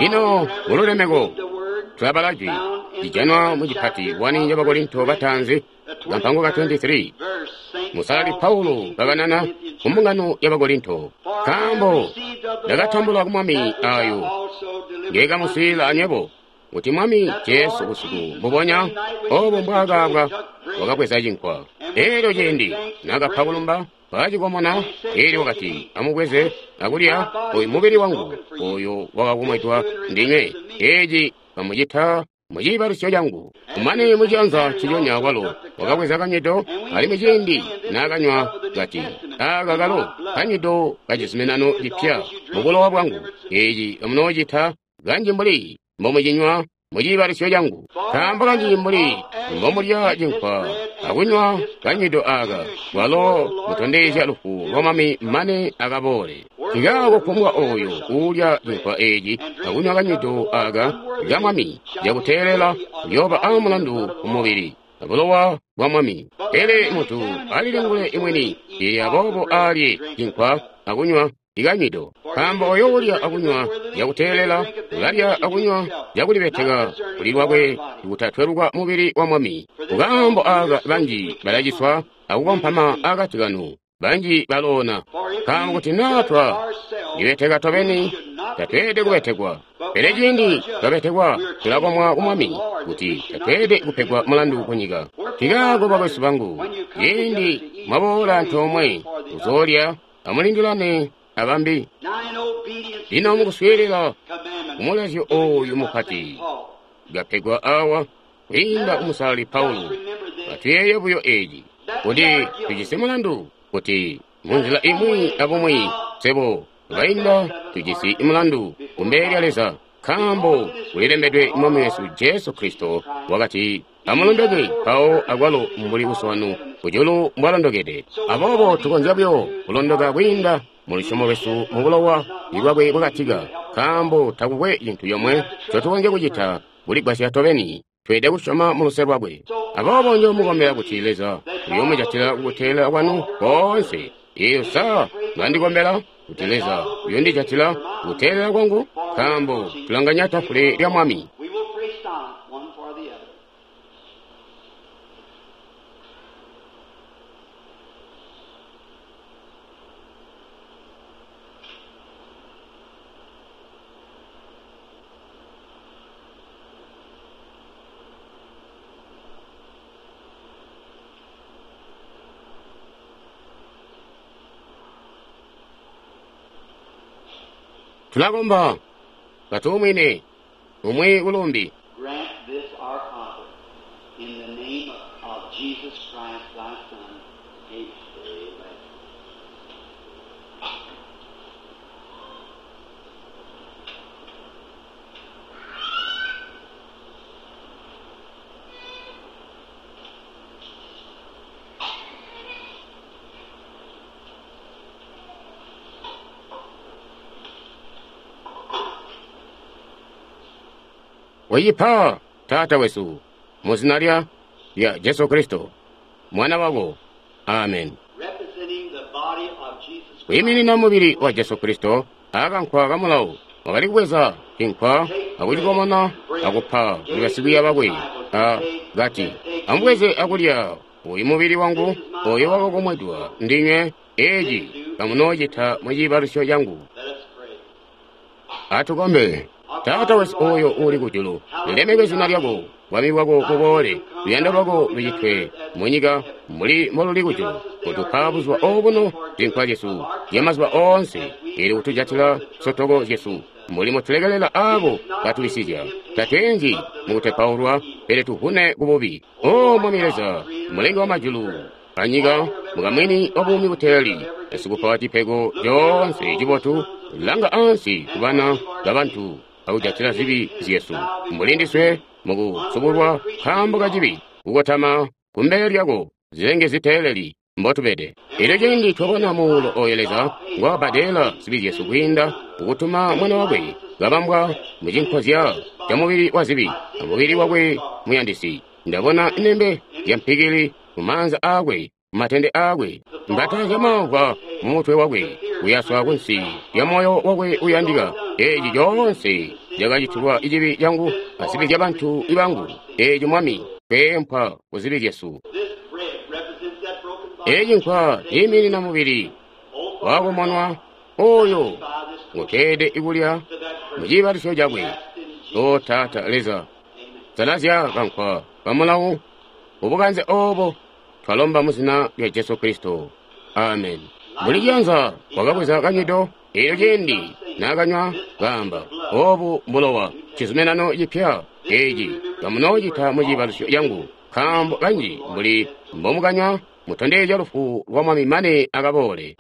Lino mululemeko tulabala jwi lijanwa mucipati wani ca Bakorinto bataanzi kampango ka makumi abili atatu. Musalali Paulo kakanana ku mbungano ya Bakorinto, nkaambo ndakatambula ku Mwami ayo ngeekamuswiilila anywebo, kuti Mwami Jesu busiku mbubonya obo mbwaakaabwa wakabweza cinkwa. Eelyo ciindi naakapa kulumba, wakacikomona, eelyo wakati, amubweze akulya, oyu mubili wangu oyo wakakomwedwa ndinywe, eeci kamucita muciibalusyo cangu. Kumane mucianza nciconya kwalo wakabweza kanywido, alimwi ciindi naakanywa kati, aaka kalo kanywido kacizuminano cipya mubulowa bwangu, eeci kamunoocita kanji mbuli mbomucinywa muciibalusyo cangu. Nkaambo kanji mbuli mbomulya cinkwa akunywa kanywido aaka, kwalo mutondezya lufu lwa Mwami mane akaboole. Nkaako kufumbwa ooyo uulya cinkwa eeci akunywa kanywido aaka ka Mwami cakuteelela uyooba aamulandu kumubili abulowa bwa Mwami. Pele muntu alilingule imwini, ili aboobo alye cinkwa akunywa ikanywido. Nkaambo oyo uulya akunywa cakuteelela ulalya akunywa cakulibeteka kuli lwakwe kutatweluka mubili wa Mwami. Kukaambo aaka banji balaciswa akukompama akati kanu, banji baloona. Nkaambo kuti naa twa libeteka tobeni, tatweelede kubetekwa. Pele ciindi twabetekwa tulakomwa ku Mwami kuti tatweelede kupegwa mulandu kunyika. Nkaako bakwesu bangu, ciindi mwaboola antoomwe kuzoolya, amulindilane abambi. Lino mukuswiilila kumulazyo ooyu mupati kapegwa awa kwiinda kumusalali Paulo, atuyeeye buyo eeci, kuti tujisi mulandu, kuti munzila imwi abumwi swebo bainda tujisi mulandu kumbele lya Leza, nkaambo kulilembedwe Mwami wesu Jesu Kristo wakati, amulondoke mpawo akwalo mbuli Uso wanu kujulu mbwalondokede. Aboobo tukonzya buyo kulondoka kwiinda mulusyomo lwesu mubulowa bwakwe bwakatika, nkaambo takukwe cintu comwe ncotukonzya kucita kuligwasya tobeni. Tweelede kusyoma muluse lwakwe. Aboobo njoomukombela kuti Leza uyoomujatila kukuteelela kwanu koonse. Eeyo sa mlandikombela kuti Leza uyoondijatila kukuteelela kwangu, nkaambo tulanganya tafule lya Mwami. We will pray silent one for the other. Tulakomba katuumwine umwi kulumbi. Grant this our Father, in the name of Jesus Christ, thy Son. Amen. Wayipa Taata wesu muzina lya lya Jesu Kristo mwana wako. Amen. Representing the body of Jesus Christ. Kwiiminina mubili wa Jesu Kristo, akankwa kamulawo wakali kubweza cinkwa akucikomona akupa kuli basikwiiya bakwe, a kati, amubweze akulya, uyu mubili wangu oyo wakakomwedwa ndinywe, eeci kamunoocita muciibalusyo cangu. Let us pray. Atukombe. Taata wesu oyo uli kujulu, lilemekwe zina lyako, bwami bwako buboole, luyando lwako lucitwe munyika mbuli mboluli kujulu. Kutupa buzuba obuno zinkwa zyesu zyamazuba oonse, ili kutujatila nsotoko zyesu mbuli mutulekelela aabo batulisizya. Tatweenzi mukutepaulwa, pele tuvune kububi. O Mwami Leza, Mulengi wa majulu anyika, mukamwini wa buumi buteeli, esikupa cipego coonse cibotu, langa ansi kubana babantu akujatila zibi zyesu, mbuli ndiswe mukusubulwa nkaambo ka cibi, kukotama kumbele lyako zilenge ziteeleli mbotubede. Elyo ciindi twabona muulo oyo Leza ngwakabbadela zibi zyesu kwiinda kukutuma mwana wakwe kabambwa mucinkozya ca mubili wa zibi amubili wakwe muyandisi, ndabona nembe zya mpikili mumaanza aakwe matende aakwe, mbata zyamamvwa mu mutwe wakwe, kuyaswa kunsi lya moyo wakwe uyandika. Eeci coonse cakacitilwa cibi cangu azibi zyabantu bangu. Eeci Mwami, tweempwa kuzibi zyesu. Eeci nkwa ciiminina mubili wakumonwa oyo nguteede kulya mu ciibalisyo cakwe. O Taata Leza, salazya kankwa kamulawu ubukanze obo twalomba muzina lya Jesu Kristo. Amen. Mbuli ciyanza wakabweza kanywido, eelyo ciindi naakanywa kaamba, obu mbulowa cizuminano cipya, eeci kamunoocita mu ciibalusyo cangu, nkaambo kanji mbuli mbomukanywa mutondezya lufu lwa Mwami mane akaboole.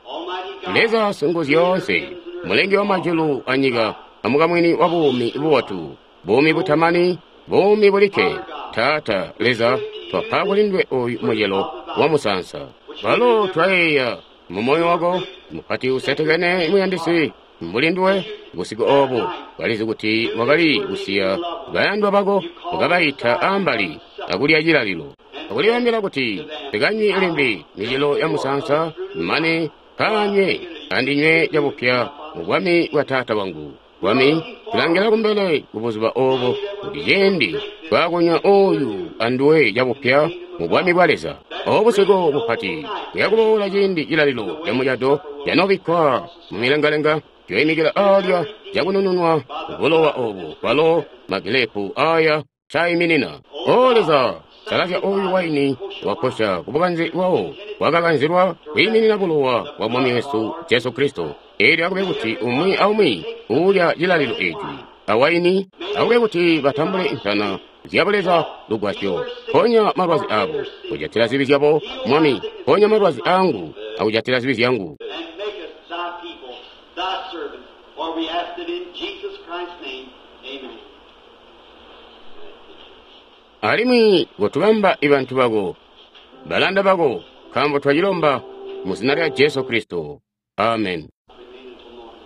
Leza Singuzyoonse, Mulengi wa majulu anyika, amukamwini wa buumi bubotu, buumi butamani, buumi bulikke, Taata Leza, twapa kulindwe oyu mucelo wa musaansa. Balo twayeeya mu moyo wako mupati usetekene muyandisi mbuli nduwe busiku obu walizi kuti wakali kusiya bayandwa bako ukabayita ambali akulya cilalilo akulibambila kuti tikanywi limbi micelo ya musaansa mane kanywe andinywe cabupya mu bwami bwa Taata wangu. Bwami tulangila kumbele kubuzuba obo kuti ciindi twakunywa oyu anduwe cabupya mu bwami bwa Leza. Obu busiku bupati buyakuboola ciindi cilalilo camucado canobikkwa mu milengalenga cyoimikila alya cakunununwa bulowa obu kwalo magilepu aya caiminina. O Leza, salazya oyu waini wakosha kubukanze bwawo bwakakanzilwa kwiiminina bulowa bwa Mwami wesu Jesu Kristo. Eelyo akube kuti umwi aumwi uulya cilalilo eeci awaini akube kuti batambule nsana zyabuleza lugwasyo. Ponya malwazi abo, kujatila zibi zyabo, Mwami, ponya malwazi angu akujatila zibi zyangu. And make us thy people, thy servants, for we ask it in Jesus Christ's name. Amen. Alimwi kotubamba ibantu bako, balanda bako, nkaambo twacilomba mu zina lya Jesu Kristo. Amen. Remain until morning.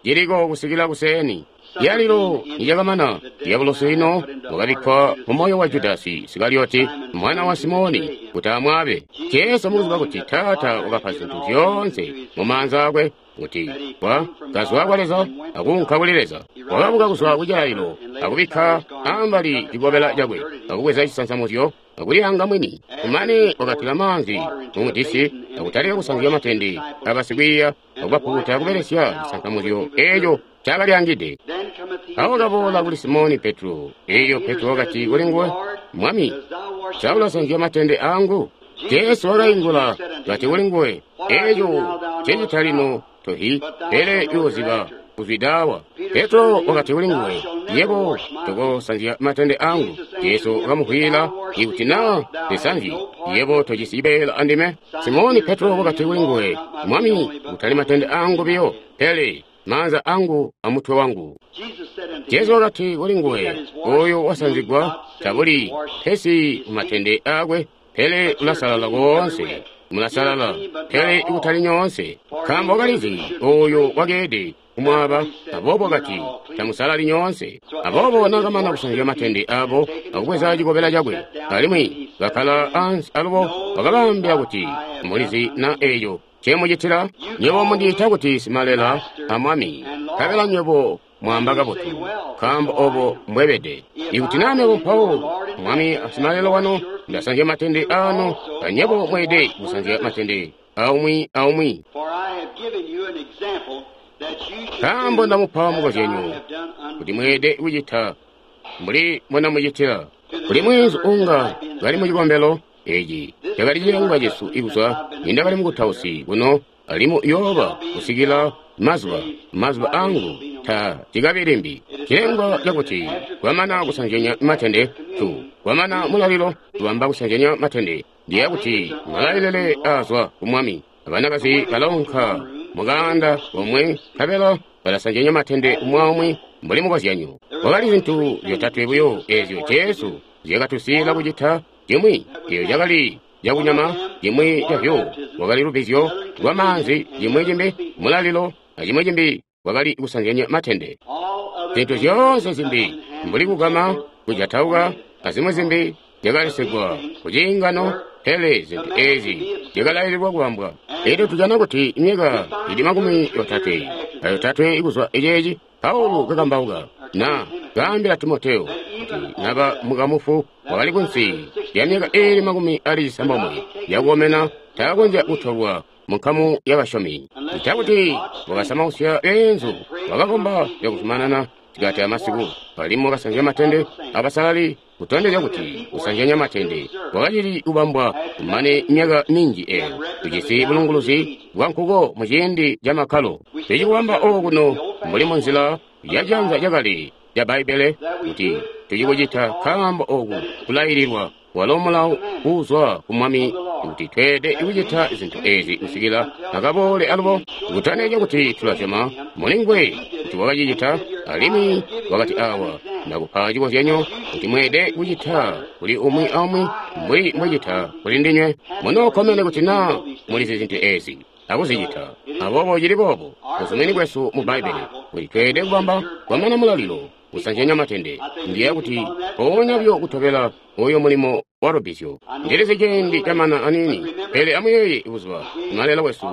Ciliko kusikila kuseeni. Yalilo nicakamana diabolosi ino wakabikkwa mu moyo wa Judasi Isikarioti mwana wa Simoni kuti amwabe. Jesu mukuziba kuti Taata wakapa zintu zyoonse mu maanza akwe, kuti wa kazwa kwa Leza akuunka kuli Leza. Wakabuka kuzwa ku cilalilo akubikka ambali cikobela cakwe akubweza cisansamuzyo akuliyanga mwini. Kumane wakatila maanzi mumudisi akutalika kusanzya matende abasikwiiya akubapukuta kubelesya cisansamuzyo eeco cakalyangide. Then cometh he Awo to kaboola Simon kuli Simoni Petro. Eeyo Petro wakati kuli nguwe, Mwami, Dost thou wash sa ulasanzya matende angu? Jesu wakaingula kati kuli nguwe, eeco ncecita lino tohi, pele uyoziba kuzwidawa. Petro wakati kuli nguwe, yebo tokosanzya matende angu. Jesu wakamuvwiila, ikuti naa ndisanzye, yebo tojisi cibeela andime. Simoni Petro wakati kuli nguwe, Mwami, kutali matende angu biyo, pele maanza angu amutwe wangu. Jesus said unto Jesu him, wakati kuli nguwe, oyo wasanzigwa tabuli pesi mumatende akwe, pele ulasalala koonse, mulasalala pele ikutali nyoonse. Nkaambo wakalizi oyo wakeede kumwaba, aboobo wakati tamusalali nyoonse. Aboobo naakamana kusanzya matende abo akubweza cikobela cakwe, alimwi bakkala ansi alubo wakabaambila kuti, mulizi na eeco ncemucitila? Nywebo mundiita kuti Simalela a Mwami, nkabela nywebo mwamba kabotu, nkaambo obo mbwebede. Ikuti naa mebo mpawo Mwami asimalelo wanu ndasanzya matende anu, anyebo mweede kusanzya matende aumwi aumwi. For I have given you an example that you should Nkaambo do ndamupa as I mukozyanyo have done unto kuti mweede kucita mbuli mbonamucitila. Kuli mweenzu unga kali mu cikombelo eeci cakali cilengwa cesu ikuzwa nindakali mukutausi kuno alimwi uyooba kusikila mazuba mazuba angu ta cikabi limbi. Cilengwa cakuti kwamana kusanzyanya matende tu kwamana mulalilo tubamba kusanzyanya matende ndiya kuti malailele azwa ku Mwami. Abanakazi balaunka mukanda komwe nkabela balasanzyanya matende umwi aumwi mbuli mukozyanyo. Kwakali zintu zyotatwe buyo eezyo Jesu zyakatusiila kucita: cimwi eeyo cakali cakunyama, cimwi cavyo lwakali lubbizyo lwamaanzi, cimwi cimbi mulalilo, acimwi cimbi kwakali kusanzyanya matende. all other Zintu things zyoonse come zimbi in mbuli kugama, kujatauka, azimwi zimbi zyakalesyegwa kuciingano, pele zintu eezi zyakalaililwa kubambwa. Elyo tujana kuti myaka ili makumi yotatwe ayotatwe kuzwa eceeci, Paulo kakambauka na kaambila Timoteo kuti naba mukamufu wakali kunsi lya myaka iili makumi ali cisambomwe yakukomena taakonzya kutolwa munkamu y'abasyomi. Ncakuti wakasamausya beenzu, wakakomba cakuzumanana sikati amasiku, alimwi wakasanzya matende abasalali, kutondezya kuti kusanzyanya matende kwakacili kubambwa kumane myaka minji eeyo. Tujisi bulunguluzi bwa nkuko muciindi ca makkalo. Tucikubamba okuno mbuli munzila yaciyanza cakale ca Bbaibbele kuti tucikucita nkaambo oku kulaililwa walo mulawo uuzwa ku Mwami kuti tweelede kucita zintu eezi kusikila akaboole alubo, kutondezya kuti tulasyoma mulinguwe kuti wakacicita. Alimwi wakati awa, ndakupa cikozyanyo kuti mweelede kucita kuli umwi aumwi mbuli mbwecita kuli ndinywe. Munookkomene kuti naa mulizi zintu eezi akuzicita. Aboobo cili boobo buzumini bwesu mu Bbaibbele kuti tweelede kubamba kwamana mulalilo kusanzyanya matende. Ndiyeeya kuti mpoonya buyo kutobela oyo mulimo wa lubbizyo. Ndilizi ciindi camana aniini, pele amuyeeye buzuba Simalelo wesu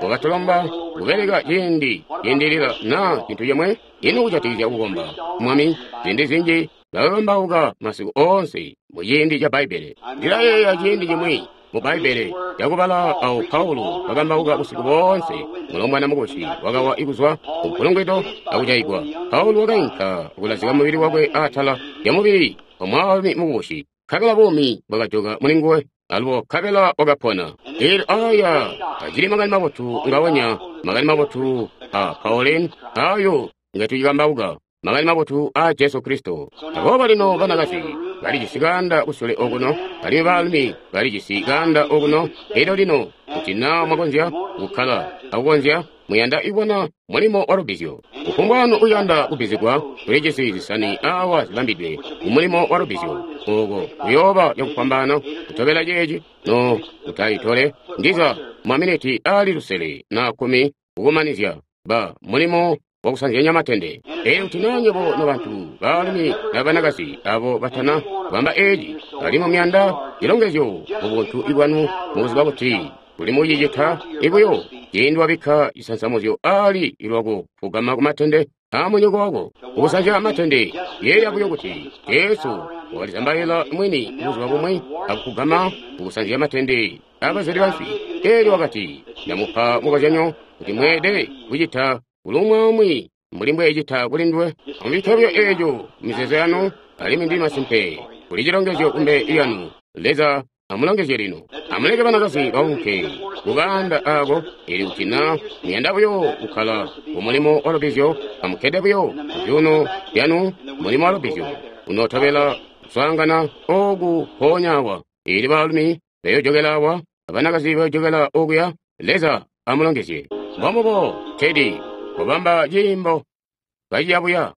wakatulomba kubeleka ciindi ciindilila naa cintu cimwe. Ino kujatikizya kukomba Mwami, ziindi zinji bakakambauka masiku oonse muciindi ca Bbaibbele. Ndilayeeya ciindi cimwi mu Bbaibbele cakubala awo Paulo kakambauka busiku boonse, mulombwana mukubusi wakawa kuzwa ku mpulungwido akujaigwa. Paulo wakainka kulazika mubili wakwe atala lya mubili wa mwaalumi mukubusi, nkabela buumi bwakajoka mulinguwe, alubo nkabela wakapona. Elyo aya acili makani mabotu ngaonya, makani mabotu a Pauline ayo ngatucikambauka, makani mabotu a Jesu Kristo. Aboobo lino banakazi balijisi kaanda kusule okuno, alimwi baalumi balijisi kaanda okuno. Elyo lino kuti naa mwakonzya kukkala akukonzya, muyanda kubona mulimo wa lubbizyo. Kufumbwa wanu uyanda kubbizigwa, tulijisi zisani awa zibambidwe kumulimo wa lubbizyo. Oko kuyooba cakufwambaana kutobela ceeci, no kutaitole ndiza maminiti ali lusele na kkumi kukumanizya ba mulimo wakusanzyanya matende. Elyo kuti naa nywebo nobantu baalumi na banakazi abo batana kubamba eeci, alimwi muyanda cilongezyo mubuntu bwanu mukuziba kuti kuli mucicita ibuyo ciindi wabikka cisansamuzyo ali lwako kugama kumatende aamunyoko wako ukusanzya matende. Yeeya buyo kuti Jesu wakalizambaila mwini buzuba bumwi akugama kukusanzya matende aabazeli banswi. Elyo wakati, ndamupa mukozyanyo kuti mweelede kucita kuli umwi mbuli mbwecita kuli nduwe. Amucite buyo eeco mizeezo yanu, alimwi ndi masimpe kuli cilongezyo kumbele lyanu. Leza amulongezye lino. Amuleke banakazi baunke kukaanda aako. Elyo kuti naa muyanda buyo kukkala kumulimo wa lubbizyo, amukkede buyo kuzyuuno zyanu. Mulimo wa lubbizyo unootobela kuswaangana ooku mpoonya awa. Eelyo baalumi bayojokela awa, abanakazi bayojokela okuya. Leza amulongezye. Mbombubo, Teddy, kubamba ciimbo kaciyabuya.